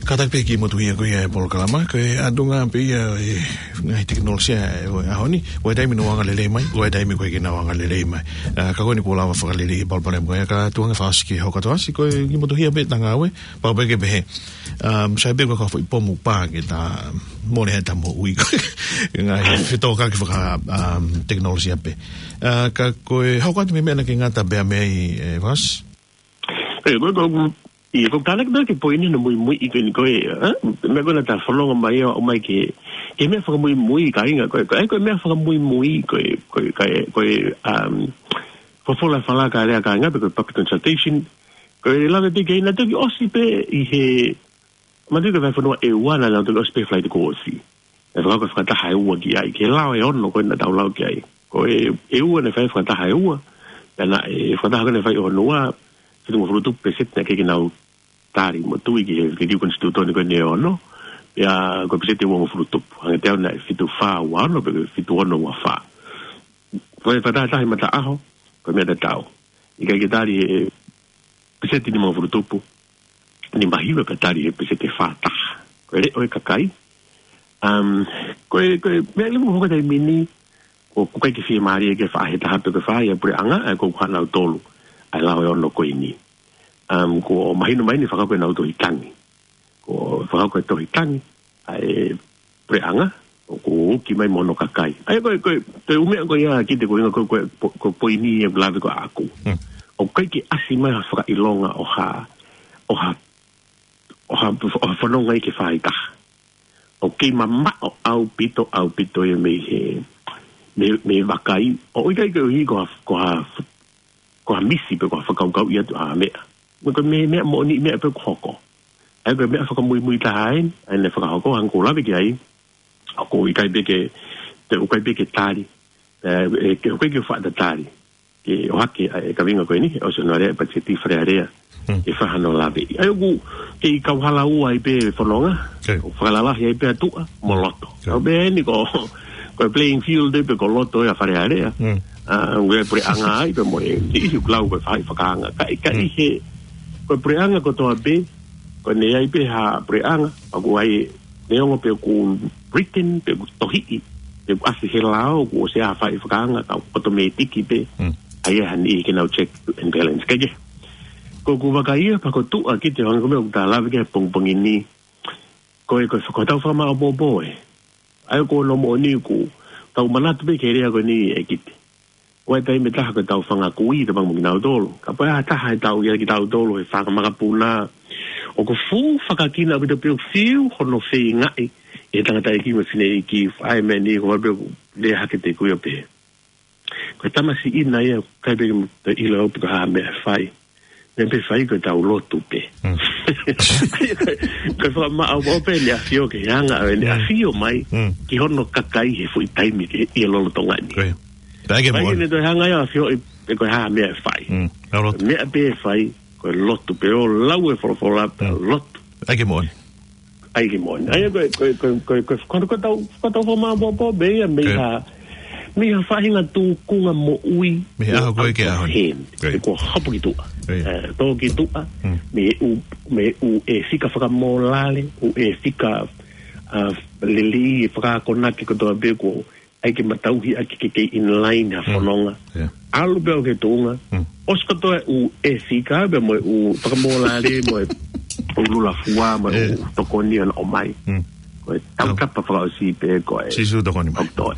Kātaki pē ke motuhia ko ia e polokalama, ko e ʻatunga pē ia e ngaahi tekinolosia ʻo e ʻaho ni, ʻoku ʻi ai e taimi ʻoku angalelei mai, ʻoku ʻi ai e taimi ʻoku ʻikai ke nau angalelei mai. ʻA, ka ko eni kuo lava fakalelei e palopalema ko ia, ka tuku ange Fakaʻosi ke hoko atu ʻo ʻasi, ko e kiʻi motuhia pē ʻetau ngāue, pau pē ke pehē. Um, sai pē ko e kau foʻi pomu pā ke ta mole he ta moʻui ko e ngaahi fetōkaki faka, um, tekinolosia pē. ʻA, ka ko e hoko atu mei he meʻa naʻa ke ngata pē mei ai, ē, Fakaʻosi? Ē, ko, ko, ʻi, ko e tānaki pē ki he poini naʻe muimui ʻi ko eni ko e, ē? Meʻa ko ē naʻa ta fononga mai ʻo, ʻomai ke, ke meʻa fakamuimui kāinga, ko e, ko e, ko e meʻa fakamuimui, ko e, ko e, ko e, ko e, um, folofola fala kae lea kāinga, pe ko e public consultation, ko e lave pē ki ai naʻe toki ʻosi pē ʻi he, manatuʻi ko e vahefonua ʻEua naʻa nau toki ʻosi pē flight ko ʻosi. ʻE fakahoko e fakataha ʻe ua ki ai, ki he lao ʻe ono ko ē naʻa tau lau ki ai. Ko e, ʻEua naʻe fai e fakataha ʻe ua, pea naʻe, e fakataha ko ē naʻe fai ʻe hono ua, fitungofulu tupu peseti naʻe ʻikai ke nau tali mo tui ki he liliu konisitūtone ko eni ʻe ono, pea ko e peseti ʻe uangofulu tupu. Hangē te au naʻe fitu fā ua ono, pe ko e fitu ono ua fā. Ko e fakataha ʻi he mataʻaho, ko e meʻa tatau. ʻIkai ke tali ʻe he peseti nimangofulu tupu, nimahiva pea tali ʻe he peseti ʻe fā taha. Ko e leʻo e kakai. Um, ko e, ko e, meʻa leva ʻoku hoko he taimi ni, ʻoku ʻikai ke fiemālie ke faʻa hē taha pe ke fai ʻa e puleʻanga, ʻa ia ko e ʻuhinga nautolu, ʻa e lao ʻe ono ko eni. Um, kuo mahino mai ʻeni fakahoko ʻenau tohi tangi. Kuo fakahoko e tohi tangi, ʻa e puleʻanga, ʻoku uki mai mo hono kakai. ʻA ia ko e, ko e, ko e ʻū meʻa ko ia Kite ko e ʻuhinga ko e, ko e, ko e, ko e poini ʻeku lave ko ē ʻaʻaku. Hmm. ʻOku ʻikai ke ʻasi mai ha fakaʻilonga ʻo ha, ʻo ha, ʻo ha, ʻo ha fononga ia ke fai taha. ʻOku kei mamaʻo ʻaupito, ʻaupito ia mei he, mei, mei he vakai. ʻOku ʻikai ke ʻuhi ko ha, ko ha, ko ha misi pe ko ha fakakaukau ia atu ʻa e meʻa. Ko e meʻa, meʻa moʻoni meʻa pē ʻoku hoko. ʻA ia ko e meʻa fakamuimui taha eni, ʻa eni fakahoko, hangē ko ʻeku lave ki ai. ʻOku ʻikai pē ke, te ʻikai pē ke tali. ʻE, ʻe, ke, ʻikai ke faʻa tatali. Ke ʻohake ʻa e kaveinga ko eni, ʻosi hono alea e patiseti Fale Alea. Hmm. Ke fai hano lave. ʻA ia ʻoku kei kauhala ua ai pē fononga. Okay. ʻOku fakalalahi ai pē ʻa tuʻa mo loto. Okay. ʻA ia pē eni ko, ko e playing field pē ko loto ia Fale Alea. Hmm. ʻA, ʻoku ʻi ai e puleʻanga ai pē mo e, ʻi he ʻoku lau ko e faʻahi fakaanga. Ka, ka ʻi he, ko e puleʻanga kotoa pē, ko ʻene ʻi ai pē ha puleʻanga, ʻoku ʻi ai neongo pe ʻoku written, pe ʻoku tohiʻi, pe ʻoku ʻasi he lao, ʻoku ʻosi ʻi ai ha faʻahi fakaanga, ka ʻoku ʻotomētiki pē, Hmm. ʻa ia ha niʻihi ke nau check and balance. Ka ke, ko ʻeku vakai ia, pea ko tuʻa Kite hangē ko e meʻa ʻoku ta lave ki ai he pongipongi ni. Ko e, ko e, ko ʻetau fakamaʻopoʻopo ē. ʻA ia ko hono moʻoni ʻoku tau manatu pē ki he lea ko eni ē Kite. ʻOku ʻi ai e taimi ʻe taha ko ʻetau fanga kui, tapu mo kinautolu. Kapau ʻe ʻi ai ha taha ʻe tau ia kitautolu he fanga makapuna. ʻOku fuʻu fakakina ʻaupito pē ʻoku fiu hono feingaʻi ʻe he tangataʻeiki mo e fineʻeiki, ʻa e meʻa ni ko e pē ʻoku lea hake ʻe he kui ʻo pehē. Ko e tamasiʻi ʻena ia, ʻikai pē ke ʻilo pe ko e hā e meʻa ʻe fai. Meʻa pē ʻe fai ko ʻetau lotu pē. Hmm. Ko e fakamaʻopoʻopo eni ʻa e ʻAfio ke hanga ʻo ʻene Hmm. ʻafio mai Hmm. ki hono kakai he foʻi taimi ke ʻi he lolotonga ni. Ko ia. Pea ke Mai moʻoni. ʻene toe hanga ia ʻo ʻafioʻi pe ko e hā e meʻa ʻe fai. Hmm. Pea lotu. Meʻa pē ʻe fai, ko e lotu pē ʻo lau e folofola pea Hmm. lotu. Pea ke moʻoni. ʻA ia ke moʻoni. ʻA ia ko e, ko e, ko e, ko e, ko e, ko e, ko ʻetau, ko ʻetau fakamaʻopoʻopo pē ia mei Ko ia. ha, mei ha faʻahinga tūkunga moʻui Mei he ʻaho ko ē ki he ʻaho ni. Hen. Ko ia. Ko e hopo ki tuʻa. Ko ia. Eh, tō ki tuʻa, Hmm. mei he ʻū, mei he ʻū ʻēfika fakamōlale, ʻū ʻēfika, ah, lelei, fakaakonaki kotoa pē ko ʻai ke matauhi ʻaki ke kei in line ha Mm. fononga. Yeah. ʻAlu pē ʻo ke tuʻunga. Mm. ʻOsi kotoa e ʻū ʻēfika pea mo e ʻū fakamōlale mo e ʻū lula fua mo e Yeah. ʻū tokoni ʻoku nau ʻomai. Mm. Ko e tautapa fakaʻosi pē ko e Sīsū tokoni mai. ʻOku toe.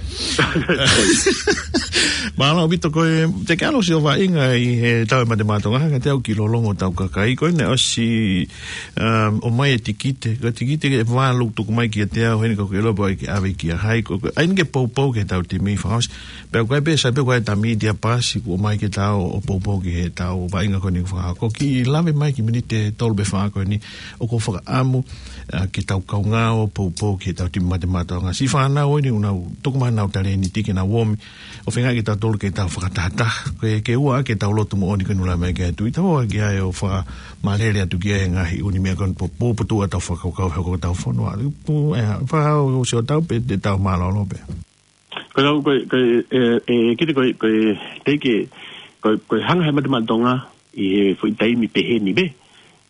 Mālō ʻaupito ko e, te ke ʻalu ʻo sio vaʻinga ʻi he tau e Mate Maʻa Tonga, ka te au ki lolongo tau kakai, ko ʻene ʻosi, um, ʻomai e tikite, ko e tikite ʻe valu tuku mai kiate au, heni ko ke lopo ai ke ʻave kia hai, ko, ko, ʻai ke poupou ki he tau timi fakaʻosi. Pea ko e pē sai pē ko e tau media pass, kuo ʻomai ke tau ʻo poupou ki he tau vaʻinga ko eni fakahoko. Kiʻi lave mai ki he miniti ʻe tolu pe fā ko eni, ʻoku ou fakaʻamu, ʻa, ke tau kaungā ʻo poupou ki he tau timi Mate Maʻa Tonga. Siʻi fānau eni ʻoku nau, tuku mai ʻenau talēniti ke nau ō mai. ʻO feinga ke tau tolu ke tau fakatahataha. Ke, ke ʻoua ke tau lotu moʻoni ke nula mai ke atu. ʻI tau ʻoua ke ʻai ʻo fakamālele atu ki he ngaahi ʻū meʻa ko eni ʻoku po-, po-, potuʻu ʻetau fakakaukau he ko ʻetau fonua. Pu-, ʻe, fakahau ʻo sio tau pē te tau mālōlō pē. Ko e lau, ko e, ko e, ʻe, ʻe, Kite ko e, ko e, teʻeki, ko e, ko e hanga he Mate Maʻa Tonga ʻi he foʻi taimi pehē ni pē,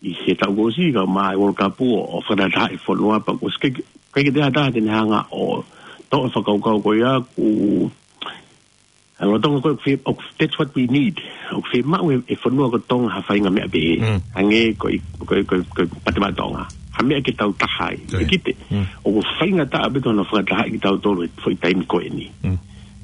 ʻi he taʻu kuo ʻosi ka ʻomai e World Cup ʻo, ʻo fakatahatahaʻi e fonua pea kuo ʻosi ke, ke, ke te hanga ʻo toʻo e fakakaukau ko ia ʻoku, ʻa, lolotonga ko e, ʻoku, that's what we need. ʻOku fiemaʻu ʻe, ʻe he fonua ko Tonga ha faʻahinga meʻa pehē. Mm. Hangē ko e, ko e, ko e, ko e Mate Maʻa Tonga. Ha meʻa ke tau taha ai. Ko ia. Kite. Mm. ʻOku faingataʻa pē hono fakatahaʻi kitautolu he foʻi taimi ko eni. Mm.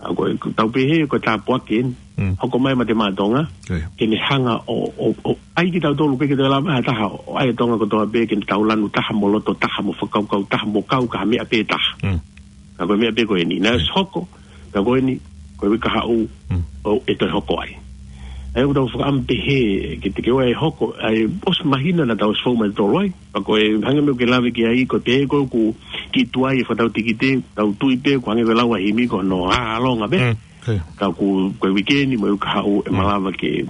ʻA, ko e, ko e tau pehē, ko e tāpuaki eni. Mm. Hoko mai Mate Maʻa Tonga. Ko ia. Ke ne hanga ʻo, ʻo, ʻo ʻai kitautolu ke, ke te lava ha taha, ʻo ʻai Tonga kotoa pē, ke ne tau lanu taha mo loto taha mo fakakaukau taha mo kau ki ha meʻa pē taha. Mm. Ka ko e meʻa pē ko eni. Naʻe Mm. ʻosi hoko, ka ko eni, ko e uike kahaʻu, Mm. ʻo ʻe toe hoko ai. ʻA ia ʻoku tau fakaʻamu pehē, ke te ke ʻoua ʻe hoko, ʻa e ʻosi māhina naʻa tau ʻosi fou mai tolu ai. Pea ko e hangē ko e meʻa ʻoku ke lave ki ai, ko e pehē ko ē ʻoku kiʻi tuai e fakatau tikite, tau tui pē, ko e hangē ko e lau ʻa e himi ko hono ʻalonga pē. Mm, okay. Ka ko, ko e uike ni mo e uike kahaʻu ʻe Mm. malava ke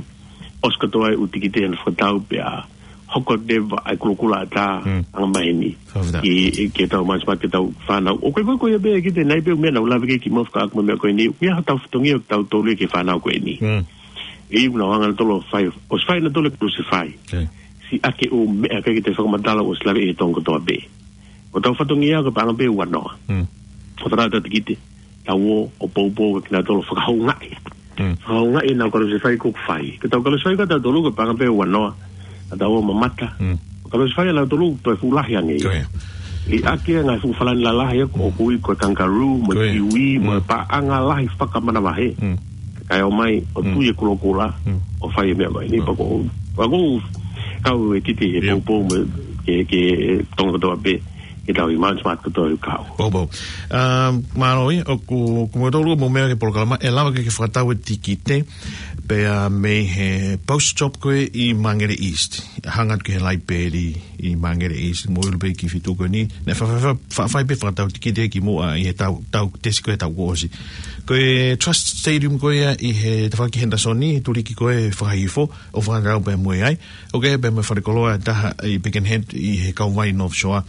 ʻosi kotoa e ʻū tikite hono fakatau pea hoko leva ʻa e kulokula ʻatā Mm. anga maheni. Fakafetaʻi. Ki, ki he tau masimasi ki he tau fānau. ʻOku ʻikai ko ia pē Kite, naʻe ʻi ai pē ʻū meʻa naʻa ku lave ki ai kimuʻa fakaʻamu mo e meʻa ko eni. ʻOku ʻi ai haʻatau fatongia ʻoku tau tolu ia ki he fānau ko eni. Mm. ʻI heʻenau hanga lolotonga ʻo fai, ʻosi fai ʻenau tolu e Crucify. Okay. Siʻaki e ʻū meʻa ʻikai ke toe fakamatala ʻosi lave ʻi he Tonga kotoa pē. Ko hotau fatongia ko e paʻanga pē ua noa. Mm. ʻO tala ʻetau tikite, tau ō ʻo poupou kia kinautolu fakahoungaʻi. Mm. Fakahoungaʻi ʻenau Crucify ʻoku fai. Ko ʻetau Crucify ko ʻetau tolu ko e paʻanga pē ua noa. Naʻa tau ō ʻo mamata. Mm. Crucify ʻanautolu toe fuʻu lahi ange ia. Ko ia. Liʻaki e ngaahi fuʻu falani lalahi ʻoku ui ko e kangaroo, mo e kiwi, mo e paʻanga lahi fakamanavahē. Kae ʻomai ʻo tui e kulokula, ʻo fai e meʻa mai. Ni pea ko, pea ko, kau e kite he poupou mo ke, ke Tonga kotoa pē, ke tau i Mount Smart kotoa ʻi kau. Poupou. Um, mālō ē, ʻoku, ʻoku mau tolu mo meʻa ki he polokalama, ʻe lava ke ke fakatau e tikite, pea mei he post shop ko ē ʻi Māngere East. Hanga atu ki he laipeli ʻi Māngere East, mo ʻiloa pē ki he feituʻu ko eni. Naʻe fa-, fa-, fa-, fa-, fai pē fakatau tikite kimuʻa ʻi he tau, tau tesi ko ē tau kuo ʻosi. Ko e Trust Stadium ko ia ʻi he tafaʻaki Henderson, tuliki ko ē fakahifo, ʻo fakatau pē mo ia ai. ʻOku ʻi ai pē mo e falekoloa ʻe taha ʻi Birkenhead ʻi he kauvai North Shore.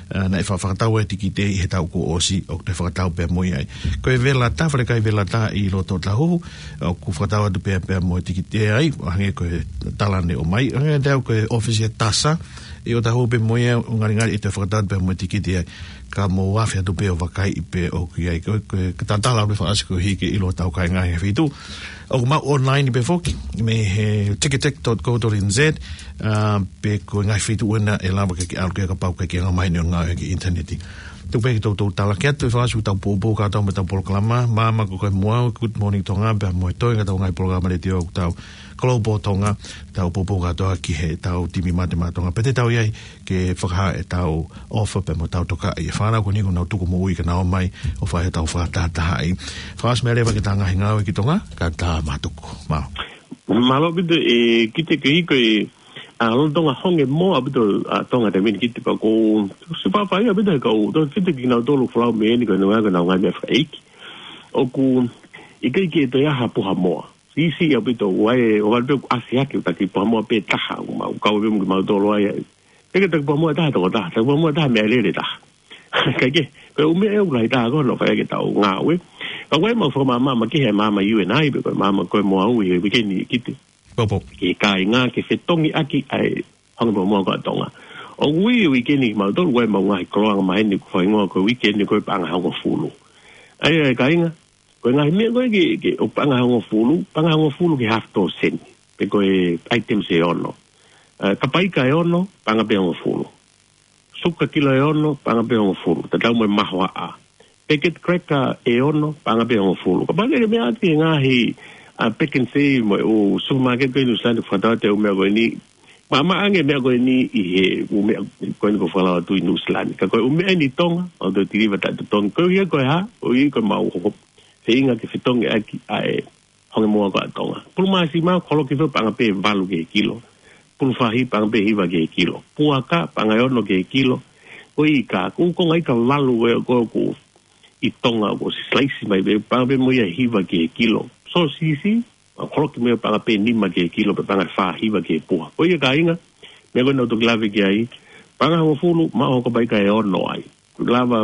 Ā, naʻe fa-, fakatau e tikite ʻi he tau kuo ʻosi, ʻoku toe fakatau pē mo ia ai. Ko e Velata, falekai Velata ʻi loto Ōtāhuhu, ʻoku fakatau atu pē, pē mo e tikite ai, hangē ko e tala naʻe ʻomai, hangē te au ko e ʻōfisi ʻa e Tasa, ʻi ʻŌtāhuhu pē mo ia, ʻo ngalingali ʻe toe fakatau atu pē mo e tikite ai. Ka mou afe atu pē ʻo vakaiʻi pē ʻoku ʻi ai, ko, ko, ka tatala ʻo fakaʻasi koeʻuhi ke ʻilo ʻetau kāinga he feituʻu. ʻOku maʻu online pē foki, mei he ticketek dot co dot N Z, ā, pe ko e ngaahi feituʻu ena ʻe lava ke ke ʻalu ki ai kapau ʻoku ke anga maheni ʻo ngāue ki he ʻinitaneti. Tuku pē ke toutou tala ki ai atu e fakaʻosi ʻetau poupou kātoa mo ʻetau polokalama, Māmā Ko Koe Mo Au, Good Morning Tonga, pea mo e toe ngaahi ʻetau ngaahi polokalama letiō ʻoku tau Global Tonga, tau poupou kātoa ki heʻetau timi Mate Maʻa Tonga. Pea te tau ʻi ai ke fakahā ʻetau ʻofa pea mo ʻetau tokaʻi e fānau ko eni kuo nau tuku moʻui ke nau ō mai ʻo fai ʻetau fakatahatahaʻi. Fakaʻosi meʻa leva ki heʻetau ngaahi ngāue ki Tonga, ka tau mātuku. Mālō. Mālō ʻaupito e kite ke hiko e, ā, lolotonga honge moa ʻaupito, ā, Tonga te mini kite pea ko, siʻi faʻa fai ʻaupito he kau, tau kite kinautolu folau mei heni ko e ngaahi, ko e ngaahi meʻa fakaʻeiki. ʻOku, ʻikai ke toe ʻi ai ha puha moa. Siʻisiʻi ʻaupito, ʻoku ʻi ai, ʻoku ʻalu pē ʻo ʻasi hake ʻo taki puha moa pē taha, ʻoku mau, kau pē mo kimautolu ai, ʻeke taki puha moa taha, toko taha, taki puha moa taha, meʻalele taha. Kae kehe, ko e ʻū meʻa ʻoku lahi taha ko hono fai ʻaki ʻetau ngāue. Ka ʻoku ʻi ai ʻemau fakamaama, makehe ʻa e maama ʻa e U N I, pe ko e Māmā Ko Koe Mo Au ʻi he uike ni kite. Poupou. Ki he kāinga ke fetongi ʻaki ʻa e honge puha moa ko ē ʻa Tonga. ʻOku ui e uike ni kimautolu, ʻoku ʻi ai ʻemau ngaahi koloa anga maheni ʻoku fakahingoa ko e uike ni ko e paʻanga hongofulu. ʻA ia, ʻe kāinga, ko e ngaahi meʻa ko ē ke, ke, ʻo paʻanga hongofulu, paʻanga hongofulu ki he half dozen. Pe ko e items ʻe ono. Ā, kapaika ʻe ono, paʻanga pē hongofulu. Suka kilo ʻe ono, paʻanga pē hongofulu. Tatau mo e mahoaʻa. Packet cracker ʻe ono, paʻanga pē hongofulu. Kapau ʻoku ke meʻa atu ki he ngaahi, ā, Pick n Save mo e ʻū supermarket ko ē ʻi Nuʻusila ni, fakatau atu e ʻū meʻa ko eni. Maʻamaʻa ange meʻa ko eni ʻi he ʻū meʻa ko eni kuo folau atu ʻi Nuʻusila ni. Ka ko e ʻū meʻa eni ʻi Tonga, ʻoku toe tilivā taʻetotongi. Koeʻuhi ko e hā, ʻoku ʻi ai ko ʻemau hoko feinga ke fetongi ʻaki ʻa e honge moa ko ē ʻa Tonga. Pulu māsima, holoki foki, paʻanga pē valu ki he kilo. Pulu fahi, paʻanga pē hiva ki he kilo. Puaka, paʻanga ʻe ono ki he kilo. Ko e ika, ko e ʻū konga ika valu ē ko ē ʻoku ʻi Tonga, ʻoku silaisi mai pē, paʻanga pē mo ia hiva ki he kilo. Sōsisi, holoki mo ia, paʻanga pē nima ki he kilo, pe paʻanga fā hiva ki he puha. Ko ia kāinga, meʻa ko ē naʻa ku toki lave ki ai, paʻanga hongofulu, maʻu hono kapaika ʻe ono ai. Lava,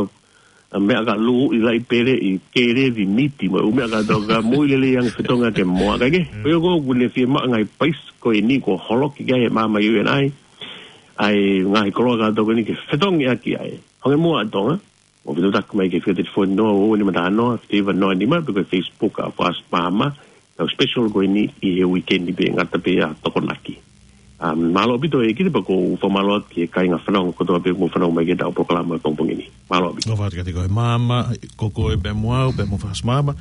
ā, meʻa ka lū ʻi laʻi pele ʻi kelevi miti mo e ʻū meʻa kātoa ka moʻui lelei ange fetongi ʻaki e moa. Kae kehe, ko ia ko ē ʻoku ne fiemaʻu e ngaahi paisi ko eni kuo holoki ki ai ʻe he maama U N I, ʻa e ngaahi koloa kātoa ko eni ke fetongi ʻaki ʻa e honge moa ʻa Tonga. Mou fetuʻutaki mai ki he fika tefoni noa ua ua nima taha noa, fika hiva noa nima, pe ko e Facebook ʻa Fast Maama, ʻetau special ko eni ʻi he uike ni pē, ngata pē ʻa Tokonaki. Um, mālō ʻaupito e kite pea ʻoku ou fakamālō atu ki he kāinga fanongo kotoa pē ʻoku mou fanongo mai ki heʻetau polokalama pongipongi ni. Mālō ʻaupito. Mālō atu kiate koe Māmā, Ko Koe Pē Mo Au, pea mo Fast Maama.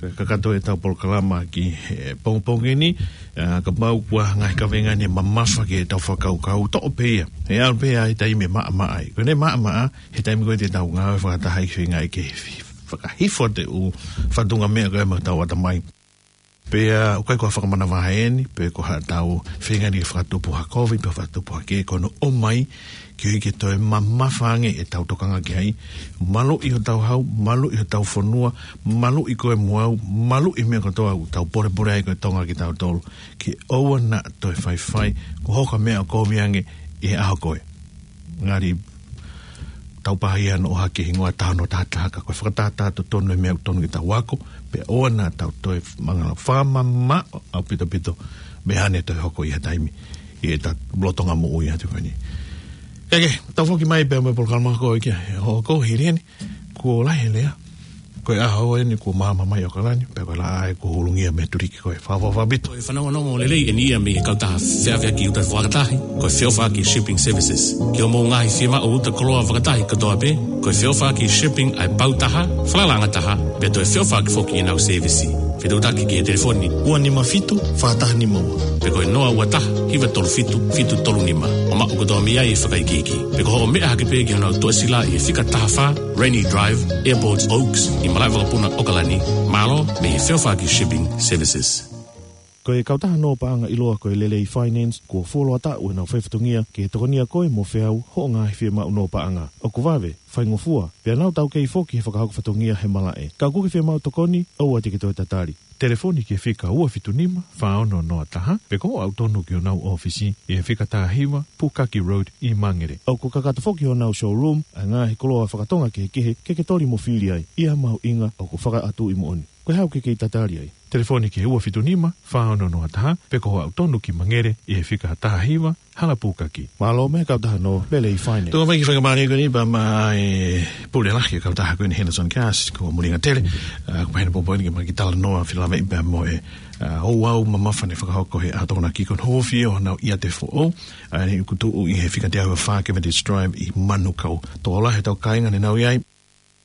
Kakato ʻetau polokalama ki he pongipongi ni, ā, kapau ʻoku ʻi ai ha ngaahi kaveinga ʻe mamafa ki heʻetau fakakaukau, toʻo pē ia. ʻE ʻalu pē ia he taimi ʻe maʻamaʻa ai. Ko ʻene maʻamaʻa, he taimi ko ē te tau ngāue fakataha ʻi he feinga ke fi-, fakahifo atu e ʻū fatunga meʻa ko ē maʻa hotau ʻatamai. Pea ʻoku ʻikai ko ha fakamanavahē eni, pe ko haʻatau feinga ni ke fakatupu ha kovi, pe fakatupu ha kē, ko hono ʻomai, koeʻuhi ke toe mamafa ange ʻetau tokanga ki ai, maluʻi hotau hau, maluʻi hotau fonua, maluʻi koe mo au, maluʻi meʻa kotoa ʻoku tau polepole ai ko e Tonga kitautolu, ke ʻoua naʻa toe faifai, kuo hoko e meʻa ʻo kovi ange ʻi he ʻaho ko ē. Ngali tau pāhia noʻo hake hingoa taha noa taha taha ka ko e fakatātā totonu e meʻa ʻoku tonu ke tau ako, pea ʻoua naʻa tau toe mangala fakamamaʻo ʻaupito ʻaupito, meʻa ʻe toe hoko ʻi ha taimi ʻi heʻetau lolotonga moʻui atu ko eni. Kae kehe, tau foki mai pea mo e polokalama ko ē ki he ʻaho ko ē hili eni, kuo lahi e lea. Ko e ʻaho eni kuo māmā mai ʻOkalani, pea ko e laʻā ē kuo hulungia mei he tuliki ko e fakaʻofoʻofa ʻaupito. Ko e fanongonongo lelei eni ia mei he kautaha feʻaveʻaki ʻuta fakataha, ko e Feʻofaʻaki Shipping Services. Ki hoʻomou ngaahi fiemaʻu ʻuta koloa fakataha kotoa pē, ko e Feʻofaʻaki Shipping ʻa e pau taha, falalaʻanga taha, pea toe feʻofaʻaki foki ʻenau sēvisi. Fetuʻutaki ki he telefoni ua nima fitu, fā taha nima ua. Pe ko e noa ua taha, hiva tolu fitu, fitu tolu nima. ʻO maʻu kotoa mei ai e fakaikiiki. Pe ko hoʻo meʻa hake pē ki honau tuʻasila ʻi he fika taha fā, Rainy Drive, Airport Oaks, ʻi Malaʻevakapuna, ʻOkalani, mālō mei he Feʻofaʻaki Shipping Services. Ko e kautaha nō paʻanga ʻiloa ko e Lelei Finance, kuo fuoloa taʻu ʻenau faifatongia ke tokonia koe mo feau hoʻo ngaahi fiemaʻu nō paʻanga. ʻOku vave, faingofua, pea nau taukei foki he fakahoko fatongia he malaʻe. Ka ʻoku ke fiemaʻu tokoni, ʻoua te ke toe tatali. Telefoni ki he fika ua fitu nima, fā ono noa taha, pe ko hoʻo aʻu tonu ki honau ʻōfisi ʻi he fika taha hiva, Pukaki Road ʻi Mangere. ʻOku kakato foki honau showroom ʻa e ngaahi koloa fakatonga kehekehe ke ke toli mo fili ai, ʻi ha mahuʻinga ʻoku fakaʻatuʻi moʻoni. Ko e hā ʻoku ke kei tatali ai? Telefoni ki he ua fitu nima, fā ono noa taha, pe ko hoʻo aʻu tonu ki Mangere ʻi he fika taha hiva, Hala Pukaki. Mālō mei he kautaha nō Lelei Finance. Tuku mai ki he faingamālie ko eni pea mo e pule lahi ʻo e kautaha ko eni Henderson Gas, ko Mulinga Tele, ā, ko e pehē ni pōpoaki ke ma kiʻi talanoa felāveʻi pea mo e, ā, ouau mamafa naʻe fakahoko ʻe he ʻAho Tokonaki ko hono ofi ʻo honau ʻiate foʻou, ā, eni ʻoku tuʻu ʻi he fika teau ua fā Cavendish Drive ʻi Manukau. Tokolahi ʻetau kāinga ne nau ʻi ai,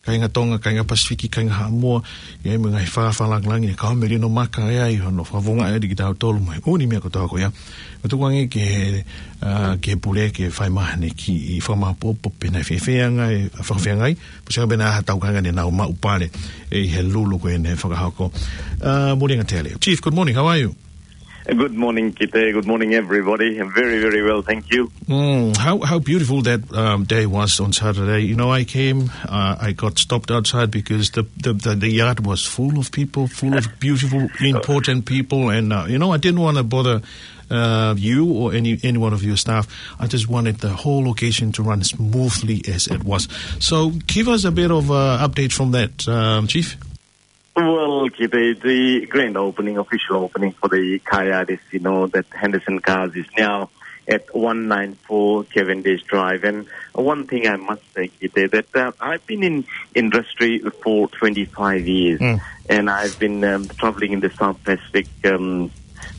kāinga Tonga, kāinga Pasifiki, kāinga Haʻamoa, ʻi ai mo e ngaahi fakafa lāngilangi ne kau melino maka ʻi ai hono fakavunga ʻe ʻi ai kitautolu mo e ʻū meʻa kotoa ko ia. Mo tukuange ki he, ā, ki he pule ke fai mai haʻane kiʻi fakamāʻopoʻopo pe naʻe fēfē ʻa e ngaahi fakafeangai, pe ko e hā pē ha tau kāinga ne nau maʻu pale ʻi he lulu ko eni ne fakahoko. Ā, Mulinga Tele. Chief, good morning, how are you? Good morning, Kite. Good morning, everybody. I'm very, very well, thank you. Mm, how, how beautiful that, um, day was on Saturday. You know, I came, uh, I got stopped outside because the, the, the, the yard was full of people, full of beautiful, important people. And, uh, you know, I didn't wanna bother, uh, you or any, any one of your staff. I just wanted the whole occasion to run smoothly as it was. So give us a bit of, uh, update from that, um, Chief. Well, Kite, the grand opening, official opening for the Kaiātisi, you know, that Henderson Cars is now at one nine four Cavendish Drive. And one thing I must say, Kite, that, uh, I've been in industry for twenty-five years, Mm. and I've been, um, traveling in the South Pacific, um,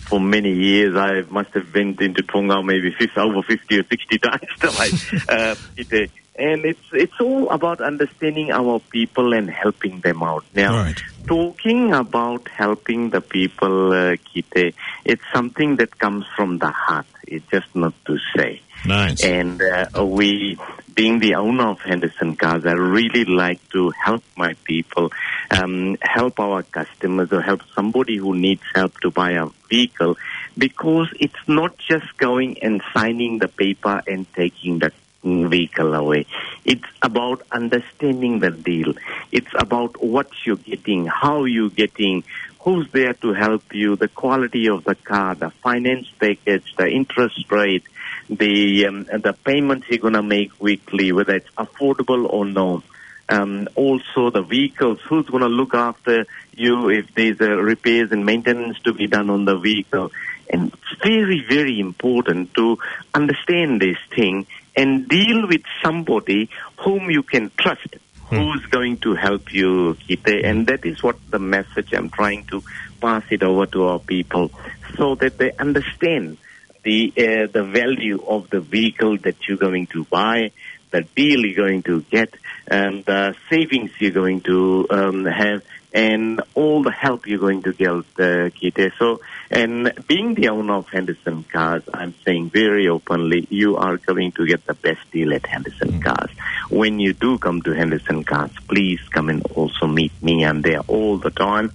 for many years. I must have been into Tonga maybe fifty, over fifty or sixty times. So I, uh, Kite, And it's, it's all about understanding our people and helping them out. Now, Right. talking about helping the people, uh, Kite, it's something that comes from the heart. It's just not to say. Nice. And, uh, we, being the owner of Henderson Cars, I really like to help my people, um, help our customers or help somebody who needs help to buy a vehicle, because it's not just going and signing the paper and taking the vehicle away. It's about understanding the deal. It's about what you're getting, how you're getting, who's there to help you, the quality of the car, the finance package, the interest rate, the, um, the payments you're gonna make weekly, whether it's affordable or no. Um, also the vehicles, who's gonna look after you if there's a repairs and maintenance to be done on the vehicle. And it's very, very important to understand this thing and deal with somebody whom you can trust, Hmm. who's going to help you, Kite. And that is what the message I'm trying to pass it over to our people, so that they understand the, uh, the value of the vehicle that you're going to buy, the deal you're going to get, and the savings you're going to, um, have, and all the help you're going to get, uh, Kite. So, and being the owner of Henderson Cars, I'm saying very openly, you are going to get the best deal at Henderson Mm. Cars. When you do come to Henderson Cars, please come and also meet me. I'm there all the time.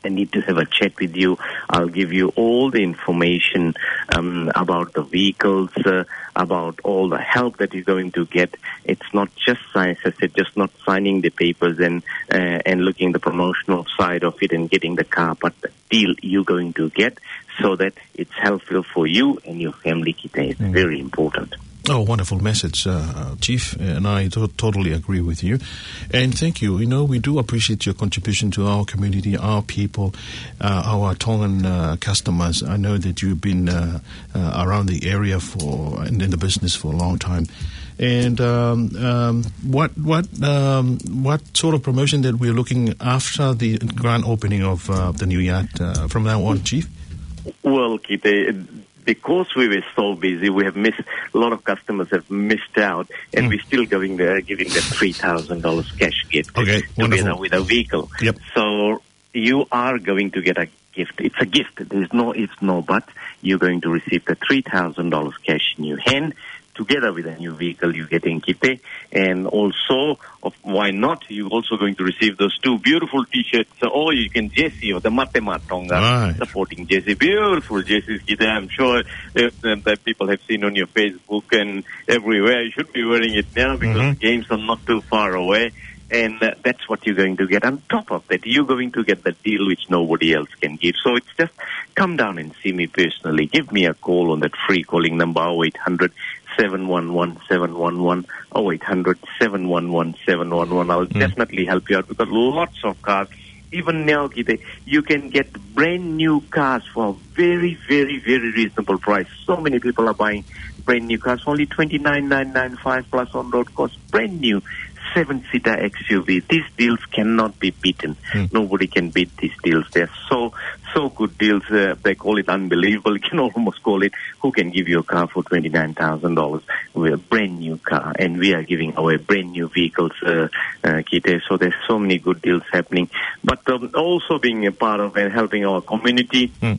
I need to have a chat with you. I'll give you all the information, um, about the vehicles, uh, about all the help that you're going to get. It's not just, as I said, just not signing the papers and, uh, and looking the promotional side of it and getting the car, but the deal you're going to get so that it's helpful for you and your family, Kite. It's Mm. very important. Oh, wonderful message, uh, uh, Chief, and I to-, totally agree with you. And thank you. You know, we do appreciate your contribution to our community, our people, uh, our Tongan, uh, customers. I know that you've been, uh, uh, around the area for, and in the business for a long time. And, um, um, what, what, um, what sort of promotion that we're looking after the grand opening of, uh, the new yacht, uh, from now on, Chief? Well, Kite, because we were so busy, we have missed, a lot of customers have missed out, and we're still giving the, giving them three thousand dollars cash gift. Okay, together wonderful. With a vehicle. Yep. So you are going to get a gift. It's a gift. There's no ifs, no buts. You're going to receive the three thousand dollars cash in your hand. Together with a new vehicle you're getting, Kite. And also, of, why not? You're also going to receive those two beautiful T-shirts. So, or you can jersey of the Mate Maʻa Tonga, right, supporting jersey. Beautiful jerseys, Kite. I'm sure that, that people have seen on your Facebook and everywhere. You should be wearing it now because, mm-hmm, games are not too far away. And, uh, that's what you're going to get. On top of that, you're going to get the deal which nobody else can give. So it's just come down and see me personally. Give me a call on that free calling number, oh eight hundred, seven one one, seven one one, oh eight hundred, seven one one, seven one one. I'll, mm, definitely help you out. We've got lots of cars. Even now, Kite, you can get brand new cars for a very, very, very reasonable price. So many people are buying brand new cars, only twenty-nine nine nine five plus on-road cost, brand new seven-seater X U V. These deals cannot be beaten. Hmm. Nobody can beat these deals. They're so, so good deals. Uh, they call it unbelievable. You can almost call it, who can give you a car for twenty-nine thousand dollars with a brand new car? And we are giving away brand new vehicles, uh, uh, Kite. So there's so many good deals happening. But, um, also being a part of and helping our community. Hmm.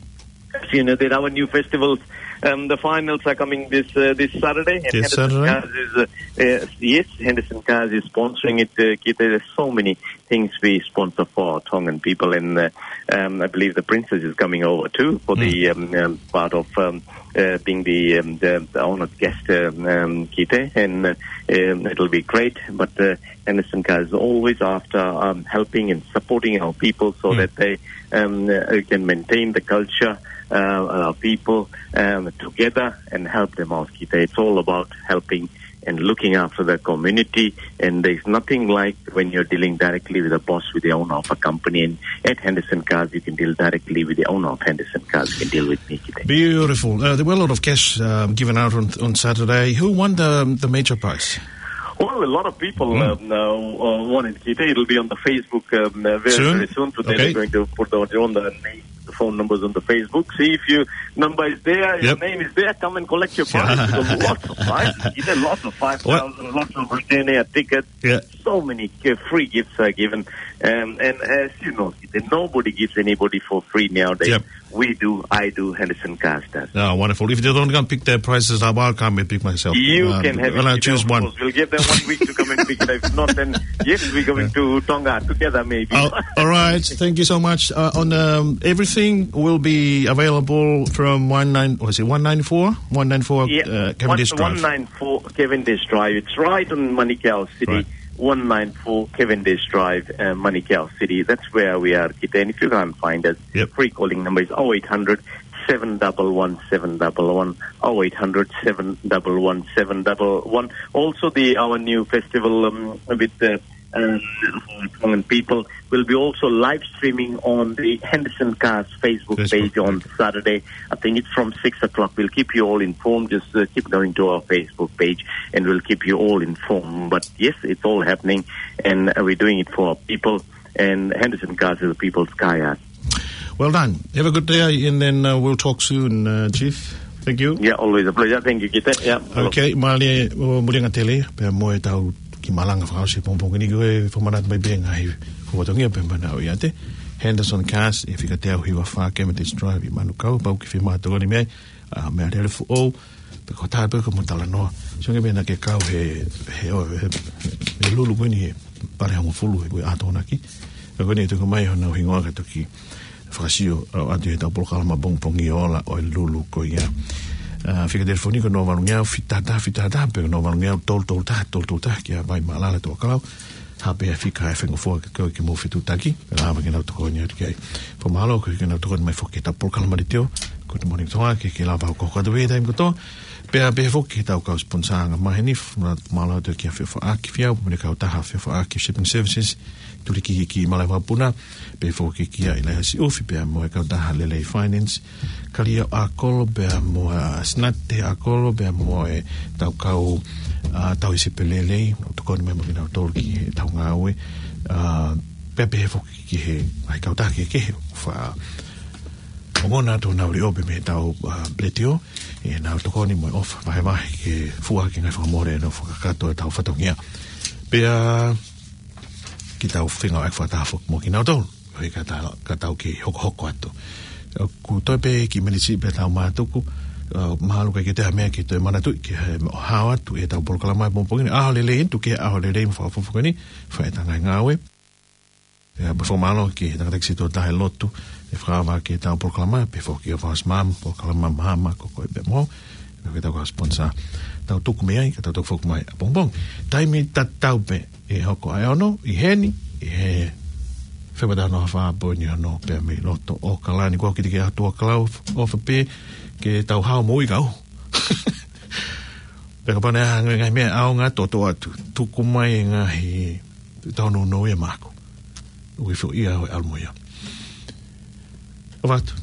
As you know that our new festivals, um, the finals are coming this, uh, this Saturday. And this Henderson Saturday? Cars is, uh, uh, yes, Henderson Cars is sponsoring it, uh, Kite. There's so many things we sponsor for Tongan people, and, uh, um, I believe the princess is coming over too for the, mm, um, um, part of, um, uh, being the, um, the, the honored guest, um, um, Kite, and, uh, um, it'll be great. But, uh, Henderson Cars is always after, um, helping and supporting our people so, mm, that they, um, uh, can maintain the culture, uh, our people, um, together and help them out, Kite. It's all about helping and looking after the community. And there's nothing like when you're dealing directly with the boss, with the owner of a company. And at Henderson Cars, you can deal directly with the owner of Henderson Cars. You can deal with me, Kite. Beautiful. Uh, there were a lot of cash, um, given out on, on Saturday. Who won the, the major prize? Well, a lot of people, mm, um, uh, uh, wanted, Kite. It'll be on the Facebook, um, uh, very, soon? Very soon. Today, okay, they're going to put on, on the name, the phone numbers on the Facebook. See if your number is there, your, yep, name is there, come and collect your prize. There's lots of prizes. You get lots of five thousand, what? Lots of return air tickets. Yeah. So many gi-, free gifts are given. Um, and as you know, nobody gives anybody for free nowadays. Yep. We do, I do, Henderson Cars does. Oh, wonderful. If they don't come pick their prizes up, I'll come and pick myself. You, um, can have it, and I'll choose one. Of course. We'll give them one week to come and pick it. If not, then yes, we're going, yeah, to Tonga together, maybe. Oh, all right. Thank you so much. Uh, on, um, everything will be available from one nine, what is it, one nine four? One nine four, yeah, uh, Cavendish Drive. One nine four Cavendish Drive. It's right on Manukau City. Right. One nine four Cavendish Drive, uh, Manukau City. That's where we are, Kite. And if you can't find us, yep, free calling number is oh eight hundred, seven one one, seven one one, oh eight hundred, seven one one, seven one one. Also, the, our new festival, um, with the, um, Tongan people will be also live streaming on the Henderson Cars Facebook page on Saturday. I think it's from six o'clock. We'll keep you all informed. Just, uh, keep going to our Facebook page and we'll keep you all informed. But yes, it's all happening and, uh, we're doing it for our people. And Henderson Cars is the people's car yard. Well done. Have a good day, and then, uh, we'll talk soon, uh, Chief. Thank you. Yeah, always a pleasure. Thank you, Kite. Yeah. Okay, mālie, ʻo Mulianga Tele, pea mo ʻetau kiʻi malanga fakaʻosi pongipongi ni, ko e fakamanatu mai pē ngaahi fatongia pē manau ia te. Henderson Cars, ʻi he fika teau hiva fā Cavendish Drive ʻi Manukau, pau ke fie mātokoni mei ai, ʻa, meʻalele foʻou, pe ko e tā pe ko e mo talanoa. Sio ange pē naʻa ke kau he, he, he, he Lulu ko eni he pale hongofulu he ko e ʻaho Tokonaki. Ko eni ʻe toki ʻomai hono hingoa ka toki fakasio atu he ʻetau polokalama pongipongi ola ʻo e Lulu ko ia. ʻA, fika telefoni ko e noa valu ngeau fitata fitata pe ko e noa valu ngeau tolu tolu taha tolu tolu taha ki Haʻapai, Maʻalalo, Tokelau. Haʻapai, fika e fengofua ke kau ke mou fetuʻutaki. Pea lava ke nau tokoni atu ki ai. Fakamālō koeʻuhi ke nau tokoni mai foki ki heʻetau polokalama leitiō, Good Morning Tonga, ke ke lava ʻo kau atu he taimi kotoa. Pea pehē foki ki he tau kau sponsor anga maheni, mālō atu ki he fefaʻaki fiau, mo e kautaha fefaʻaki shipping services, Tuliki ki Malaʻe Vakapuna, pehē foki ki he Laihasi ʻUfi, pea mo e kautaha Lelei Finance, Kalia ʻAkolo, pea mo e Sinate ʻAkolo, pea mo e tau kau, ʻa, tau isi pē lelei, ʻo tokoni mai mo kinautolu ki he tau ngāue, ʻa, pea pehē foki ki he ngaahi kautaha kehekehe, ʻoku fa ongona atu ʻenau leʻo pē mei he tau, ʻa, letiō, ʻenau tokoni mo e ʻofa vahevahe ke fua ki he ngaahi fakamole ʻenau fakakakato e tau fatongia. Pea ke tau feinga ʻo fakataha foki mo kinautolu, ʻo hangē ka tau, ka tau kei hokohoko atu. ʻOku toe pē kiʻi miniti pē tau mātuku, ʻa, mahalo ʻikai ke toe ʻi ai ha meʻa ke toe manatuʻi, ke hao atu e tau polokalama he pongipongi ni, ʻaho lelei eni, tuku ke ʻaho lelei mo fakafofonga ni, fai e tau ngaahi ngāue. ʻIo, pea fakamālō ki he tangataʻeiki sētuata he lotu, ʻe fakaava ki he tau polokalama, pehē foki ki he Fast Mom, polokalama mahama, ko koe pē mo, pea ki he tau kau sponsor, tau tuku mei ai, ka tau toki foki mai ʻapongipongi. Taimi tatau pē, ʻe hoko ʻa e ono, ʻi heni, ʻi he Fepatano ha fā poini ono pē mei loto ʻAokalani, ko au ki te ke atu ʻa Kalau, ʻofa pē, ke tau hao mo ui kau. Pea kapau naʻe ʻi ai ha ngaahi meʻa ʻaonga ʻe toʻotoʻo atu, tuku mai e ngaahi tau nounou ia maʻaku. ʻOku ʻi ai foʻi ia ʻo e ʻalu mo ia. ʻOfa atu.